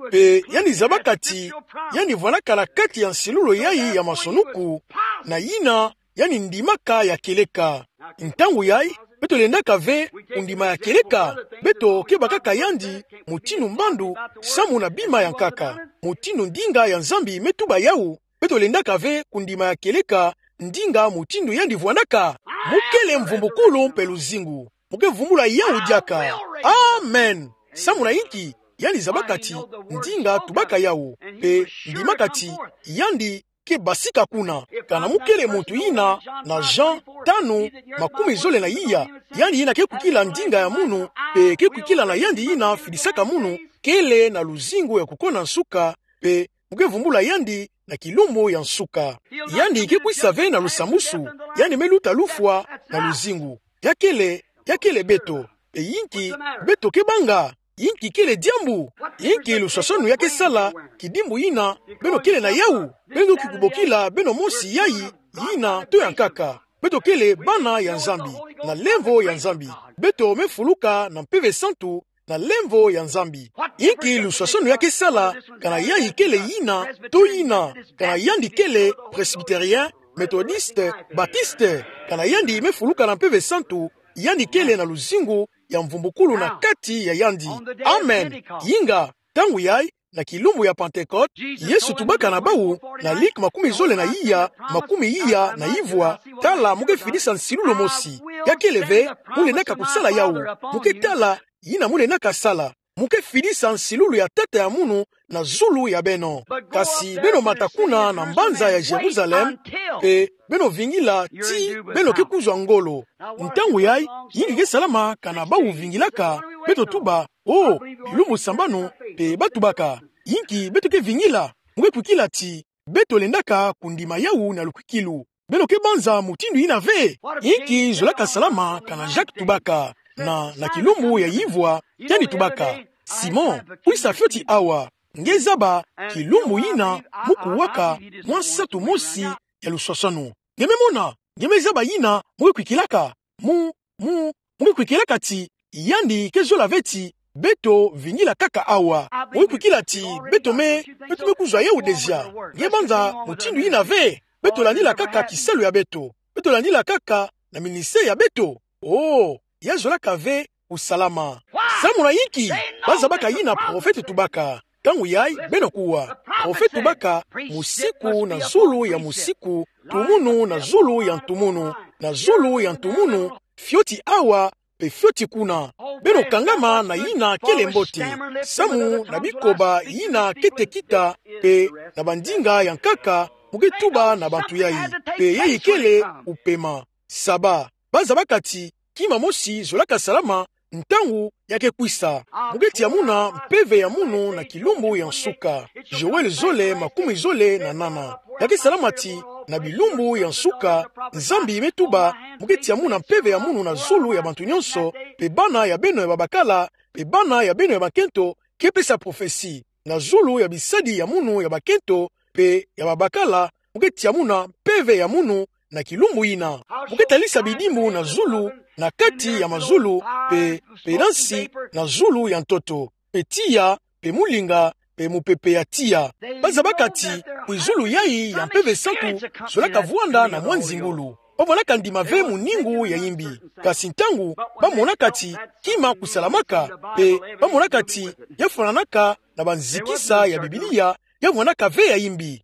Mpe yandi zabaka ti yandi vwandaka na kati ya nsilulu yayi ya masunuku, na yina yandi ndimaka ya kieleka. Ntangu yayi, beto lendaka ve kundima ya kieleka, beto ke bakaka yandi mutindu mbandu, samu na bima ya nkaka, mutindu ndinga ya Nzambi me tuba yawu, beto lendaka ve kundima ya kieleka, ndinga mutindu yandi vwandaka. Mu kele mvumbukulu mpe luzingu. Mu ke vumbula yawu diaka. Amen. Samu na yinki? Yandi zabaka ti ndinga tubaka yawu, mpe ndimaka ti yandi ke basika kuna. Kana mu kele muntu yina na Jean tanu, makumi zole na iya, yandi yina ke kwikila ndinga ya munu, mpe ke kwikila na yandi yina fidisaka munu, kele na luzingu ya kukonda nsuka, mpe mu ke vumbula yandi na kilumbu ya nsuka. Yandi ke kwisa ve na lusambusu, yandi me luta lufwa na luzingu. Ya kele, ya kele beto. Mpe yinki beto ke banga? Inki kele diambu? Inki luswaswanu ya ke sala kidimbu yina beno kele na yawu? Beno doki kubokila beno mosi yayi, yina to ya nkaka. Beto kele bana ya Nzambi, na lemvo ya Nzambi. Beto mefuluka na Mpeve Santu, na lemvo ya Nzambi. Inki luswaswanu ya ke sala, kana yayi kele yina, to yina, kana yandi kele Presbytérien, Méthodiste, Baptiste, kana yandi mefuluka na Mpeve Santu, yandi kele na luzingu ya mvumbukulu na kati ya yandi. Amen. Inga, ntangu yayi, na kilumbu ya Pentecôte, Yesu tubaka na bawu, na Lik makumi zole na iya, makumi iya na ivwa: Tala, mu ke fidisa nsilulu mosi. Ya kele ve mu lendaka kusala yawu. Mu ke tala yina mu lendaka sala. Mu ke fidisa nsilulu ya Tata ya munu na zulu ya beno. Kasi beno mata kuna na mbanza ya Jérusalem, mpe beno vingila tii beno ke kuzwa ngolo. Ntangu yayi, inki ke salama kana bawu vingilaka? Beto tuba: O, bilumbu sambanu, mpe ba tubaka. Inki beto ke vingila? Mu ke kwikila ti beto lendaka kundima yawu na lukwikilu. Beno ke banza mutindu yina ve? Inki zolaka salama kana Jacques tubaka, na, na kilumbu ya ivwa, yandi tubaka: Simon, kwisa fioti awa. Nge zaba kilumbu yina mu kuwaka mwa nsatu mosi ya luswaswanu. Nge me mona, nge me zaba yina mu ke kwikilaka. Mu, mu, mu ke kwikilaka ti yandi ke zola ve ti beto vingila kaka awa. Mu ke kwikila ti beto me, beto me kuzwa yawu dezia. Nge banza mutindu yina ve? Beto landila kaka kisalu ya beto. Beto landila kaka na ministère ya beto. O, ya zolaka ve kusalama. Samu na inki? Ba zabaka yina prophète tubaka. Ntangu yayi beno kuwa. Prophète tubaka musiku na zulu ya musiku, ntumunu na zulu ya ntumunu, na zulu ya ntumunu, fioti awa, mpe fioti kuna. Beno kangama na yina kele mbote. Samu na bikoba yina kete kita, mpe na bandinga ya nkaka, mu ke tuba na bantu yayi. Mpe yayi kele kupema. Saba. Ba zabaka ti kima mosi zolaka salama ntangu ya ke kwisa. Mu ke tia muna mpeve ya munu na kilumbu ya nsuka. Joël zole makumi zole na nana. Ya ke salama ti na bilumbu ya nsuka, Nzambi me tuba, mu ke tia muna mpeve ya munu na zulu ya bantu nyonso, mpe bana ya beno ya babakala, mpe bana ya beno ya bakento, ke pesa prophetie. Na zulu ya bisadi ya munu ya bakento mpe ya babakala, mu ke tia muna mpeve ya munu na kilumbu yina. Mu ke talisa bidimbu na zulu, na kati ya mazulu, mpe, mpe na nsi, na zulu ya ntoto, mpe tiya, mpe mulinga, mpe mupepe ya tiya. Ba zabaka ti kwizulu yayi ya Mpeve Santu, zolaka vwanda na mwa nzingulu. Ba vwandaka ndima ve muningu ya imbi. Kasi ntangu ba monaka ti kima kusalamaka, mpe ba monaka ti ya fwananaka na banzikisa ya Biblia, ya vwandaka ve ya imbi.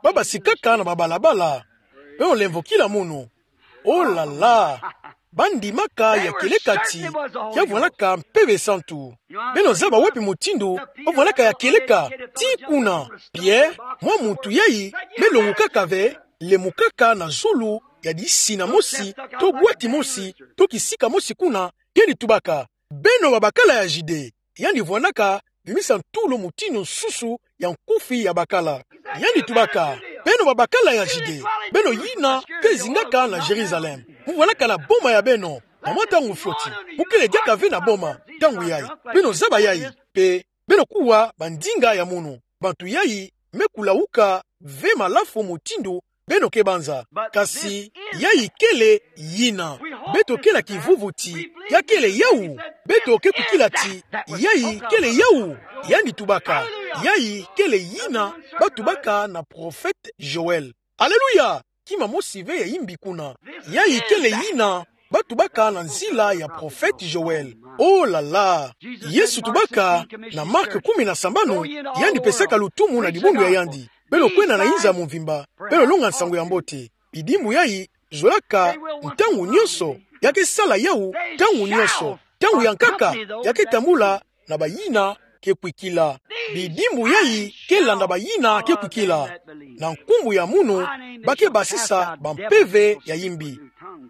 Ba basikaka na babalabala. Beno lemvokila munu. Oh là là! Ba ndimaka ya kieleka ti ya vwandaka Mpeve Santu. Beno zaba wapi mutindu ba vwandaka ya kieleka? Tii kuna, Pierre, mwa muntu yayi me longukaka ve, lemukaka na zulu ya disina mosi, to bwati mosi, to kisika mosi kuna, yandi tubaka: Beno babakala ya Judée. Yandi vwandaka bimisa ntulu mutindu nsusu ya nkufi ya bakala. Yandi tubaka: Beno babakala ya Judée, beno yina ke zingaka na Jérusalem, mu vwandaka na boma ya beno, na mwa ntangu fioti mu kele diaka ve na boma ntangu yayi. Beno zaba yayi, mpe beno kuwa bandinga ya munu. Bantu yayi me kulawuka ve malafu mutindu beno ke banza. Kasi yayi kele yina. Beto ke na kivuvu ti ya kele yawu. Beto ke kwikila ti yayi kele yawu. Yandi tubaka: Yayi kele yina ba tubaka na prophète Joël. Alléluia! Kima mosi ve ya imbi kuna. Yayi kele yina ba tubaka na nzila ya prophète Joël. Oh là là! Yesu tubaka na Marc kumi na sambanu, yandi pesaka lutumu na dibundu ya yandi: Beno kwenda na inza ya mvimba, beno longa nsangu ya mbote. Bidimbu yayi zolaka ntangu nyonso, ya ke sala yawu ntangu nyonso. Ntangu ya nkaka, ya ke tambula na bayina ke kwikila. Bidimbu yayi ke landa bayina ke kwikila. Na nkumbu ya munu ba ke basisa bampeve ya imbi.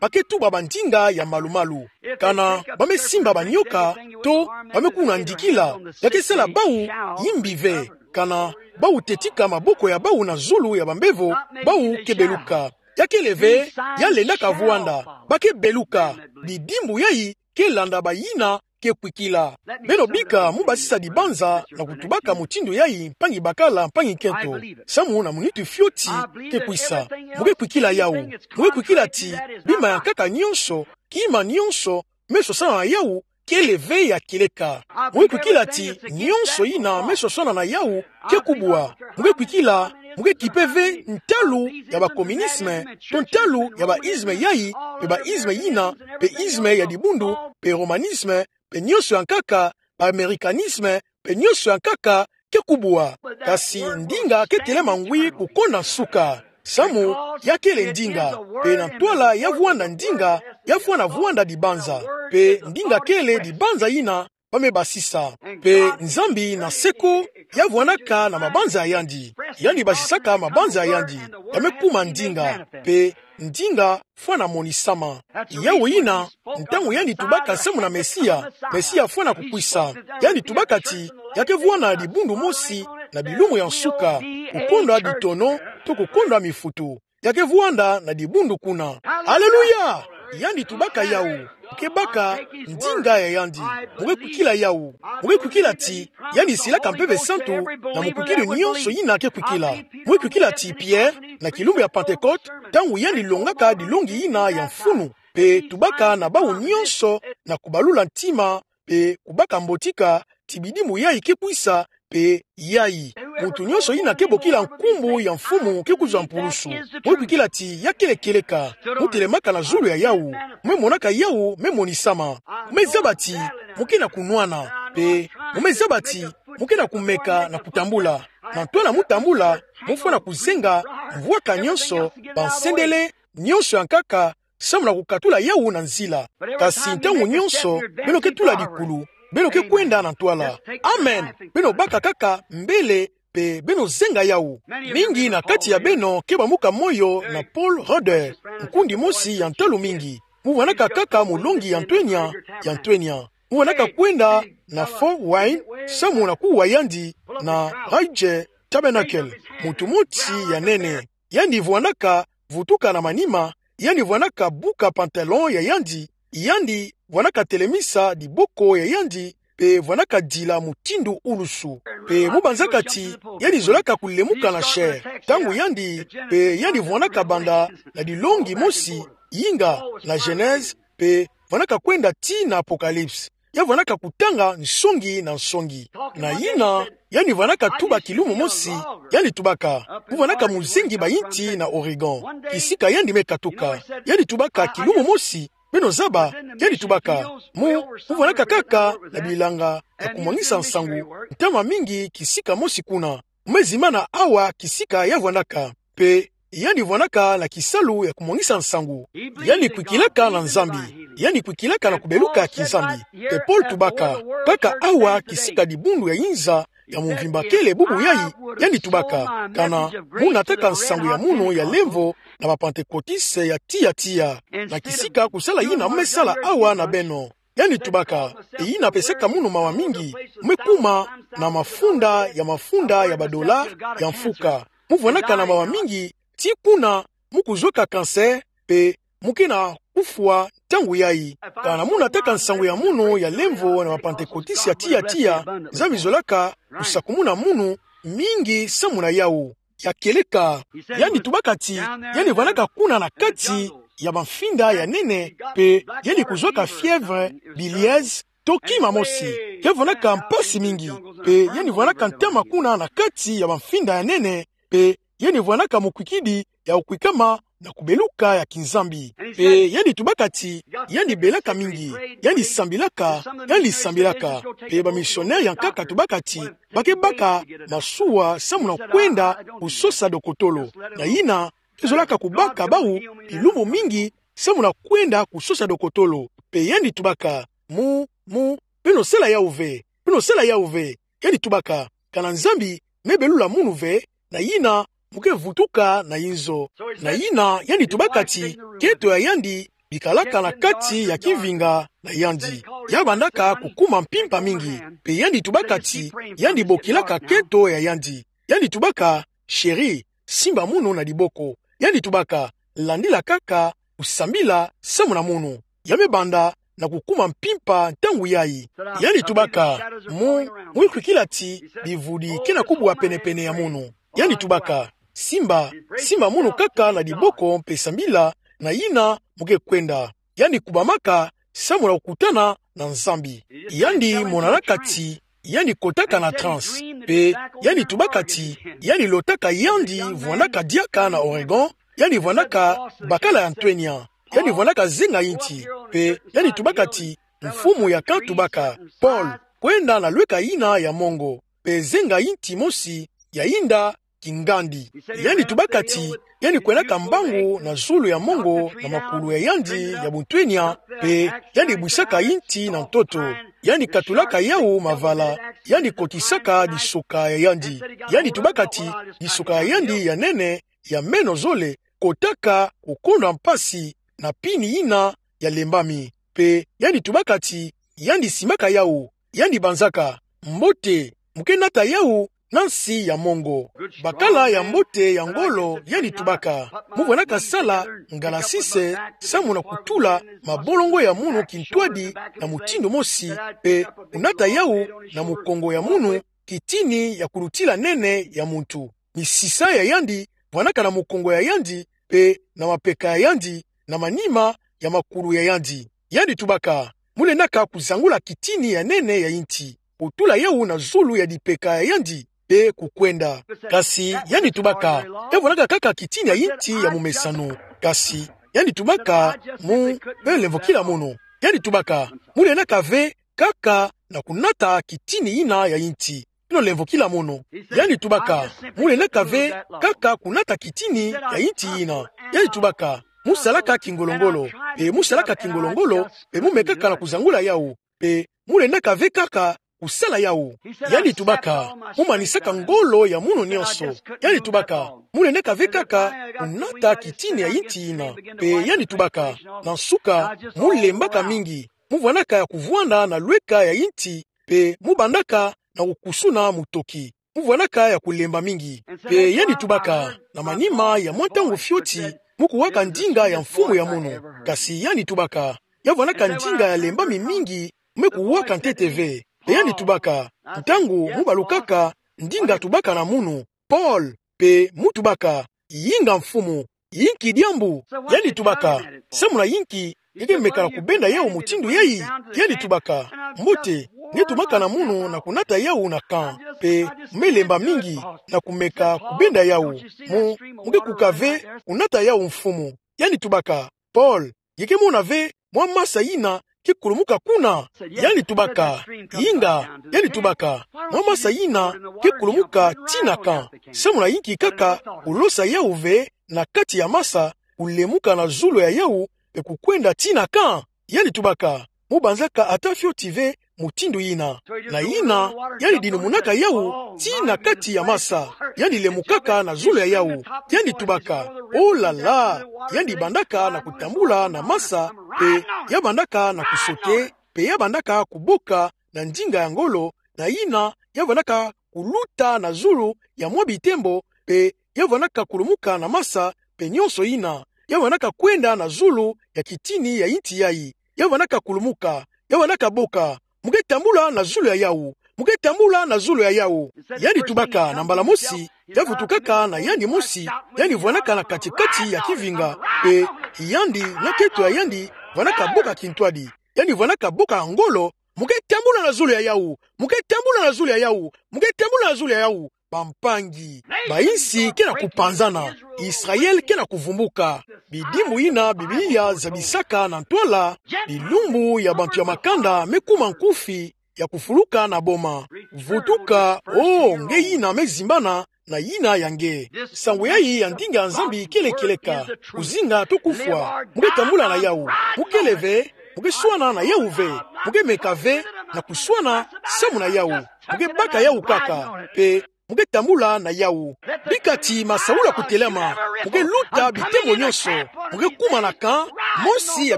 Ba ke tuba bandinga ya malumalu. Kana ba me simba banioka, to ba me kuna ndikila, ya ke sala bawu imbi ve. Kana bawu tetika maboko ya bawu na zulu ya bambevo, bawu ke beluka. Ya kele ve ya lendaka vwanda. Ba ke beluka. Bidimbu yayi ke landa bayina ke kwikila. Beno bika mu basisa dibanza na kutubaka mutindu yayi, mpangi bakala, mpangi nkento. Samu na munitu fioti ke kwisa. Mu ke kwikila yawu. Mu ke kwikila ti bima ya nkaka nionso, kima nionso, me sosana na yawu, kele ve ya kieleka. Mu ke kwikila ti nionso yina me sosana na yawu ke kubwa. Mu ke kwikila, mu ke kipe ve ntalu ya ba communisme, to ntalu ya ba isme yayi, pe ba isme yina, pe isme ya dibundu, pe romanisme, pe nionso ya nkaka, ba américanisme, pe nionso ya nkaka ke kubwa. Kasi ndinga ke telema ngwi kukonda nsuka. Samu ya kele ndinga. Pe na ntwala ya vwanda ndinga, ya fwana vwanda dibanza. Pe ndinga kele dibanza yina ba me basisa. Pe Nzambi na seko ya vwanaka na mabanza ya yandi. Yandi basisaka mabanza ya yandi. Ya me kuma ndinga. Pe ndinga fwana monisama. Yawu yina, ntangu yandi tubaka samu na Mesia, Mesia fwana kukwisa. Yandi tubaka ti ya ke vwanda na dibundu mosi na bilumbu ya nsuka, kukondwa ditono, to kukondwa mifutu. Ya ke vwanda na dibundu kuna. Aleluya! Yandi tubaka yawu. Mu ke baka ndinga ya yandi. Mu ke kwikila yawu. Mu ke kwikila ti yandi silaka Mpeve Santu na mukwikidi nionso yina ke kwikila. Mu ke kwikila ti Pierre, na kilumbu ya Pentecôte, ntangu yandi longaka dilongi yina ya mfunu, pe tubaka na bawu nionso na kubalula ntima, pe kubaka mbotika, ti bidimbu yayi ke kwisa, pe yayi. Muntu nionso yina ke bokila nkumbu ya Mfumu ke kuzwa mpulusu. Mu ke kwikila ti ya kele kieleka. Mu telemaka na zulu ya yawu. Mu me monaka yawu me monisama. Mu me zaba ti mu ke na kunwana. Pe mu me zaba ti mu ke na kumeka na kutambula. Na ntwala mu tambula, mu fwana kuzenga mvwaka nionso, bansendele nionso ya nkaka, samu na kukatula yawu na nzila. Kasi ntangu nionso beno ke tula dikulu, beno ke kwenda na ntwala. Amen. Beno baka kaka mbele, pe beno zenga yawu. Mingi na kati ya beno ke bamuka moyo na Paul Rhodes, nkundi mosi ya ntalu mingi. Mu vwanaka kaka mulongi ya ntwenya, ya ntwenya. Mu vwanaka kwenda na Fort Wayne, samu na kuwa yandi na Ridgway Tabernacle, mutu mosi ya nene. Yandi vwanaka vutuka na manima, yandi vwanaka buka pantalon ya yandi, yandi vwanaka telemisa diboko ya yandi, pe vwanaka dila mutindu ulusu. Pe mu banzaka ti yandi zolaka kulemuka na chair. Ntangu yandi, pe yandi vwanaka banda na dilongi mosi, yinga na Genèse, pe vwanaka kwenda tii na Apocalypse. Ya vwanaka kutanga nsongi na nsongi. Na yina, yandi vwanaka tuba kilumbu mosi, yandi tubaka, mu vwanaka muzingi bayinti na Oregon, kisika yandi me katuka. Yandi tubaka kilumbu mosi, beno zaba, yandi tubaka, mu, mu vwanaka kaka na bilanga ya kumwangisa nsangu, ntama mingi kisika mosi kuna. Mu me zimbana awa kisika ya vwanaka. Pe yandi vwanaka na kisalu ya kumwangisa nsangu. Yandi kwikilaka na Nzambi. Yandi kwikilaka na kubeluka ya kinzambi. Pe Paul tubaka, kaka awa kisika dibundu ya inza ya mumvimba kele bubu yayi, yandi tubaka, kana mu nataka nsangu ya munu ya lemvo na ba Pantekotiste ya tiya tiya. Na kisika kusala yina mu me sala awa na beno. Yandi tubaka, e yina pesaka munu mawa mingi, mu me kuma na mafunda ya mafunda ya ba dollar ya mfuka. Mu vwanaka na mawa mingi, tii kuna mu kuzwaka cancer, pe mu ke na kufwa ntangu yayi. Kana mu nataka nsangu ya munu ya lemvo na ba Pantekotiste ya tiya tiya, Nzambi zolaka kusakumuna munu mingi samu na yawu. Ya kieleka. Yandi tubaka ti yandi vwanaka kuna na kati ya bamfinda ya nene, pe yandi kuzwaka fièvre bilharzienne, to kima mosi. Ya vwanaka mpasi mingi, pe yandi vwanaka ntama kuna na kati ya bamfinda ya nene, pe yandi vwanaka mukwikidi ya kukwikama na kubeluka ya kinzambi. Pe yandi tubaka ti yandi belaka mingi, yandi sambilaka, yandi sambilaka. Pe bamisionere ya nkaka tubaka ti ba ke baka masuwa samu na kwenda kusosa dokotolo. Na yina, ke zolaka kubaka bawu bilumbu mingi samu na kwenda kusosa dokotolo. Pe yandi tubaka, mu, mu, beno sala yawu ve, beno sala yawu ve. Yandi tubaka, kana Nzambi me belula munu ve, na yina mu ke vutuka na inzo. Na yina yandi tubaka ti keto ya yandi bikalaka na kati ya kivinga na yandi. Ya bandaka kukuma mpimpa mingi, pe yandi tubaka ti yandi bokilaka keto ya yandi. Yandi tubaka, chérie, simba munu na diboko. Yandi tubaka, landila kaka kusambila samu na munu. Ya me banda na kukuma mpimpa ntangu yayi. Yandi tubaka: Mu, mu ikwikila ti bivudi ke na kubwa pene-pene ya munu. Yandi tubaka: Simba, simba munu kaka na diboko mpe sambila, na yina mu ke kwenda. Yandi kubamaka samu na kukutana na Nzambi. Yandi monanaka ti yandi kotaka na transe, mpe yandi tubaka ti yandi lotaka yandi vwandaka diaka na Oregon, yandi vwandaka bakala ya ntwenya, yandi vwandaka zenga yinti, mpe yandi tubaka ti Mfumu ya kantubaka: Paul, kwenda na lweka yina ya mongo, mpe zenga yinti mosi ya yinda kingandi. Yandi tubaka ti yandi kwendaka mbangu na zulu ya mongo na makulu ya yandi ya buntwenya, mpe yandi bwisaka yinti na ntoto. Yandi katulaka yawu mavala, yandi kotisaka disoka ya yandi. Yandi tubaka ti disoka ya yandi ya nene, ya meno zole, kotaka kukonda mpasi na pini yina ya lembami. Mpe yandi tubaka ti yandi simbaka yawu, yandi banzaka: Mbote, mu ke nata yawu na nsi ya mongo. Bakala ya mbote ya ngolo, yandi tubaka: Mu vwandaka sala ngalasise samu na kutula mabolongo ya munu kintwadi na mutindu mosi, mpe kunata yawu na mukongo ya munu kitini ya kulutila nene ya muntu. Misisa ya yandi vwandaka na mukongo ya yandi, mpe na mapeka ya yandi, na manima ya makulu ya yandi. Yandi tubaka: Mu lendaka kuzangula kitini ya nene ya yinti, kutula yawu na zulu ya dipeka ya yandi, mpe kukwenda. Kasi yandi tubaka: Ya vwandaka kaka kitini ya yinti ya mumesano. Kasi yandi tubaka: Mu, beno lemvokila munu. Yandi tubaka: Mu lendaka ve kaka na kunata kitini yina ya yinti. Beno lemvokila munu. Yandi tubaka: Mu lendaka ve kaka kunata kitini ya yinti yina. Yandi tubaka: Mu salaka kingolo-ngolo, mpe mu salaka kingolo-ngolo, mpe mu mekaka na kuzangula yawu, mpe mu lendaka ve kaka kusala yawu. Yandi tubaka: Mu manisaka ngolo ya munu nyonso. Yandi tubaka: Mu lendaka ve kaka kunata kitini ya yinti yina. Mpe yandi tubaka: Na nsuka, mu lembaka mingi. Mu vwandaka ya kuvwanda na lweka ya yinti, mpe mu bandaka na kukusuna mutoki. Mu vwandaka ya kulemba mingi. Mpe yandi tubaka: Na manima ya mwa ntangu fioti, mu kuwaka ndinga ya mfumu ya munu. Kasi yandi tubaka: Ya vwandaka ndinga ya lembami mingi mu me kuwaka ntete ve. Mpe yandi tubaka: Ntangu mu balukaka, ndinga tubaka na munu: Paul. Mpe mu tubaka: Yinga mfumu, yinki diambu? Yandi tubaka: Samu na yinki nge ke meka na kubenda yawu mutindu yayi? Yandi tubaka: Mbote, nge tumaka na munu na kunata yawu na camp, mpe mu me lemba mingi na kumeka kubenda yawu. Mu, mu ke kuka ve kunata yawu, mfumu. Yandi tubaka: Paul, nge ke mona ve mwa masa yina ke kulumuka kuna? Yandi tubaka: Yinga. Yandi tubaka: Mwa masa yina ke kulumuka tii na camp. Samu na yinki kaka kulosa yawu ve na kati ya masa, kulemuka na zulu ya yawu, mpe kukwenda tii na camp? Yandi tubaka: Mu banzaka ata fioti ve mutindu yina. Na yina, yandi dinumunaka yawu tii na kati ya masa. Yandi lemukaka na zulu ya yawu. Yandi tubaka: Oh là là! Yandi bandaka na kutambula na masa, mpe ya bandaka na kusote, mpe ya bandaka kuboka na ndinga ya ngolo, na yina ya bandaka kuluta na zulu ya mwa bitembo, mpe ya bandaka kulumuka na masa, mpe nyonso yina, ya bandaka kwenda na zulu ya kitini ya yinti yayi. Ya bandaka kulumuka, ya bandaka boka: Mu ke tambula na zulu ya yawu, mu ke tambula na zulu ya yawu. Yandi tubaka na mbala mosi, ya vutukaka na yandi mosi, yandi vwandaka na kati-kati ya kivinga, mpe yandi na keto ya yandi vwandaka boka kintwadi. Yandi vwandaka boka na ngolo: Mu ke tambula na zulu ya yawu, mu ke tambula na zulu ya yawu, mu ke tambula na zulu ya yawu. Bampangi, bayinsi ke na kupanzana, Israël ke na kuvumbuka. Bidimbu yina Biblia zabisaka na ntwala: Bilumbu ya bantu ya makanda me kuma nkufi, ya kufuluka na boma. Vutuka, oh nge yina me zimbana na yina ya nge. Nsangu yayi ya ndinga ya Nzambi kele kieleka. Kuzinga to kufwa, mu ke tambula na yawu. Mu kele ve, mu ke swana na yawu ve. Mu ke meka ve na kuswana samu na yawu. Mu ke baka yawu kaka, mpe mu ke tambula na yawu. Bika ti masaula kutelama, mu ke luta bitembo nyonso, mu ke kuma na camp mosi ya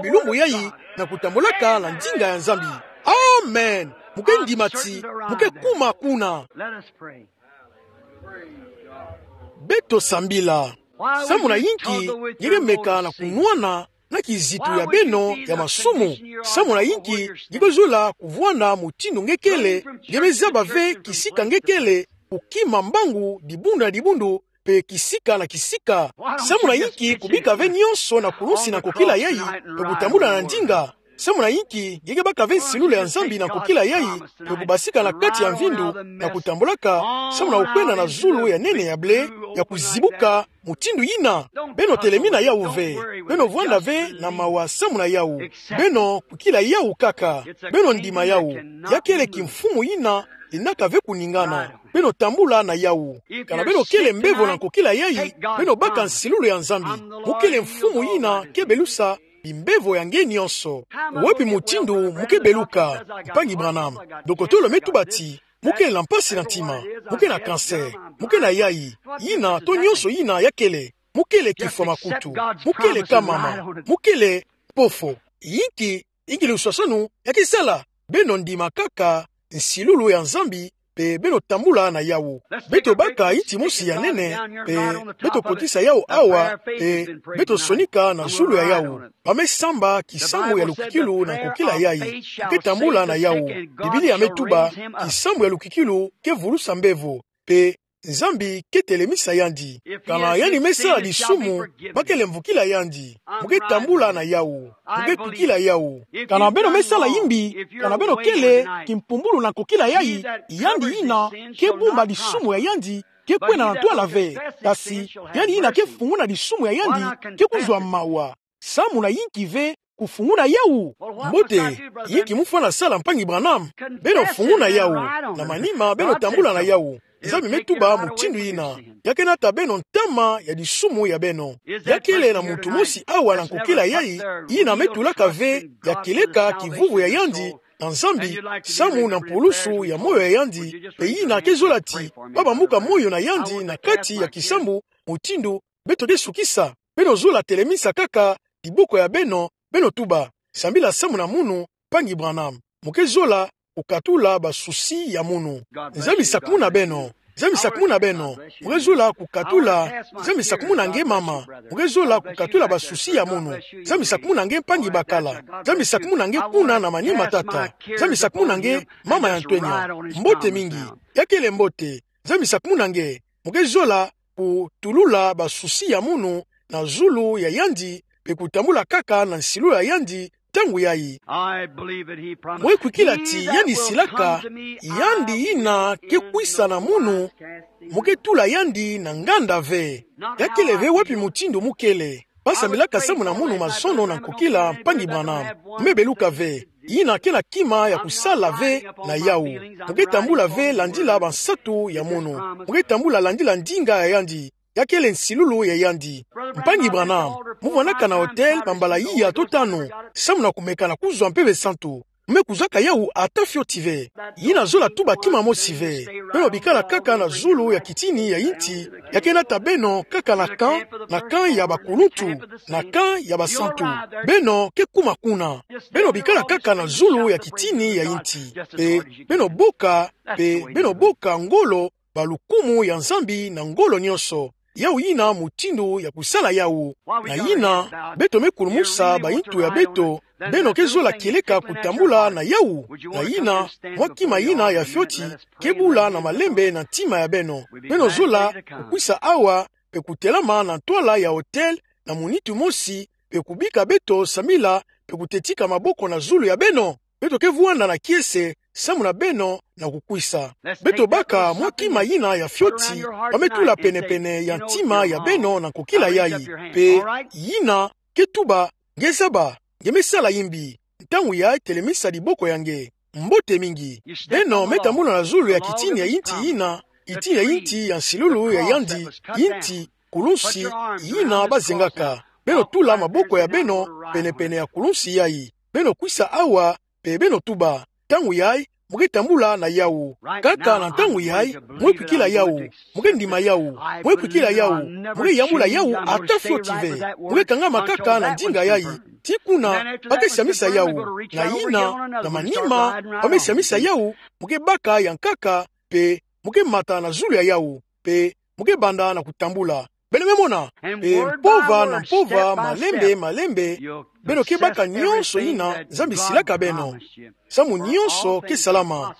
bilumbu yayi, na kutambulaka na ndinga ya Nzambi. Amen. Mu ke ndima ti mu ke kuma kuna. Beto sambila. Samu na yinki nge ke meka na kunwana na kizitu ya beno ya masumu. Samu na inki nge ke zola kuvwanda mutindu nge kele, nge me zaba ve kisika nge kele, kukima mbangu dibundu na dibundu, pe kisika na kisika? Samu na inki kubika ve nionso na kulunsi na nkokila yayi, pe kutambula na ndinga? Samu na inki nge ke baka ve nsilulu ya Nzambi na nkokila yayi, pe kubasika na kati ya mvindu, na kutambulaka, samu na kukwenda na zulu ya nene ya blé, ya kuzibuka, mutindu yina? Beno telemina yawu ve. Beno vwanda ve na mawa samu na yawu. Beno kwikila yawu kaka. Beno ndima yawu. Ya kele kimfumu yina lenaka ve kuningana. Beno tambula na yawu. Kana beno kele mbevo na nkokila yayi, beno baka nsilulu ya Nzambi. Mu kele mfumu yina ke belusa bimbevo ya nge nionso. Wapi mutindu mu ke beluka, mpangi Branham? Dokotolo me tuba ti mu ke na mpasi na ntima, mu ke na cancer, mu ke na yayi, yina to nionso yina ya kele. Mu kele kifwa makutu, mu kele kamama, mu kele mpofo. Inki, inki luswaswanu ya ke sala? Beno ndima kaka nsilulu ya Nzambi, pe beno tambula na yawu. Beto baka inti mosi ya nene, pe beto kotisa yawu awa, pe beto sonika na zulu ya yawu. Ba me samba kisambu ya lukwikilu na nkokila yayi. Mu ke tambula na yawu. Biblia me tuba, kisambu ya lukwikilu ke vulusa mbevo, pe Nzambi ke telemisa yandi. Kana yandi me sala disumu, ba kele mvukila yandi. Mu ke tambula na yawu. Mu ke kwikila yawu. Kana beno me sala yimbi, kana beno kele kimpumbulu na nkokila yayi, yandi yina ke bumba disumu ya yandi, ke kwenda na ntwala ve. Kasi yandi yina ke funguna disumu ya yandi, ke kuzwa mawa. Samu na inki ve kufunguna yawu? Mbote, inki mu fwana sala, mpangi Branham? Beno funguna yawu. Na manima beno tambula na yawu. Nzambi me tuba mutindu yina. Ya ke nata beno ntama ya disumu ya beno. Ya kele na muntu mosi awa na nkokila yayi, yina me tulaka ve ya kieleka kivuvu ya yandi na Nzambi, samu na mpulusu ya moyo ya yandi, pe yina ke zola ti ba bambuka moyo na yandi na kati ya kisambu, mutindu beto ke sukisa? Beno zola telemisa kaka diboko ya beno, beno tuba: Sambila samu na munu, mpangi Branham. Mu ke zola kukatula ba souci ya munu. Nzambi sakumuna beno. Nzambi sakumuna beno. Mu ke zola kukatula. Nzambi sakumuna nge, mama. Mu ke zola kukatula ba souci ya munu. Nzambi sakumuna nge, mpangi bakala. Nzambi sakumuna nge, kuna na manima, tata. Nzambi sakumuna nge, mama ya ntwenya. Mbote mingi. Ya kele mbote. Nzambi sakumuna nge. Mu ke zola kutulula ba souci ya munu na zulu ya yandi, pe kutambula kaka na nsilulu ya yandi ntangu yayi. Mu ke kwikila ti yandi silaka, yandi yina ke kwisa na munu, mu ke tula yandi na nganda ve. Ya kele ve wapi mutindu mu kele. Ba sambilaka samu na munu mazono na nkokila, mpangi Branham. Mu me beluka ve. Yina ke na kima ya kusala ve na yawu. Mu ke tambula ve landila bansatu ya munu. Mu ke tambula landila ndinga ya yandi. Ya kele nsilulu ya yandi. Mpangi Branham, mu vwandaka na hotel bambala iya to tanu, samu na kumeka na kuzwa Mpeve Santu. Mu me kuzaka yawu ata fioti ve. Yina zola tuba kima mosi ve. Beno bikala kaka na zulu ya kitini ya inti, ya ke nata beno kaka na camp, na camp ya bakuluntu, na camp ya basantu. Beno ke kuma kuna. Beno bikala kaka na zulu ya kitini ya inti. Pe beno boka, pe beno boka ngolo, balukumu ya Nzambi na ngolo nionso. Yawu yina mutindu ya kusala yawu. Na yina, beto me kulumusa bayintu ya beto, beno ke zola kieleka kutambula na yawu. Na yina, mwa kima yina ya fioti ke bula na malembe na ntima ya beno. Beno zola kukwisa awa, pe kutelama na ntwala ya hotel, na munitu mosi, pe kubika beto sambila, pe kutetika maboko na zulu ya beno. Beto ke vwanda na kiese, samu na beno na kukwisa. Beto baka mwa kima yina ya fioti, ba me tula penepene ya ntima ya beno na nkokila yayi. Pe yina ke tuba: Nge zaba, nge me sala yimbi. Ntangu yayi telemisa diboko ya nge. Mbote mingi. Beno me tambula na zulu ya kitini ya inti yina, itini ya inti ya nsilulu ya yandi, inti, kulunsi, yina ba zengaka. Beno tula maboko ya beno penepene ya kulunsi yayi. Beno kwisa awa, pe beno tuba. Ntangu yayi, mu ke tambula na yawu. Kaka na ntangu yayi, mu ke kwikila yawu. Mu ke ndima yawu. Mu ke kwikila yawu. Mu ke yambula yawu ata fioti ve. Mu ke kangama kaka na ndinga yayi. Tii kuna, ba ke siamisa yawu. Na yina, na manima, ba me siamisa yawu, mu ke baka ya nkaka, pe mu ke mata na zulu ya yawu, pe mu ke banda na kutambula. Beno me mona, e mpova na mpova, malembe, malembe, beno ke baka nyonso yina Nzambi silaka beno. Samu nyonso ke salama.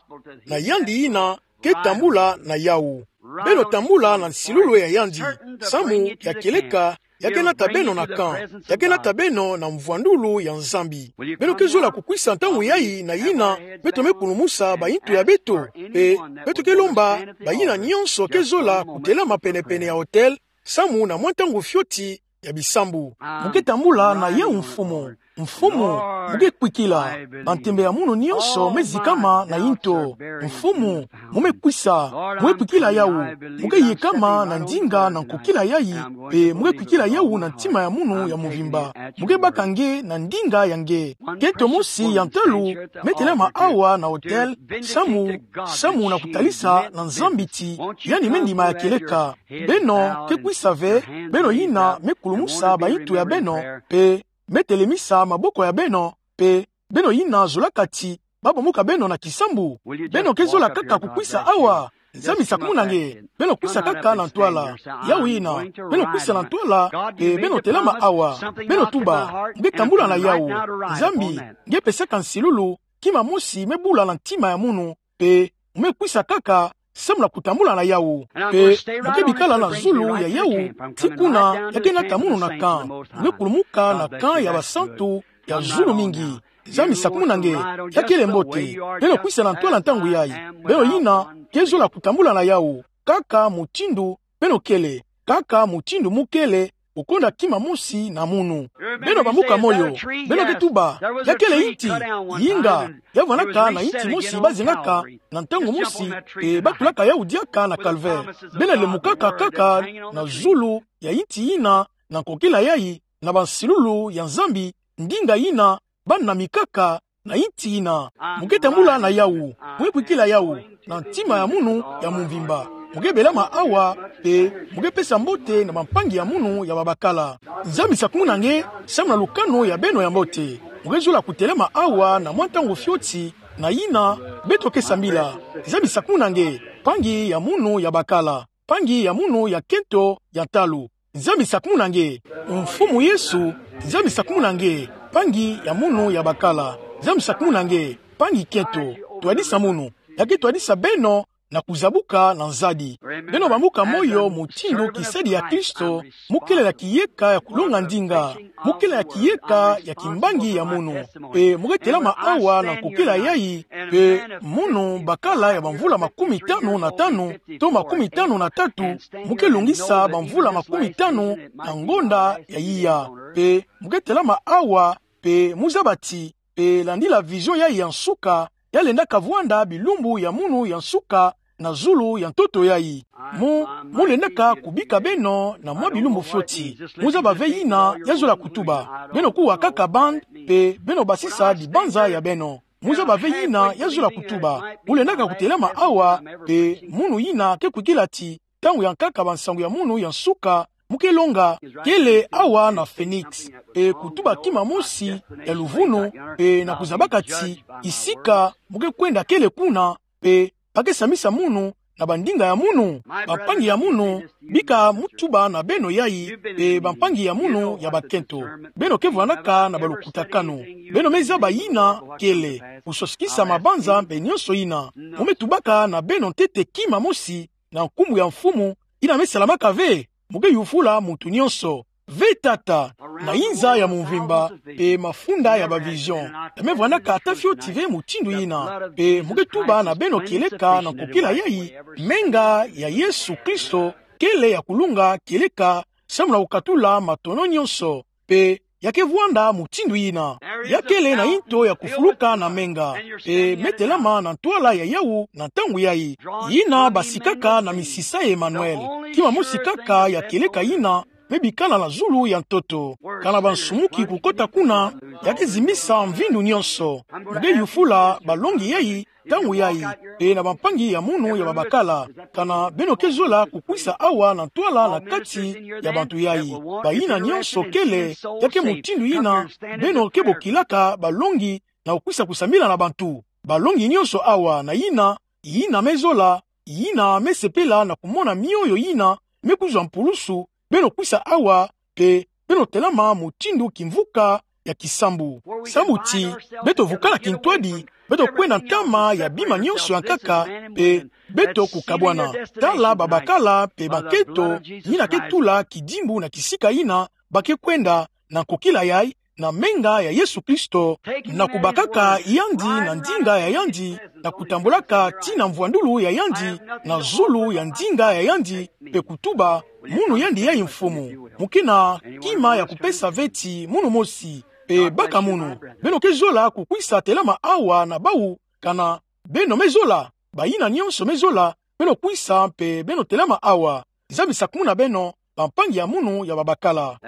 Na yandi yina ke tambula na yawu. Beno tambula na nsilulu ya yandi. Samu ya kieleka, ya ke nata beno na camp. Ya ke nata beno na mvwandulu ya Nzambi. Beno ke zola kukwisa ntangu yayi na yina beto me kulumusa bayintu ya beto. Pe beto ke lomba bayina nyonso ke zola kutelama pene-pene ya autel, samu na mwa ntangu fioti ya bisambu. Mu ke tambula na yawu, Mfumu. Mfumu, mu ke kwikila. Bantembe ya munu nyonso me zikama na yinto. Mfumu, mu me kwisa. Mu ke kwikila yawu. Mu ke yekama na ndinga na nkokila yayi. Pe mu ke kwikila yawu na ntima ya munu ya mvimba. Mu ke baka nge na ndinga ya nge. Kento mosi ya ntalu me telama awa na autel, samu, samu na kutalisa na Nzambi ti yandi me ndima ya kieleka. Beno ke kwisa ve, beno yina me kulumusa bayintu ya beno, pe me telemisa maboko ya beno, pe beno yina zolaka ti ba bambuka beno na kisambu? Beno ke zola kaka kukwisa awa? Nzambi sakumuna nge. Beno kwisa kaka na ntwala. Yawu yina. Beno kwisa na ntwala, pe beno telama awa. Beno tuba. Mu ke tambula na yawu. Nzambi, nge pesaka nsilulu, kima mosi me bula na ntima ya munu, pe mu me kwisa kaka, samu na kutambula na yawu. Pe mu ke bikala na zulu ya yawu, tii kuna ya ke nata munu na camp. Mu ke kulumuka na camp ya basantu ya zulu mingi. Nzambi sakumuna nge. Ya kele mbote. Beno kwisa na ntwala ntangu yayi. Beno yina ke zola kutambula na yawu. Kaka mutindu beno kele. Kaka mutindu mu kele, okonda kima mosi na munu. Beno bambuka moyo. Beno ke tuba, ya kele yinti. Yinga, ya vwanaka na yinti mosi ba zengaka na ntangu mosi, pe ba tulaka yawu diaka na calvaire. Beno lemukaka kaka na zulu ya yinti yina, na nkokila yayi, na bansilulu ya Nzambi, ndinga yina ba namikaka na yinti yina. Mu ke tambula na yawu. Mu ke kwikila yawu na ntima ya munu ya mvimba. Mu ke belama awa, pe mu ke pesa mbote na bampangi ya munu ya babakala. Nzambi sakumuna nge, samu na lukanu ya beno ya mbote. Mu ke zola kutelama awa na mwa ntangu fioti, na yina beto ke sambila. Nzambi sakumuna nge, mpangi ya munu ya bakala. Mpangi ya munu ya kento ya ntalu. Nzambi sakumuna nge. Mfumu Yesu, Nzambi sakumuna nge. Mpangi ya munu ya bakala. Nzambi sakumuna nge. Mpangi kento. Twadisa munu. Ya ke twadisa beno na kuzabuka na nzadi. Beno bambuka moyo mutindu kisadi ya Kristo, mu kele na kiyeka ya kulonga ndinga. Mu kele na kiyeka ya kimbangi ya munu. Pe mu ke telama awa na nkokila yayi, pe munu bakala ya bamvula makumi tanu na tanu, to makumi tanu na tatu, mu ke longisa bamvula makumi tanu na ngonda ya iya. Pe mu ke telama awa, pe mu zaba ti, pe landila vision yayi ya nsuka, ya lenda kavwanda bilumbu ya munu ya nsuka na zulu ya ntoto yayi. Mu, mu lendaka kubika beno na mwa bilumbu fioti. Mu zaba ve yina ya zola kutuba. Beno kuwa kaka bande, pe beno basisa dibanza ya beno. Mu zaba ve yina ya zola kutuba. Mu lendaka kutelama awa, pe munu yina ke kwikila ti, ntangu ya nkaka bansangu ya munu ya nsuka, mu ke longa, kele awa na Phoenix. Pe kutuba kima mosi ya luvunu, pe na kuzabaka ti, isika mu ke kwenda kele kuna, pe ba ke samisa munu na bandinga ya munu. Bampangi ya munu, bika mu tuba na beno yayi, pe bampangi ya munu ya bakento. Beno ke vwanaka na balukutakanu. Beno me zaba yina kele, kusosikisa mabanza mpe nyonso yina. Mu me tubaka na beno ntete kima mosi, na nkumbu ya Mfumu, yina me salamaka ve. Mu ke yufula muntu nyonso. Ve Tata, na inza ya mvimba, pe mafunda ya ba vision. Ya me vwanaka ata fioti ve mutindu yina. Pe mu ke tuba na beno kieleka na nkokila yayi, menga ya Yesu Kristo, kele ya kulunga kieleka, samu na kukatula matono nyonso. Pe ya ke vwanda mutindu yina. Ya kele na yinto ya kufuluka na menga. Pe me telama na ntwala ya yawu na ntangu yayi. Yina basikaka na misisa ya Emmanuel. Kima mosi kaka ya kieleka yina, me bikala na zulu ya ntoto. Kana bansumuki kukota kuna, ya ke zimbisa mvindu nyonso. Mu ke yufula balongi yayi, ntangu yayi, pe na bampangi ya munu ya babakala. Kana beno ke zola kukwisa awa na ntwala na kati ya bantu yayi. Bayina nyonso kele, ya ke mutindu yina, beno ke bokilaka balongi na kukwisa kusambila na bantu. Balongi nyonso awa na yina, yina me zola, yina me sepela na kumona mioyo yina me kuzwa mpulusu, beno kwisa awa, mpe beno telama mutindu kimvuka ya kisambu. Sambu ti, beto vukana kintwadi, beto kwenda ntama ya bima nyonso ya nkaka, mpe beto kukabwana. Tala babakala mpe bankento, yina ke tula kidimbu na kisika yina ba ke kwenda, na nkokila yayi, na menga ya Yesu Kristo, na kubakaka yandi na ndinga ya yandi, na kutambulaka tii na mvwandulu ya yandi, na zulu ya ndinga ya yandi, mpe kutuba, munu yandi yayi mfumu. Mu ke na kima ya kupesa ve ti munu mosi, mpe baka munu. Beno ke zola kukwisa telama awa na bawu, kana beno me zola, bayina nyonso me zola, beno kwisa mpe beno telama awa. Nzambi sakumuna beno, bampangi ya munu ya babakala.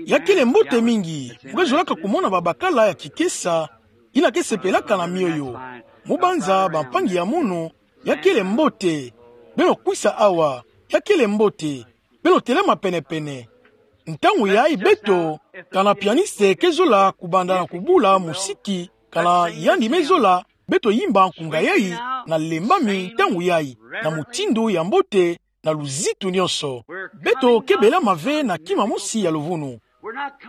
Ya kele mbote mingi, mu ke zolaka kumona babakala ya kikesa, yina ke sepelaka na mioyo. Mu banza bampangi ya munu, ya kele mbote. Beno kwisa awa, ya kele mbote. Beno telama pene-pene. Ntangu yayi beto, kana pianiste ke zola kubanda na kubula musiki, kana yandi me zola, beto yimba nkunga yayi, na lembami ntangu yayi, na mutindu ya mbote, na luzitu nyonso. Beto ke belama ve na kima mosi ya luvunu.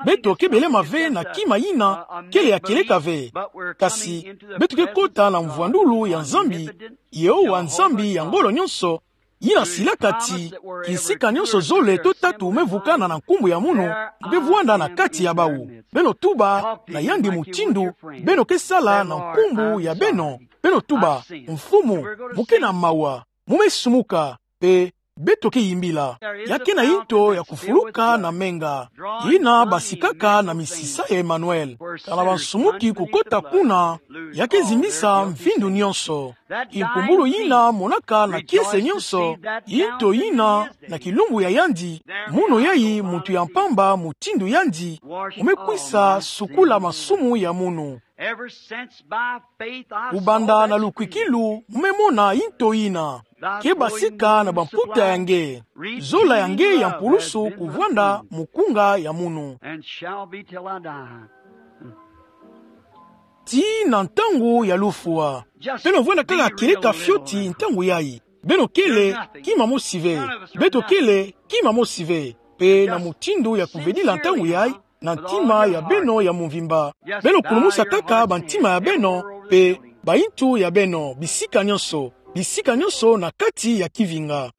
Beto ke belama ve na kima yina kele ya kieleka ve. Kasi, beto ke kota na mvwandulu ya Nzambi, Yehowa Nzambi ya ngolo nyonso, yina silaka ti, kisika nyonso zole to tatu me vukana na nkumbu ya munu, mu ke vwanda na kati ya bawu. Beno tuba na yandi mutindu beno ke sala na nkumbu ya beno. Beno tuba, Mfumu, mu ke na mawa, mu me sumuka, mpe beto ke yimbila. Ya ke na yinto ya kufuluka na menga, yina basikaka na misisa ya Emmanuel. Kana bansumuki kukota kuna, ya ke zimbisa mvindu nyonso. Nkumbulu yina monaka na kiese nyonso, yinto yina na kilumbu ya yandi, munu yayi muntu ya mpamba mutindu yandi, mu me kwisa sukula masumu ya munu. Kubanda na lukwikilu, mu me mona yinto yina. Ke basika na bamputa ya nge. Zola ya nge ya mpulusu kuvwanda mukunga ya munu. Tii na ntangu ya lufwa. Beno vwanda kaka kieleka fioti ntangu yayi. Beno kele kima mosi ve. Beto kele kima mosi ve. Mpe na mutindu ya kuvedila ntangu yayi, na ntima ya beno ya mvimba. Beno kulumusa kaka bantima ya beno, mpe bayintu ya beno, bisika nyonso, bisika nyonso na kati ya kivinga.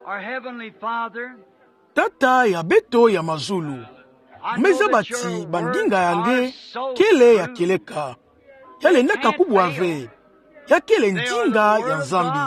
Tata ya beto ya mazulu, mu me zaba ti bandinga ya nge kele ya kieleka. Ya lendaka kubwa ve. Ya kele ndinga ya Nzambi.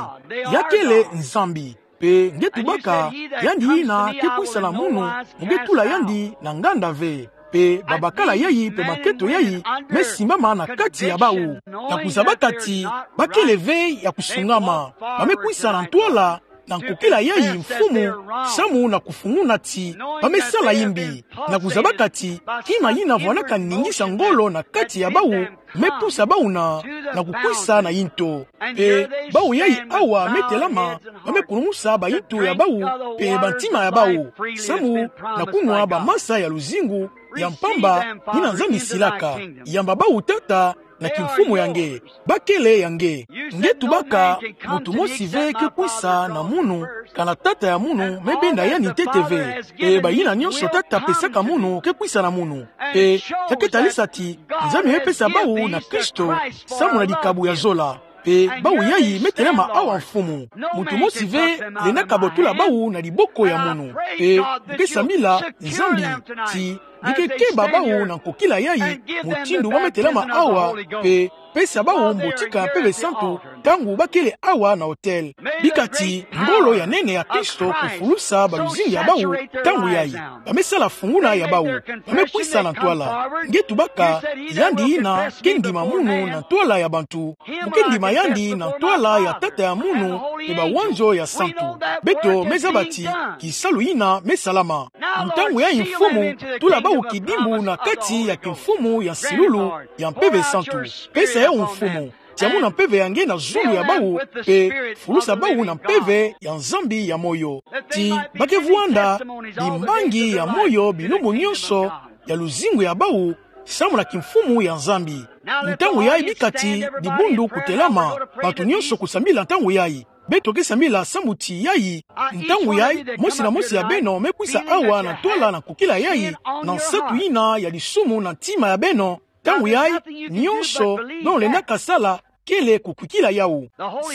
Ya kele Nzambi. Mpe nge tubaka, yandi yina ke kwisa na munu, mu ke tula yandi na nganda ve. Mpe babakala yayi mpe bankento yayi me simbama na kati ya bawu, na kuzabaka ti ba kele ve ya kusungama. Ba me kwisa na ntwala, na nkokila yayi mfumu, samu na kufunguna ti ba me sala yimbi, na kuzabaka ti kima yina vwanaka ningisa ngolo na kati ya bawu, me pusa bawu na, na kukwisa na yinto. Mpe bawu yayi awa me telama, ba me kulumusa bayinto ya bawu, mpe bantima ya bawu, samu na kunwa bamasa ya luzingu ya mpamba, yina Nzambi silaka. Yamba bawu Tata, na kimfumu ya nge. Ba kele ya nge. Nge tubaka, muntu mosi ve ke kwisa na munu, kana Tata ya munu me benda yandi ntete ve. Mpe bayina nyonso Tata apesaka munu ke kwisa na munu. Mpe ya ke talisa ti Nzambi me pesa bawu na Kristo, samu na dikabu ya zola. Mpe bawu yayi me telama awa mfumu. Muntu mosi ve lenda kabotula bawu na diboko ya munu. Mpe mu ke sambila Nzambi ti nge ke keba bawu na nkokila yayi, mutindu ba me telama awa, mpe pesa bawu mbotika ya Mpeve Santu, ntangu ba kele awa na autel. Bika ti ngolo ya nene ya Kristo kufulusa baluzingu ya bawu, ntangu yayi ba me sala funguna ya bawu, ba me kwisa na ntwala. Nge tubaka, yandi yina ke ndima munu na ntwala ya bantu. Mu ke ndima yandi na ntwala ya Tata ya munu, mpe bawanzo ya santu. Beto me zaba ti kisalu yina me salama. Ntangu yayi mfumu, tula bawu kidimbu na kati ya kimfumu ya nsilulu ya Mpeve Santu. Pesa yawu mfumu. Tia muna mpeve ya nge na zulu ya bawu, mpe fulusa bawu na mpeve ya Nzambi ya moyo. Ti ba ke vwanda bimbangi ya moyo bilumbu nyonso ya luzingu ya bawu, samu na kimfumu ya Nzambi. Ntangu yai bika ti dibundu kutelama, bato nyonso kusambila ntangu yai. Beto ke sambila samu ti yai. Ntangu yai, mosi na mosi ya beno me kwisa awa na ntwala na kukila yai, na nsatu yina ya lisumu na ntima ya beno. Ntangu yai, nyonso beno lendaka sala kele kukwikila yawu.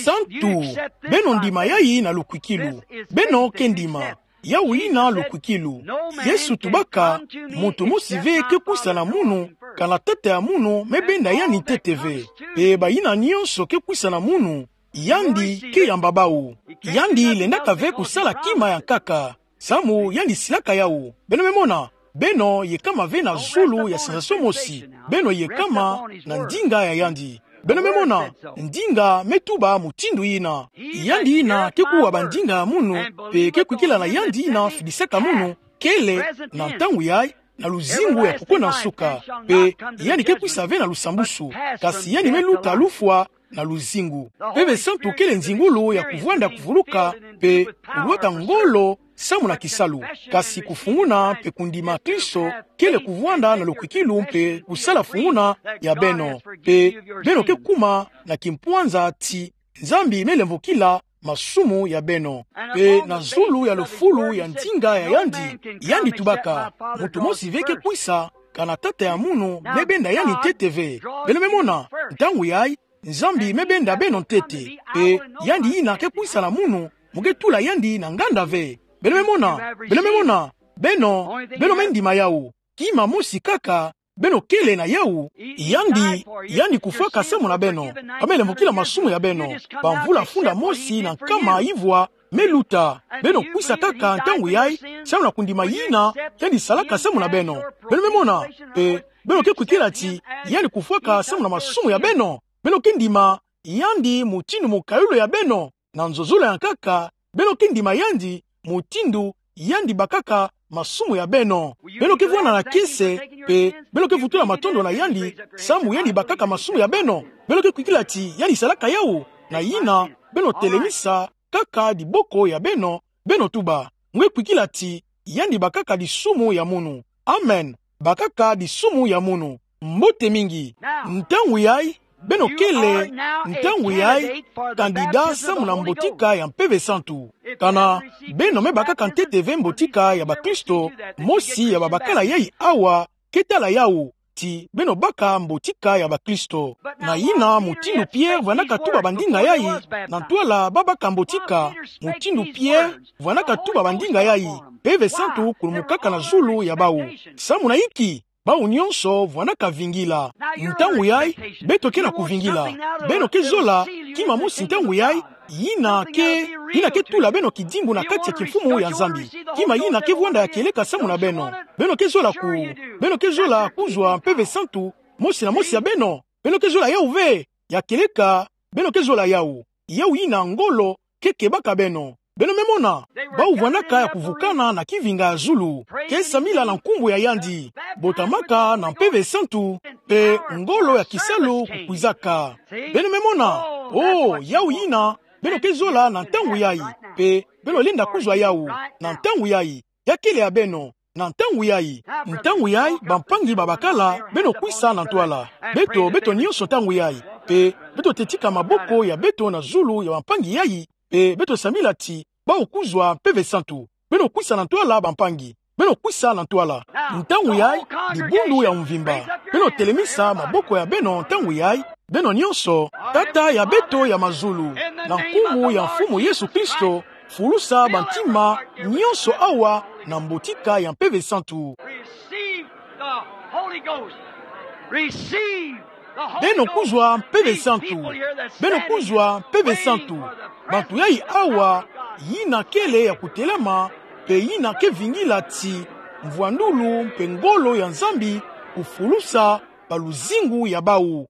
Santu, beno ndima yai na lukwikilu. Beno ke ndima. Yawu yina lukwikilu. Yesu tubaka, moto mosi ve ke kwisa na munu, ka na Tata ya munu me benda yandi ntete ve. Mpe bayina nyonso ke kwisa na munu, yandi ke yamba bawu. Yandi lendaka ve kusala kima ya nkaka, samu yandi silaka yawu. Beno me mona, beno yekama ve na zulu ya sensation mosi. Beno yekama na ndinga ya yandi. Beno me mona, ndinga me tuba mutindu yina. Yandi yina ke kuwa bandinga ya munu, mpe ke kwikila na yandi yina fidisaka munu, kele, na ntangu yai, na luzingu ya kukwenda nsuka. Mpe yandi ke kwisa ve na lusambusu, kasi yandi me luta lufwa na luzingu. Mpeve santu kele nzingulu ya kuvwanda kuvuluka, mpe kulwata ngolo samu na kisalu. Kasi kufunguna mpe kundima Kristo kele kuvwanda na lukwikilu mpe kusala funguna ya beno. Mpe beno ke kuma na kimpwanza ti Nzambi me lemvokila masumu ya beno. Mpe na zulu ya lufulu ya ndinga ya yandi, yandi tubaka, moto mosi ve ke kwisa, ka na Tata ya munu me benda yandi ntete ve. Beno me mona, ntangu yai, Nzambi me benda beno ntete. Mpe yandi yina ke kwisa na munu, mu ke tula yandi na nganda ve. Beno me mona, beno me mona, beno, beno me ndima yawu. Kima mosi kaka, beno kele na yawu, yandi, yandi kufwaka samu na beno, ka me lemvokila masumu ya beno. Bamvula funda mosi na nkama ivwa me luta, beno kwisa kaka ntangu yai, samu na kundima yina yandi salaka samu na beno. Beno me mona, mpe beno ke kwikila ti yandi kufwaka samu na masumu ya beno. Beno ke ndima yandi mutindu mukayulu ya beno. Na nzozolo ya nkaka, beno ke ndima yandi mutindu yandi bakaka masumu ya beno. Beno ke vwanda na kiese, mpe beno ke vutula matondo na yandi samu yandi bakaka masumu ya beno. Beno ke kwikila ti yandi salaka yawu, na yina beno telemisa kaka diboko ya beno, beno tuba, mu ke kwikila ti yandi bakaka disumu ya munu. Amen. Bakaka disumu ya munu. Mbote mingi. Ntangu yai, beno kele, ntangu yai, kandida samu na mbotika ya Mpeve Santu. Kana beno me bakaka ntete ve mbotika ya bakristo, mosi ya babakala yai awa ke tala yawu ti beno baka mbotika ya bakristo. Na yina mutindu Pierre vwandaka tuba bandinga yai, na ntwala babaka mbotika, mutindu Pierre vwandaka tuba bandinga yai, Mpeve Santu kulumukaka na zulu ya bawu. Samu na inki? Bawu nyonso vwandaka vingila. Ntangu yai, beto ke na kuvingila. Beno ke zola kima mosi ntangu yai, yina ke, yina ke tula beno kidimbu na kati ya kimfumu ya Nzambi. Kima yina ke vwanda ya kieleka samu na beno. Beno ke zola ku, beno ke zola kuzwa Mpeve Santu mosi na mosi ya beno. Beno ke zola yawu ve, ya kieleka, beno ke zola yawu. Yawu yina ngolo ke kebaka beno. Beno me mona, bawu vwandaka ya kuvukana na kivinga ya zulu, ke samila na nkumbu ya yandi, botamaka na Mpeve Santu, mpe ngolo ya kisalu kukwizaka. Beno me mona, oh, yawu yina, beno ke zola na ntangu yai, mpe beno lenda kuzwa yawu, na ntangu yai, ya kele ya beno, na ntangu yai. Ntangu yai, bampangi babakala, beno kwisa na ntwala. Beto, beto nyonso ntangu yai. Mpe beto te tika maboko ya beto na zulu ya bampangi yai, mpe beto samila ti bawu kuzwa Mpeve Santu. Beno kwisa na ntwala bampangi. Beno kwisa na ntwala. Ntangu yai, dibundu ya mvimba. Beno telemisa maboko ya beno ntangu yai, beno nyonso, Tata ya beto ya mazulu, na nkumbu ya Mfumu Yesu Kristo, fulusa bantima nyonso awa na mbotika ya Mpeve Santu. Receive the Holy Ghost. Receive the Holy Ghost. Beno kuzwa Mpeve Santu. Beno kuzwa Mpeve Santu. Bantu yai awa, yina kele ya kutelama, mpe yina ke vingila ti mvwandulu mpe ngolo ya Nzambi kufulusa ba luzingu ya bawu.